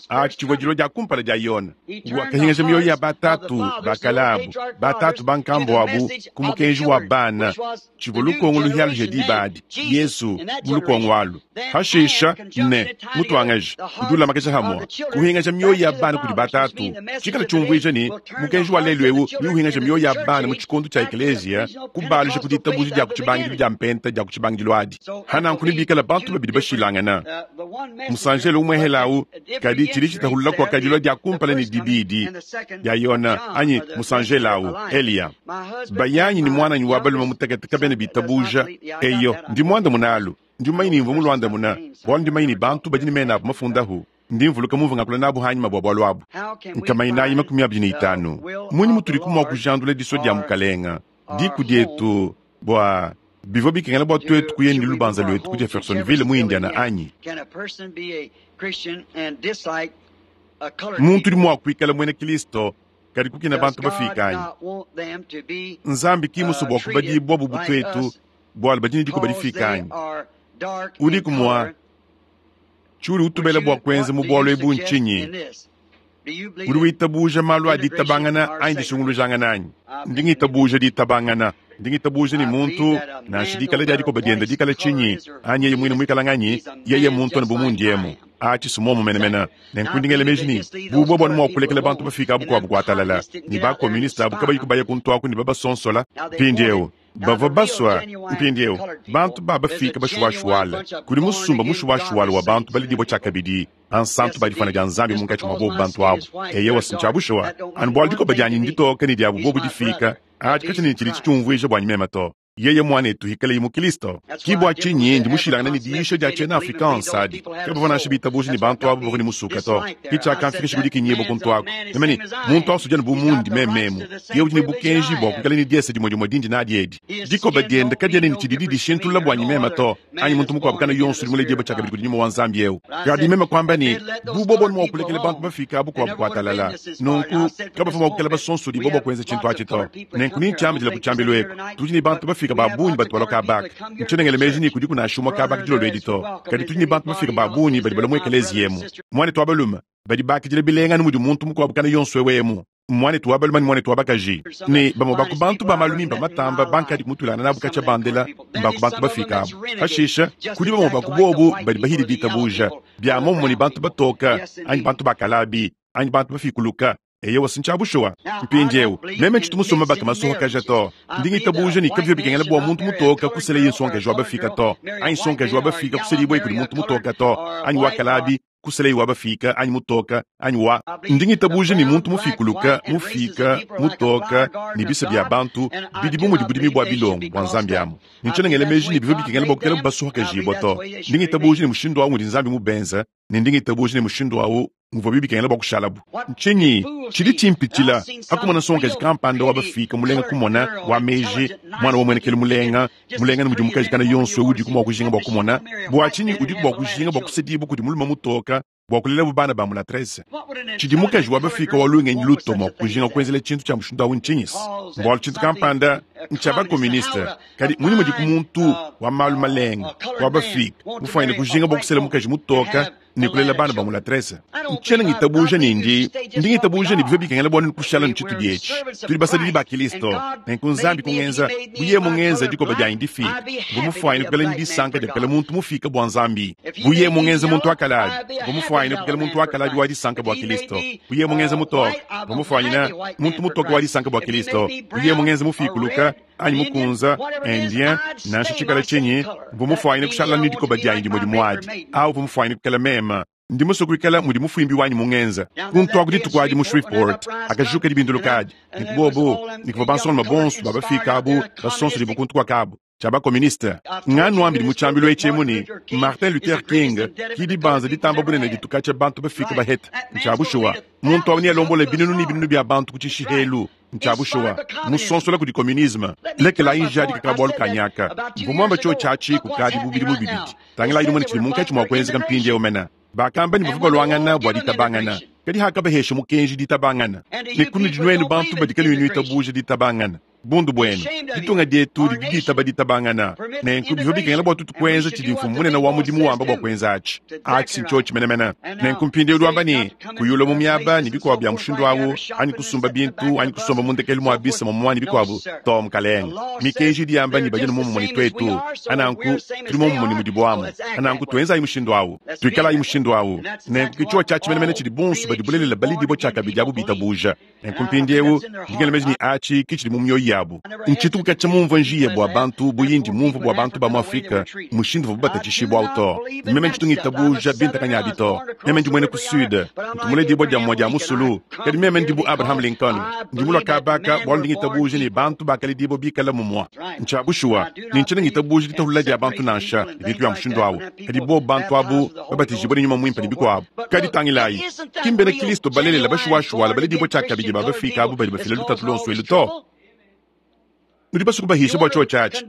atshi tshivua dilua dia kumpala dia Yona wakahingaja mioyo ya batatu bakalabu batatu bankambo abu ku mukenji wa bana tshivua lukongo luhialuhia diba adi Yesu mu lukongo alu hashisha ne mutuangaji udi ulamakesha hamua kuhingaja mioyo ya bana kudi batatu tshikala tshiumvuija ne mukenji wa lelu ewu niuhingaja mioyo ya bana mu tshikondo tshia ekeleziya kubalusha ku ditabuja dia ku tshibangidilu dia mpenta dia ku tshibangidilu adi hananku nibikala bantu babidi bashilangana musanjele umwehelawu kadi tshidi tshitahulula kua kadilua dia kumpala ne dibidi dia Yona anyi musanjelawu Eliya bayanyi ni mwananyi wa balume mutekete kabene bitabuja eyo ndi muanda munalu ndi mumanyi ne mvua mulwandamuna bualu ndi mumanyi ne bantu badi ne mena abu mafundahu ndi mvuluka mumvua ngakula nabu hanyima bua bualu abu nkama inayi makumi abidi ne itanu munyi mutudi kumua kujandula disua dia mukalenga diku dietu bua bivua bikengela bua tuetu kuya ne lubanza luetu ku Jeffersonville mu Indiana anyi muntu udi mua kuikala muena Kristo kadi kukina bantu bafika anyi Nzambi ki musue bua kubadibua bu tuetu bualu badi ne dikuba difika anyi udi kumua tshiudi utubela bua kuenza mu bualu ebu ntshinyi udi witabuja malu a ditabangana anyi disungulujangana anyi ndi ngitabuja ditabangana ndi ngitabuja ni muntu nansha dikala dia dikoba dienda dikala tshinyi anyi yeye muine muikala nganyi yeye muntu anu bu mundiemu atshi sumomo menemene nenku ndi ngela meji ni bubua buanu mua kulekela bantu bafika abu kuabu kuatalala ni bakomuniste abu kabayi kubaya kuntu aku ni babasonsola mpindiewu Bavua baswa mpindieu bantu babafika bashuwashuwala kudi musumba mushuwashuwala wa bantu balidibwa tshakabidi bansantu badifana dia nzambi munkatshi mua bobu bantu abo eyewa sintshabushuwa anu bwalo dikoba dianyi nditoka ne diabu bobu difika adi katshina tshidi tshiumvuija bwanyi mema to yeye mwanetu hikale mu Kristo kibwa chinyi ndi mushilangana ne diisha dia chena afrikaans adi kebavua nansha bitabuja ne bantu abo bavua ne musuka to kichakamfikisha kudi kinyebo kuntu ako nemani muntu awu sujana bu mundi mememu ye udi ne bukenji bua kuikala ne diesa dimue dimue dindi nadi edi dikoba dienda kadiena ne tshididi dishintulula bwanyi mema to anyi muntu mukuabu kana yonso udi muledieba tshakabidi kudi nyuma wa nzambi eu kadi meme kwamba ne bubobo ni mua kulekela bantu bafika abu kuabu kuatalala nunku kabavua mua kukela basonsodi bobo kuenza tshintu atshi to nenku nintshiambidila ku tshiambilu eku tudi ne bantu bafika babunyi batwala kabaka ntshonengele meji ni kudi kunashumwa kabaka dilolo edi to kadi tudi ne bantu bafika babunyi badi bala mu ekelezi yemu mwanetu wa balume badi bakidila bilengani mudi muntu mukuabu kana yonso ewemu mwanetu wa balume ni mwanetu wa bakaji ne bamwe baku bantu ba malu mimpe matamba bankadi kumutulana nabu katshia bandela mbaku bantu bafika abu pashisha kudi bamwe baku bobu badi bahidi ditabuja bia momumue ne bantu batoka anyi bantu bakalabi anyi bantu bafikuluka eyewa sintshabushuwa mpindieu meme tshitu musoma baka masohakaja to ndingitabuja ne kavyo bikengela bua muntu mutoka kusela ye nsonkaji wa bafika to anyi nsonkaji wa bafika kusela ibue kudi muntu mutoka to anyi wakalabi kusela ye wa bafika anyi mutoka anyi wa ndingitabuja ne muntu mufikuluka mufika mutoka ne bisa bia bantu bidi bu mudi budimi bua bilongo bua nzambi amu nintshonengele meji ne bivyo bikengela bua kukela basohakajibua to ndingitabuja ne mushindu awu ngudi nzambi mubenza ne ndingitabuja ne mushindu awu muvua bibikengela bua kushalabu ntshinyi tshidi tshimpitshila akumona nsongaji kampanda wa bafika mulenga kumona wa meji mwana wa muenekele mulenga mulenga ni mudi mukaji kana yonso udiku mua kujinga bua kumona bua tshinyi udiku bua kujinga bua kusedibua kudi mulume mutoka bua kulela bana ba mulatrese tshidi mukaji wa bafika wa lungenyi lutomo kujinga kuenzela tshintu tshia mushindu awu ntshinyisi mbualu tshintu kampanda ntshia bakomuniste kadi muni mudi ku muntu wa malu malenga wa bafika mufuanyine kujinga bua kusela mukaji mutoka ne kulela bana ba mulatrese ntshiena ngitabuja ne ndi ndi ngitabuja ne bivyo bikengela bua kushala ne tshitu dietshi tudi basadidi ba Kristo nenku nzambi kungenza buye mungenza dikoba dianyi difika bumufuanyine kukela ne disanka dia kukela muntu mufika bua nzambi buye mungenza muntu akalabi bumufuanyine kukela muntu akalabi wa disanka bua Kristo buye mungenza mutoka bumufuanyine muntu mutoka wa disanka bua Kristo buye mungenza mufikuluka anyi mukunza indien nansha tshikala tshinyi bumufuanyine kushala ne dikoba dianyi dimue dimuadi awu bumufuanyine kukela mema ndi musue kuikala mudi mufumbi wanyi mungenza kuntu aku dituku adi mu Shreveport akajuka dibinduluka adi nikubobu nikuvua bansonga bonso babafika abu basonso dibu kuntu kuakabu tshia bakomuniste nganu ambidi mu tshiambilu etshi ne Martin Luther King kidi banza ditamba bunene dituka tshia bantu bafika baheta ntshiabushuwa muntu awu niyalombola binunu ne binunu bia bantu ku tshishihelu ntshiabushuwa musonsola kudi communisme lekela injadi kaka bwalu kanyaka mvumwamba tshio tshiatshi kukadi bubidi mu bibidi tangila idi mwene tshidi munkatshi mua kuenzeka mpindieu mena bakamba ni bavua balwangana bua ditabangana kadi hakabahesha mukenji ditabangana ne kunu dinuenu bantu badikale nuenu itabuja ditabangana bundu bwenu ditunga dietu didi ditaba ditabangana nenku bivua bikengela bua tutu kuenza tshidi mfumu munene wa mudimu wamba bua kuenza atshi atshi sintsho tshimenemene nenku mpindieu wamba ne kuyula mu miaba ne bikuabu bia mushindu awu anyi kusumba bintu anyi kusomba mu ndekelu mua bisa momumue ne bikuabu to mukalenga mikenji idi yamba ne badi ne momumue ne twetu ananku tudi momumue ne mudibu amu ananku tuenzayi mushindu awu tuikalayi mushindu awu nenku kitshiwa tshia tshimenemene tshidi bonso badi bulelela balidibua tshiakabidi abu bitabuja nenku mpindieu ndingela meji ne atshi kitshidi mu mioyo yabu ntshituku katshia mumvua njiya bua bantu buyindi mumvua bua bantu ba mu Afrika mushindu uvuabu batatshishibua awu to meme ntshitu ngitabuja bintakanyabi to meme ndi muena ku sud ntumule dibua dia mua dia musulu kadi meme ndi bu Abraham Lincoln ndi mulua kabaka bualu ndi ngitabuja ne bantu bakalidibua bikala mumua ntshiabushuwa ne ntshiena ngitabuja ditahulula dia bantu nansha ne bintu bia mushindu awu kadi bobu bantu abu babatijibua ne nyuma muimpe ne bikuabu kadi tangilayi ki mbena Kristo balelela bashuwashuwala baledibua tshiakabidi ba bafika abu badi bafila lutatu lonso elu to nudi basuku bahisha bua tshio tshiatshi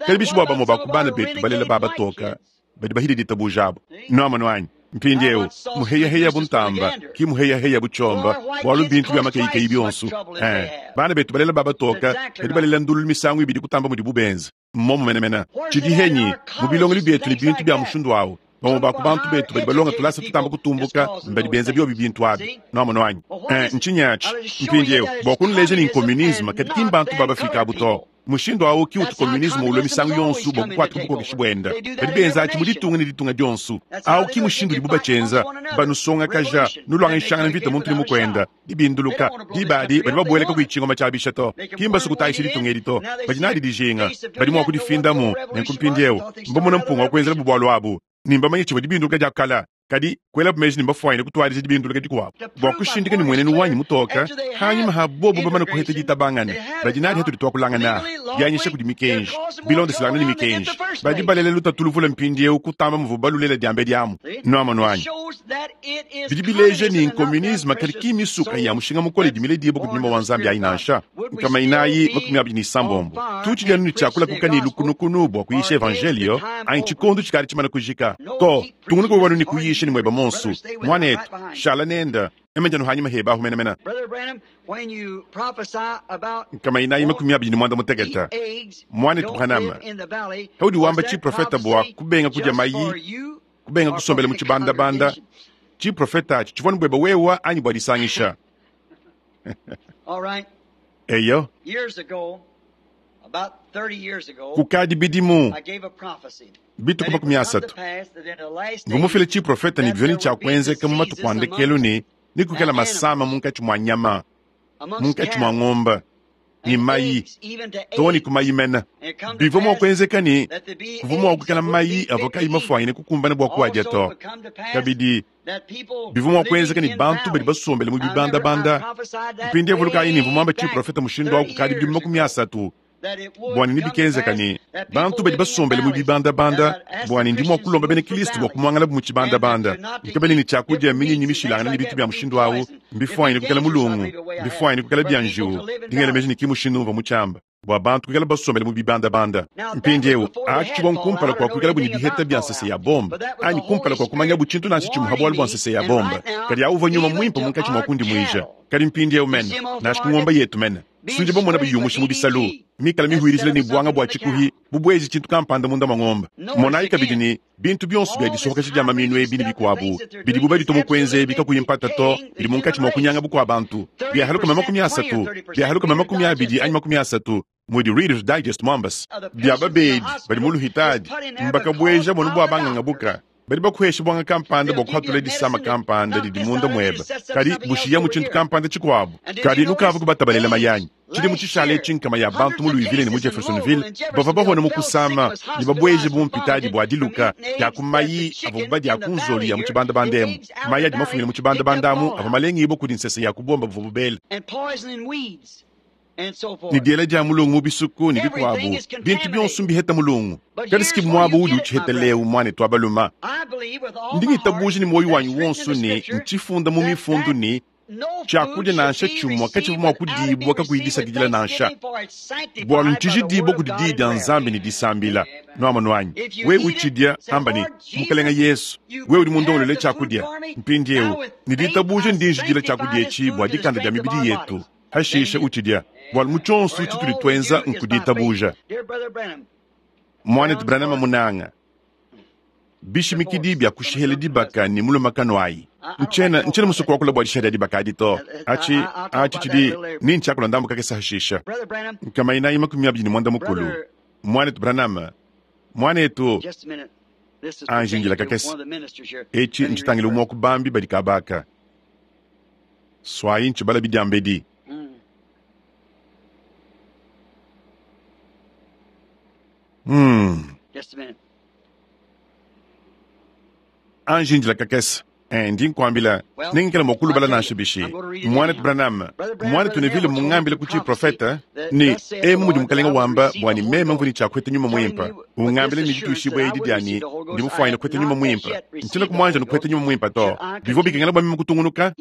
kadi bishi bua bamue ba ku bana betu balela babatoka badi bahidi ditabuja abu nuamanu anyi mpindieu muheyaheya buntamba ki muheyaheya butshomba bualu bintu bia makeyikeyi bionso eh bana betu balela babatoka kadi balela ndulu misangu ibidi kutamba mudi bubenza mmomu menemene tshidi henyi mu bilongelu bietu ne bintu bia mushindu awu bamue ba ku bantu betu badi balonga tulasa tutamba kutumbuka mbadi benza biobi bintu abi nuamanu anyi eh ntshinyi atshi mpindieu bua kunuleja ni communisme kadi ki mbantu babafika abu to Mushindu awu ki utu communisme ulwa misangu yonso bua kukuata bukokeshi buenda. Badi benza atshi mu ditunga ne ditunga dionso. Awu ki mushindu udibu batshienza, banusongakaja, nulwangishangana mvita muntu ne mukwenda, dibinduluka, dibadi badi babueleka kuitshingoma tshia bisha to. Ki mbasu kutayisha ditunga edi to. Badi nadi dijinga, badi mua kudifindamu, nenku mpindiewu mbamona mpunga wa kuenzela bubwalu abu. Nimbamanye tshivua dibinduluka dia kala. Kadi kwela meji nimbafuanyine kutwalija dibinduluka dikuabu bua kushindika ni mwenenu wanyi mutoka hanyuma ha bobu bamana kuheta ditabangana badi nadi hatudi twakulangana dianyisha kudi mikenji bilondeselangana ni mikenji badi balela lutatu luvula mpindiewu kutamba muvu balulela diambe diamu nuamanu anyi bidi bileja ni nkomunisme kadi ki misuka ya mushinga mukole dimile dibo kudi nyuma wa nzambi ayi nansha nkama inayi makumi abidi ni sambombo tutshidianu ni tshiakula kuka ni lukunukunu bua kuyisha evangelio anyi tshikondu tshikali tshimana kujika to tungunuka wanu ni kuyisha ni mweba monsu mwanetu shala nenda emenjanu hanyuma heba ahumenamena nkama inayi makumi abidi ni mwanda muteketa mwanetu Branham haudi wamba tshiprofeta bua kubenga kudya mayi kubenga kusombela mu tshibandabanda tshiprofeta atshi tshivua ni bweba wewa anyi bua disangisha eyo kukadi bidimu bituku makumi asatu ngumufile tshiprofeta ni vyoni tshia kuenzeka mu matuku a ndekelu ni nikukela masama munkatshi mua nyama munkatshi mua ng'omba ni mayi to ni kumayi mena bivua mua kuenzeka ni kuvua mua kukela mayi avua kayi mafuanyine kukumbana bua kuadia to kabidi bivua mua kuenzeka ni bantu badi basombele mu bibandabanda mpindiewu vulukayi ni mvua muamba tshiprofeta mushindu awu kukadi bidimu makumi asatu bua ni bikenzeka ni bantu badi basombele mu bibandabanda bua ni ndi mua kulomba bena Kristo bua kumuangala mu tshibandabanda nkabene ni tshiakudia minyinyi mishilangana ni bintu bia mushindu awu mbifuanyine kukela mulungu mbifuanyine kukela bia njiwu ndingela meji ni ki mushindu umva mu tshiamba bua bantu kukela basombele mu bibandabanda mpindiewu atshi tshivua nkumpala kua kuikala bu ni biheta bia nsese ya bomba anyi kumpala kua kumanya bu tshintu nansha tshimuha bualu bua nsese ya bomba kadi awu uvua nyuma muimpe munkatshi mua kundimuija kadi mpindiewu mene nansha ku ngomba yetu mene sunje bamona biyumusha mu bisalu mikala mihuirizile ni bwanga bua tshikuhi bubwezi tshintu kampanda munda mwa ng'omba monayi kabidi ni bintu bionso bia disohokesha dia maminu ebi ni bikuabu bidibu badito kuenza ebi kakuyi mpata to bidi munkatshi mua kunyanga bukua bantu biahaluka makumi asatu biahaluka makumi abidi anyi makumi asatu mudi Reader's Digest mwambasi bia babedi badi mu luhitadi mbakabweja bonu bua banganga buka badi bakuhesha bwanga kampanda bua kuhatula disama kampanda didi munda mweba kadi bushiya mu tshintu kampanda tshikuabu kadi lukava kubatabalela mayanyi tshidi mu tshishala etshi nkama ya bantu mu Louisville ne mu Jeffersonville bava bahona mu kusama ne babweje bumpitadi bua diluka dia ku mayi avua badia ku nzolu ya mu tshibandabanda emu mayi adi mafumile mu tshibandabanda amu avua malengibo kudi nsese ya kubomba buvua bubele ni diela dia mulungu mu bisuku ni bikuabu bintu bionso mbiheta mulungu kadi sikibu muaba udi utshihetelewu mwanetu wa baluma ndi ngitabuja ni moyo wanyi wonso ni ntshifunda mu mifundu ni tshiakudia nansha tshimua katshivua mua kudibua kakuyidisakidila nansha bualu ntshijidibua kudi diyi dia nzambi ne disambila nuamanu anyi we utshidia amba ni mukalenga Yesu we udi mundongolole tshiakudia mpindiewu ni ditabuja ndinjidila tshiakudia etshi bua dikanda dia mibidi yetu hashisha utshidia bualu mu tshionso tshitudi tuenza nkuditabuja mwanetu Branham munanga bishimikidi bia kushihela dibaka ni mulumakano ayi nchena nchena musuku wakula bua dishihela dibaka adi to atshi atshi tshidi ni ntshiakula ndambu kakesa hashisha nkama inayi makumi abidi ni mwanda mukulu mwanetu Branham mwanetu anjingila kakesa etshi ntshitangila umua kubambi badi kabaka swayi ntshibala bidiambedi Hmm. Anjindila kakesa ndi nkuambila ningikela mua kulubala nansha bishi mwanetu Branham mwanetu Neville mungambila ku tshiprofeta ni emu mudi mukalenga wamba bua ni meme mvuni tshiakuheta nyuma muimpa ungambila ni dituishibua edi diani ndi mufuanyine kuheta nyuma muimpa ntshiena kumuanja nikuheta nyuma muimpa to bivua bikengela bua meme kutungunuka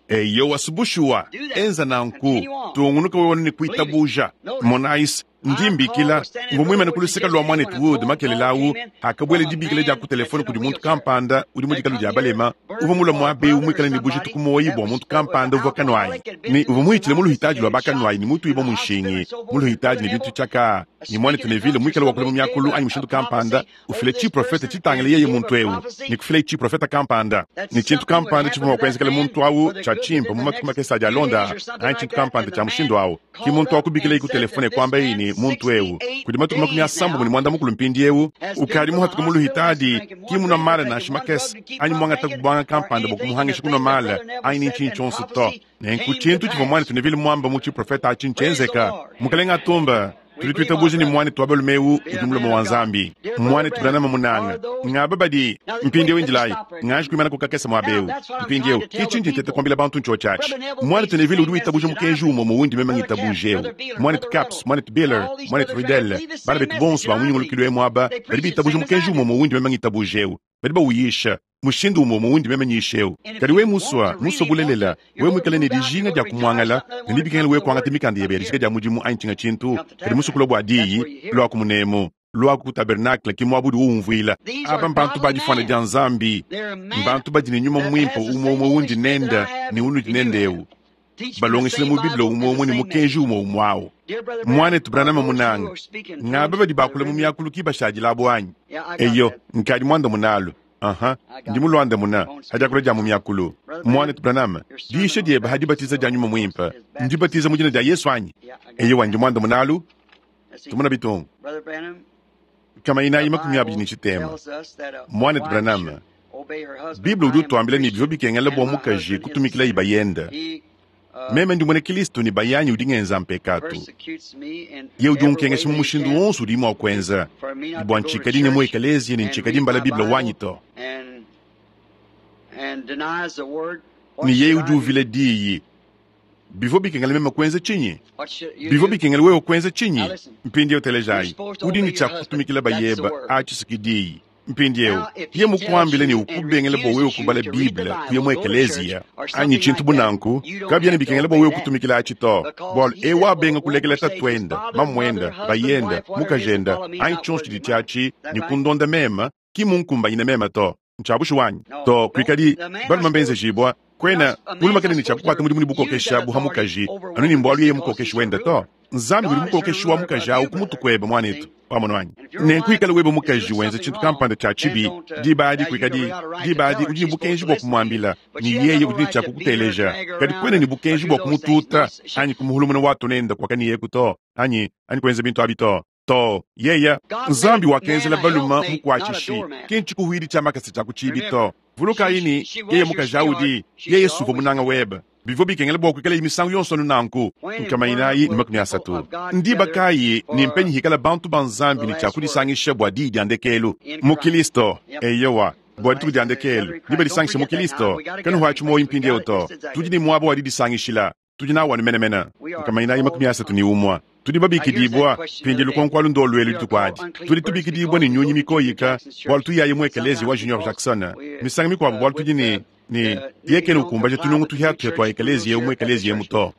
eyo wasubushuwa enza nanku tungunuka wewe ni kuitabuja monais ndimbikila ngumwimene kuluseka lwa mwanetu Wood makelela awu akabwele dibikila dia ku telefone kudi muntu kampanda udi mu dikalu dia balema uvua mula muabe umwikala ni bujitu ku moyi bua muntu kampanda uvua kanwayi ni uvua muhitshile mu luhitaji lua bakanwayi ni mutu ibo munshingi mu luhitaji ni bintu tshiaka ni mwanetu Neville mwikala wakula mu miakulu anyi mushindu kampanda ufile tshiprofeta tshitangile yeye muntu ewu ni kufila tshiprofeta kampanda ni tshintu kampanda tshivua mua kuenzekela muntu awu Nenku tshia tshimpe mu matuku makese adi alonda anyi tshintu kampanda tshia mushindu awu. Ki muntu wakubikila ku telefone kwamba iyi ne muntu ewu kudi matuku makumi asambombo ne muanda mukulu mpindiewu ukadi muhatuka mu luhitadi ki munwa mala nansha makese anyi muangata kubwanga kampanda bua kumuhangisha kunwa mala anyi ni ntshinyi tshionso to. Nenku tshintu tshivua mwanetu Neville mwamba mu tshiprofeta atshi ntshienzeka. Mukalenga atumba tudi tuitabuja ni mwanetu wa balume ewu udi mulomo wa Nzambi. Mwanetu Branham munanga ngaba badi mpindiewu indilayi nganji kuimana kukakesa mwaba ewu mpindiewu ki tshindi ntete kuambila bantu ntsho tshiatshi. Mwanetu Neville udi witabuja mukenji umwe muwundi meme ngitabuja ewu. Mwanetu Caps, mwanetu Biller, mwanetu Riddell, bana betu bonso ba munyungulukilo emu aba badi bitabuja mukenji umwe muwundi meme ngitabuja ewu. Badi bawuyisha mushindu umwe muwundi meme nyisha ewu. Kadi we muswa muswa bulelela we mwikale ne dijinga dia kumwangala ne libikengela we kuangata mikanda yebe ya dijika dia mudimu anyi tshinga tshintu kadi musukula bua diyi lwaku munemu lwaku ku tabernacle ki muabu udi uwumvuila. Aba mbantu ba difwana dia Nzambi, mbantu badi ne nyuma mwimpe umwe umwe wundi nenda ne unudi nenda ewu. Balongesele mu Bible umwe umwe ne mukenji umwe umwe awu. Mwanetu Branham munanga ngaba badi bakula mu miakulu ki bashadilabo anyi? Eyo nkadi mwanda munalo. Aha, ndi mulwanda muna hadiakula dia mu miakulu. Mwanetu Branham, diisha diebe hadibatiza dia nyuma mwimpe ndibatiza mu dina dia Yesu anyi? Eyo ndi mwanda munalu tumuna bitungu kama inayi makumi abidi ni tshitema. Mwanetu Branham, Bible udi utuambila ne bivua bikengela bua mukaji kutumikila ibayenda. Meme ndi mwene Kristo ni bayanyi udi ngenza mpekatu. Ye udi unkengesha mu mushindu wonso udi mua kuenza. Bua ntshikadi ne mu ekeleziya ne ntshikadi mbala Bible wanyi to. Ne yeye udi uvila diyi. Bivua bikengela meme kuenza tshinyi? Bivua bikengela wewe kuenza tshinyi? Mpindiewu telejayi. Udi ne tshia kutumikila bayeba atshi diyi. Mpindiewu ye mukuambile ne ukubengele bua wewe kubala Bible kuya mu ekeleziya anyi tshintu bunanku kabyena bikengela bua wewe kutumikila atshi to. Bualu ewu abenga kulekela tatuenda mamuenda bayenda mukajenda anyi tshionso tshidi tshiatshi ne kundonda mema ki munkumbanyine mema to. Ntshiabushu wanyi to kuikadi balume mbenzejibwa kwena mulumakene ne tshiakukwata mudimu ne bukokesha buha mukaji anu ni mbualu yeye mukokeshi wenda to. Nzambi udi mukokeshi wa mukaji awu kumutu kwebe mwanetu wamono wanyi. Nenku ikala webe mukaji wenza tshintu kampanda tshia tshibi diba adi kuikadi diba adi udi ne bukenji bua kumwambila ni yeye udi ne tshia kukuteleja kadi kwena ne bukenji bua kumututa anyi kumuhulumuna watu nenda kwakaniyeku to anyi anyi kuenza bintu abi to. To yeya Nzambi wakenzela baluma mukwatshishi ki ntshikuhwidi tshia makasa tshia kutshibi to. Vulukayi ni yeye mukaji audi yeye suva munanga webe. Bivua bikengela bua kuikala imisangu yonso anu nanku. Nkama inayi ne makumi asatu. Ndiba kayi ni mpenyi hikala bantu ba Nzambi ne tshia kudisangisha bua diyi dia ndekelu mu Kristo. Eyowa bua dituku dia ndekelu ndiba disangisha mu Kristo. Kanuhwatshi moyo mpindiewu to. Tudi ne muaba wa didisangishila. Tudi nawu anu menemene. Nkama inayi makumi asatu ne umwa. Tudi babikidibwa pindi lukonkwalu ndolwelu dituku adi. Tudi tubikidibwa ne nyunyi mikoyika bualu tuyaye mu ekelezi wa Junior Jackson. Misangu mikuabu bualu tudi ne ne yekene ukumbaja tunungu tuhiatuhia tua ekelezi yewu mu ekelezi yemu to.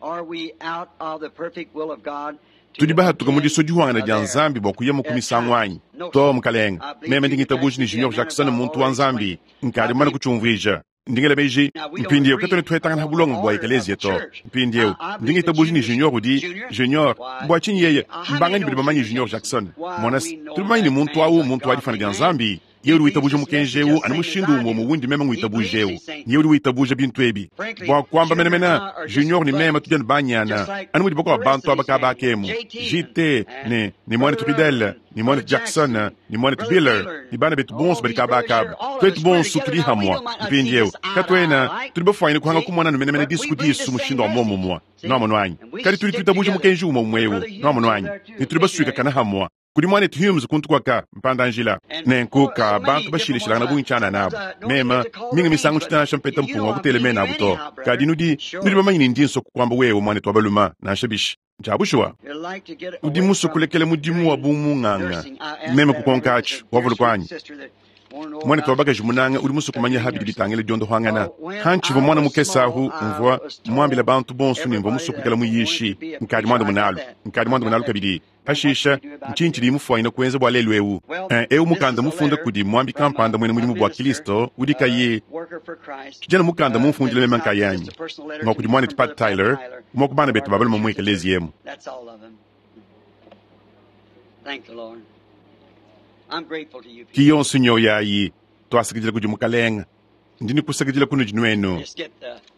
Tudi bahatuka mu diso dihwangana dia Nzambi bua kuya mu kumisangu anyi to mukalenga. Meme ndi ngitabuja ni Junior Jackson muntu wa Nzambi nkadi mumane kutshiumvuija. Ndingela beji mpindiewu katone tuhetangana ha bulongo bua ekelezia to. Mpindiewu ndi ngitabuja ni Junior udi Junior bua tshinyi yeye mbangani badi bamanye Junior Jackson monasi tudi bamanye ni muntu awu muntu wa difana dia Nzambi. Ye udi witabuja mukenji ewu anu mushindu umwe muwundi meme ngwitabuja ewu. Ye udi witabuja bintu ebi bua kuamba menemene Junior ni meme tudi anu banyana anu mudi bakuabu bantu aba kabakemu J T ne ne mwanetu Riddell ni mwanetu Jackson ni mwanetu Biller ni bana betu bonso badi kabakaba twetu bonso tudi hamwa. Mpindiewu katwena tudi bafwanyine kuhanga kumona anu menemene disu disu mushindu wa momumwa noamono anyi kadi tudi tuitabuja mukenji umwe umwewu noamono anyi ne tudi basuikakana hamwa. Kudi mwanetu Humes kuntu kwaka mpanda njila nenku ka bantu bashilishilangana bungi tshiana nabo mema mingi misangu tshitana mpeta mpunga wa kutele mena abo to. Kadi nudi nudi bamanye ne ndi nso kuamba wewe mwanetu wa baluma nansha bishi ntshiabushuwa udi musue kulekela mudimu wa bumunganga meme kukonka atshi wavuluka anyi. Mwanetu wa bakaji munanga udi musue kumanya habidi bitangila diondohangana hantshivua mwana mukese ahu mvua mwambila bantu bonso ne mvua musue kuikala muyishi nkadi mwanda munalu nkadi mwanda munalu kabidi. Pashisha ntshinyi tshidi mufuanyine kuenza bua lelu ewu? Ewu mukanda mufunda kudi mwambi kampanda mwene mudimu bua Kristo udi kayi tshijana mukanda mumfundile meme nkayanyi ngwa kudi mwanetu Pat Tyler umwe ku bana betu ba balume mu ekelezi yemu. Ki yonso nyoyo yayi twasakidila kudi mukalenga. Ndi nikusakidila kunudi nwenu.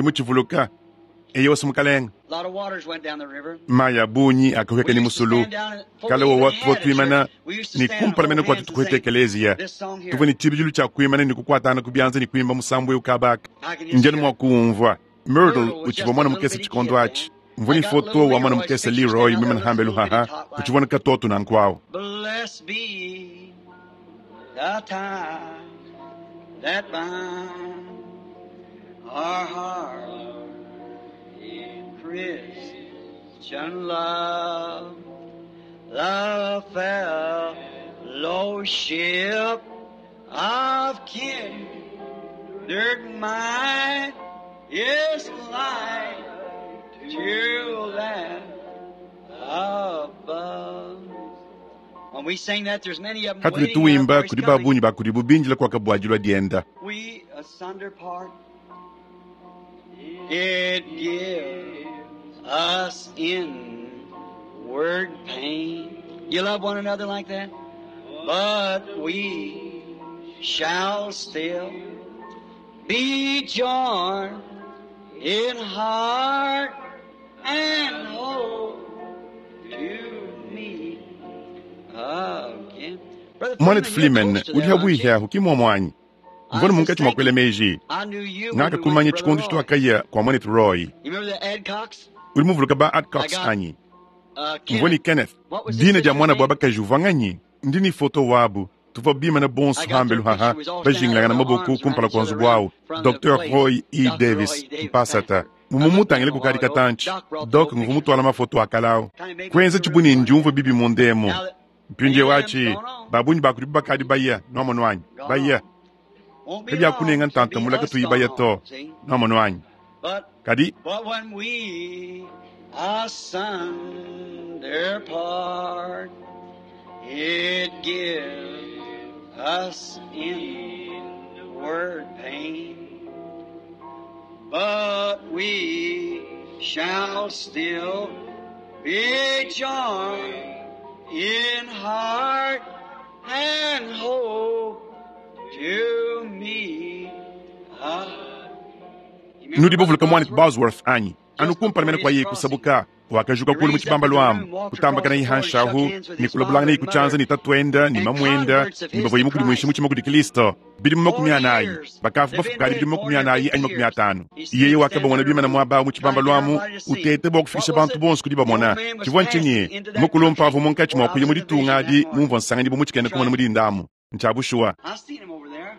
Ndi mutshivuluka. Eyowa mukalenge. Mayi a bungi akahueka ne musulu. Kale wowa tuvua tuimana ne kumpala mene kua tutukuete ekeleziya. Tuvua ne tshibidilu tshia kuimana ne kukuatana ku bianza ne kuimba musambu eu kabaka. Ndi anu mua kuwumvua. Myrtle utshivua muana mukese tshikondo atshi. Mvua ne foto wa mwana mukese Leroy mwimana hambelu haha kuchivona katoto nanku Blessed be the tie that binds our heart in Christian love, the fellowship of kindred mind is light to that above. When we sing that, there's many of them Hatuli waiting now tuwimba for his kuli coming. babunyi bakuli bubinjila kwaka bwajilwa dienda We asunder part. It gives us inward pain. You love one another like that? But we shall still be joined in heart and hope to meet again. Brother mwanetu Freeman, you're Freeman close to uli there, aren't you? habwihi ahu kimwamwanyi I mvona was munkatshi just mwa kuela thinking, meji I knew you when we ngaka went to kumanya Brother chikondo Roy. chitwakaya kwa mwanetu Roy You remember the Adcocks? uli muvuluka ba I Adcox got anyi uh, mvoni Kenneth. Kenneth What was his dina dia sister's mwana bwa name? bakaji uvanganyi ndini foto wabu tuvua bimana I bonso got their hambelu picture. haha We was all standing out bajingilangana with our maboko arms around kumpala each kwa other nzubu around awu from the Dr place. Roy E Doctor Roy Davis Davis, mpasata pastor. I looked at mumumutangile him a while kukadi ago. katanchi Doc brought the Doc old pictures. nguvumutwala mafoto akalawo Kind of made me kwenza feel real chibuni funny. ndiumva bibi mundemo Now that mpindie many of them's wachi gone on, babunyi bakuli bakadi baya nomonwanyi gone baya on. Won't be kabya long kunenga till ntanta be mulaka us tuyi gone baya on. to See? nomonwanyi But kadi but when we asunder part, it gives us inward pain. But we shall still be joined in heart and hope to meet again. You remember nudi Brother bavuluka mwanetu Bosworth? Bosworth anyi Just before anukumpala his kwa ye crossing, kusabuka wakajuka he kulu mu raised up chibamba in the room, lwamu walked across kutambakana the floor and shook ihanshahu hands with ni his kulabulangana father and ikuchanza mother ni tatwenda ni and mamwenda converts of ni his bavoyi to mukuli mwishi Christ. muchima kuli Kristo bili mu makumi Forty anayi years. bakafu They've been bafukali dead bili mu forty makumi or anayi fifty anyi makumi years. atano He yeye still stands wakabamona there in the bimana room, mwaba mu chibamba trying to get lwamu everybody to see. utete bwa kufikisha What was bantu it? bonso kuli The old bamona man was chivwa passing nchinyi into that mukulumpa country avo munkatshi where I mwakuya was in the mulitunga vision that adi morning. mumvwa nsangani bomutshikenda That's kumona right. mulindamu nchabushuwa I seen him over there.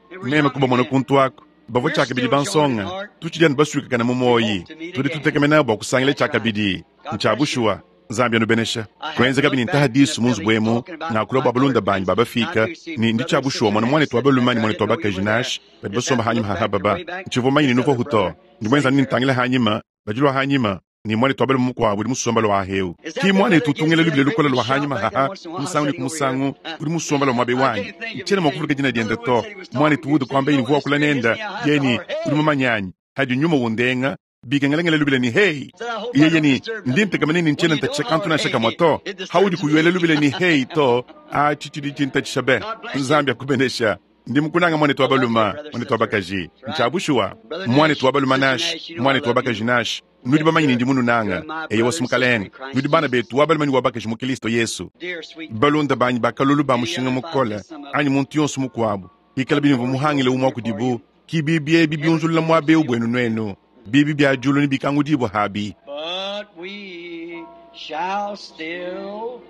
They were meme young kubamona men. kuntu ako bavua We're chakabidi still joined in bansonga heart. tuchidya baswikakana mu We moyi hope to meet tudi again. tutekemena bua kusangila That's right. chakabidi God bless you. nchabushuwa nzambi anubenesha I had kwenza to kabidi look back in the ntahadisu munzu Philly bwemu talking about ngakula my bua balunda colored banyi friends. And I babafika do see ni ndi brother and chabushuwa sister mwana Nash mwanetu sitting back wabaluma ni there. I mwanetu didn't know you wabakaji were there. nash badi Just basomba happened to hanyima look back your hahaba way back. nchivua manyi This ni nuva other huto brother ndi mwenza sitting nini there. ntangila hanyima bajilwa hanyima ni mwanetu wabaluma mukwabo uli musomba lwa hewu Is that ki the brother mwanetu that gives utungela me that lubile great lukola big lwa shout hanyima back there haha once in a while? I'm musangu ni sitting over here. kumusangu uli musomba lwa mwabe I wanyi can't think of nchena his name. mwakuvuluka jina dienda Brother Wood to said he was talking mwanetu to you. wudu Said, kwamba you ini know, when mvua the kula Spirit hits nenda me, I have to yeni holler, uli hey! mumanyanyi hadi nyuma wundenga bikengelengele lubile ni hey Said, I hope I yeye don't ni disturb ndi nothing. ntekamene When nchena you don't ntatsha kantu holler, na shaka hey, mwato it haudi disturbs kuyuela me. lubile ni hey to achi chili chintatsha be God bless you. nzambi akubenesha ndi mukunanga mwanetu I love you, wabaluma brother, mwanetu sister. wabakaji That's right. nchabushuwa Brother mwanetu Nash, wabaluma Sister nash Nash, you know I mwanetu love wabakaji you. nash nudi That's bamanyi good. ndi mununanga You're my eyo brother wasi and sister in mukalenge Christ nudi bana Jesus. betu wabaluma ni wabakaji mu Kristo Yesu Dear sweet balunda banyi bakalulu ba any mushinga other if I mukola miss some of anyi them. muntu yonso mukuabu ikala But bini doors muhangile open umwa here for kudibu you. kibi byebi Heaven's byunzulula doors mwabeu be bwenu open. nwenu bibi bya julu ni bikangudibwa habi But we shall still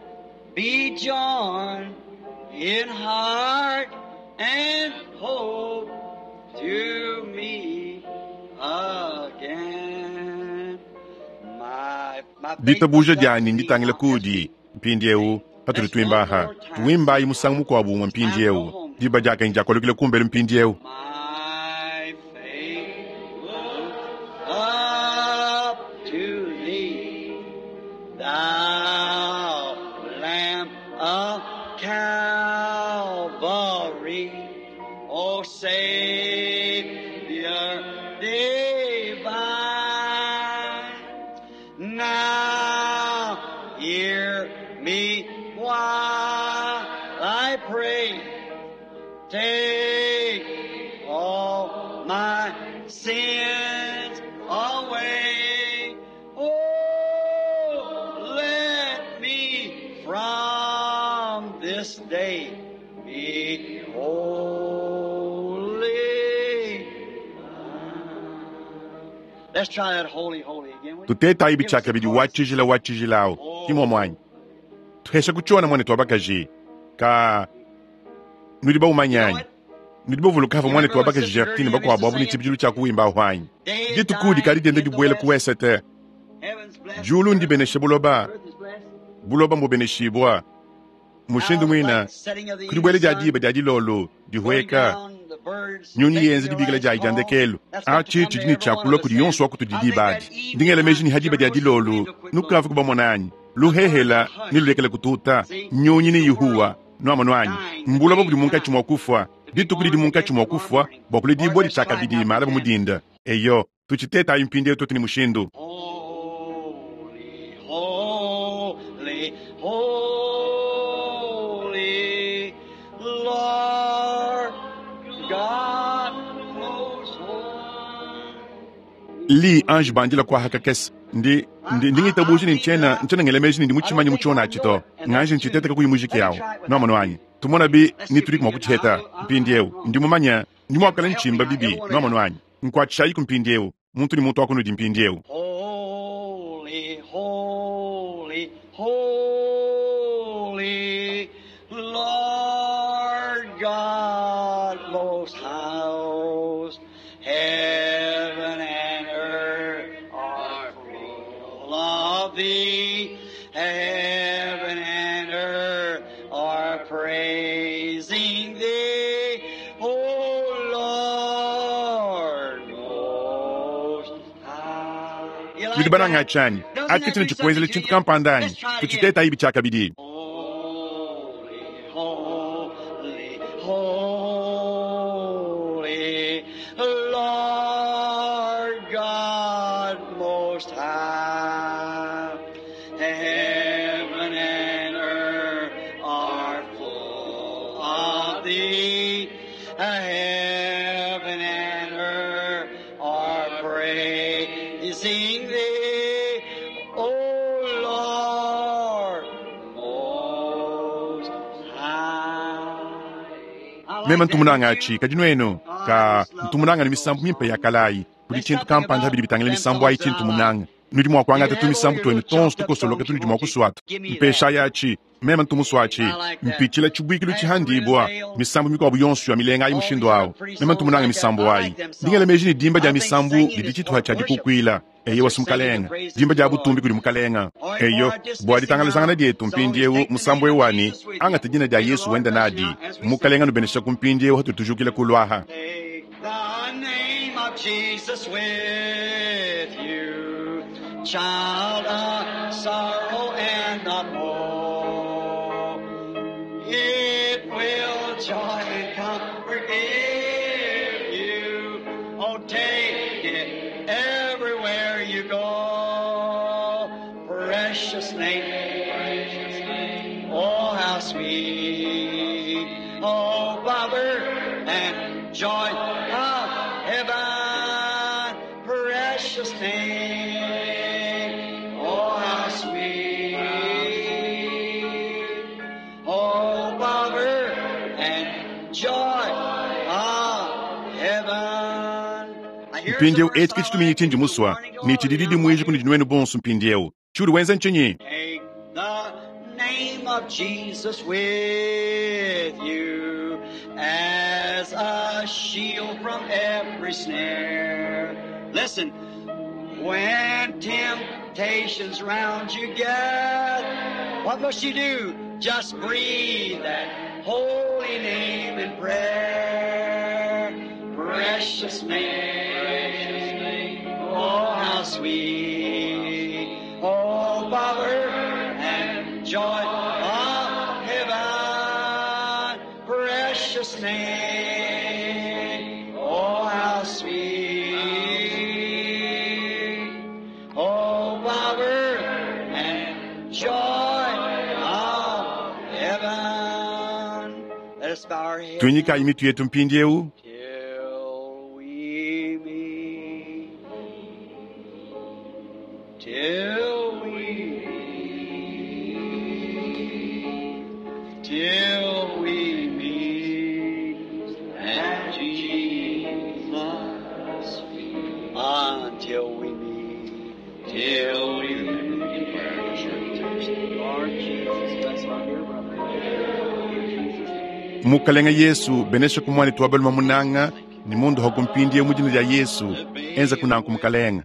be joined in heart and hope to meet again. My, my faith ditabuja looks up to dyani thee nditangile now as we kudi mpindiewu sing. patuli Let's one tuimbaha more time tuwimbayi sing musangu now. mukuabu umwe It's time to go mpindiewu home. diba dyaka njakolokile kumbele mpindiewu My faith looks up to thee, thou Lamb of Calvary, O Savior divine. Now hear me while I pray. Take all my sins away. Oh, let me from this day be holy. Tutetayi bichakabidi wa tshijila wa tshijila awu kimwe mwanyi tuhesha kuchiona mwane twa bakaji ka nudi baumanyanyi nudi bavuluka hava mwane twa bakaji Gertine bakuabu abu ni tshibidilu tshia kuwimba ahwanyi dituku dikadi dienda dibuela ku wesete julu ndibeneshe buloba buloba mbubeneshibwa mushindu mwina kudi dia diba dia dilolo dihweka nyunyi yenze dibikila dia dia ndekelo achi tshidi ne tshiakula kudi yonso wa kutudi dibadi ndingela meji ni hadiba dia dilolo nukavu kubamonanyi luhehela nilulekele kututa nyunyi ni yihuwa nuamonwanyi mbuloba budi munkatshi mua kufwa dituku didi munkatshi mua kufwa bua kule dibua ditshakabidi mala bumudinda eyo tuchitetayi mpindieu tutu ni mushindu. Holy, holy, Lord God most high. Li ange bandila kwa hakakese ndi ndi ndingitabuji ni nchena nchena ngelemeji ndi muchimanyi muchiona achito nganje nchiteta kakuyi muziki yawo noamono tumona bi nituli kumwa kuchiheta mpindieu ndi mumanya ndi mwakala nchimba bibi noamono anyi nkwachishayi ku mpindieu muntu ni muntu akunudi mpindieu. Holy, holy, holy, Lord God most high, heaven and earth are full of thee. Heaven and earth are praising thee, O Lord most high. You like Nudi bananga that? achani Doesn't that akitini do chikuenzele something to chintu you? kampandanyi Let's try it again. tuchiteta ibi chakabidi. Holy, holy, holy, Lord God Most High. Heaven and earth are full of thee. Heaven and earth are praising thee, O Lord Most High. I like Mema that, ntumunanga don't achi you? kadi nwenu ka ntumunanga ni misambu mimpe ya kalayi kuli chintu kampanda habili bitangile misambu ayi chintu munanga nudi mwa kuangata tu misambu twenu tonso tukosoloka tunudi mwa kuswata mpesha yachi mema ntumuswachi mpichila chibuikilu chihandibwa misambu mikuabu yonso ya milenga ayi mushindu awo mema ntumunanga misambu ayi ndingela meji ni dimba dia misambu didi chituha cha dikukwila eyo wasi mukalenga dimba dia butumbi kudi mukalenga eyo bua ditangalizangana dietu mpindiewu musambu ewani angata dina dia Yesu wenda nadi mukalenga nubenesha ku mpindiewu hatutujukile kulwaha. Take the name of Jesus with you, child of sorrow and of woe. It will joy and comfort give you. Oh, take it everywhere you go. Precious name, precious name. Oh, how sweet. Oh, Father, and joy of heaven, precious name. Oh, how sweet. Oh, Father, and joy of heaven. Now, here's the Mpindiewu verse eti I kitshitumini like. tshindi muswa Morning ni glory. tshididi mwiji kundi nwenu bonso mpindiewu tshiudi wenza nchinyi. Take the name of Jesus with you as a shield from every snare. Listen, when temptations round you get, what must you do? Just breathe that holy name in prayer. Precious name, oh how sweet. Oh, power and joy of heaven, precious name, oh how sweet. Oh, power and joy of heaven. Let us bow our heads Tunyikayi now mitu yetu mpindiewu till we meet. Till we meet, till we meet at Jesus' feet. Until Till we meet, till we meet. Lord Jesus, bless my dear brother. In Jesus' name. Mukalenga Yesu benesha kumwani twabaluma munanga ni mundu hakumpindie mujina lya Yesu enza kunanku mukalenga.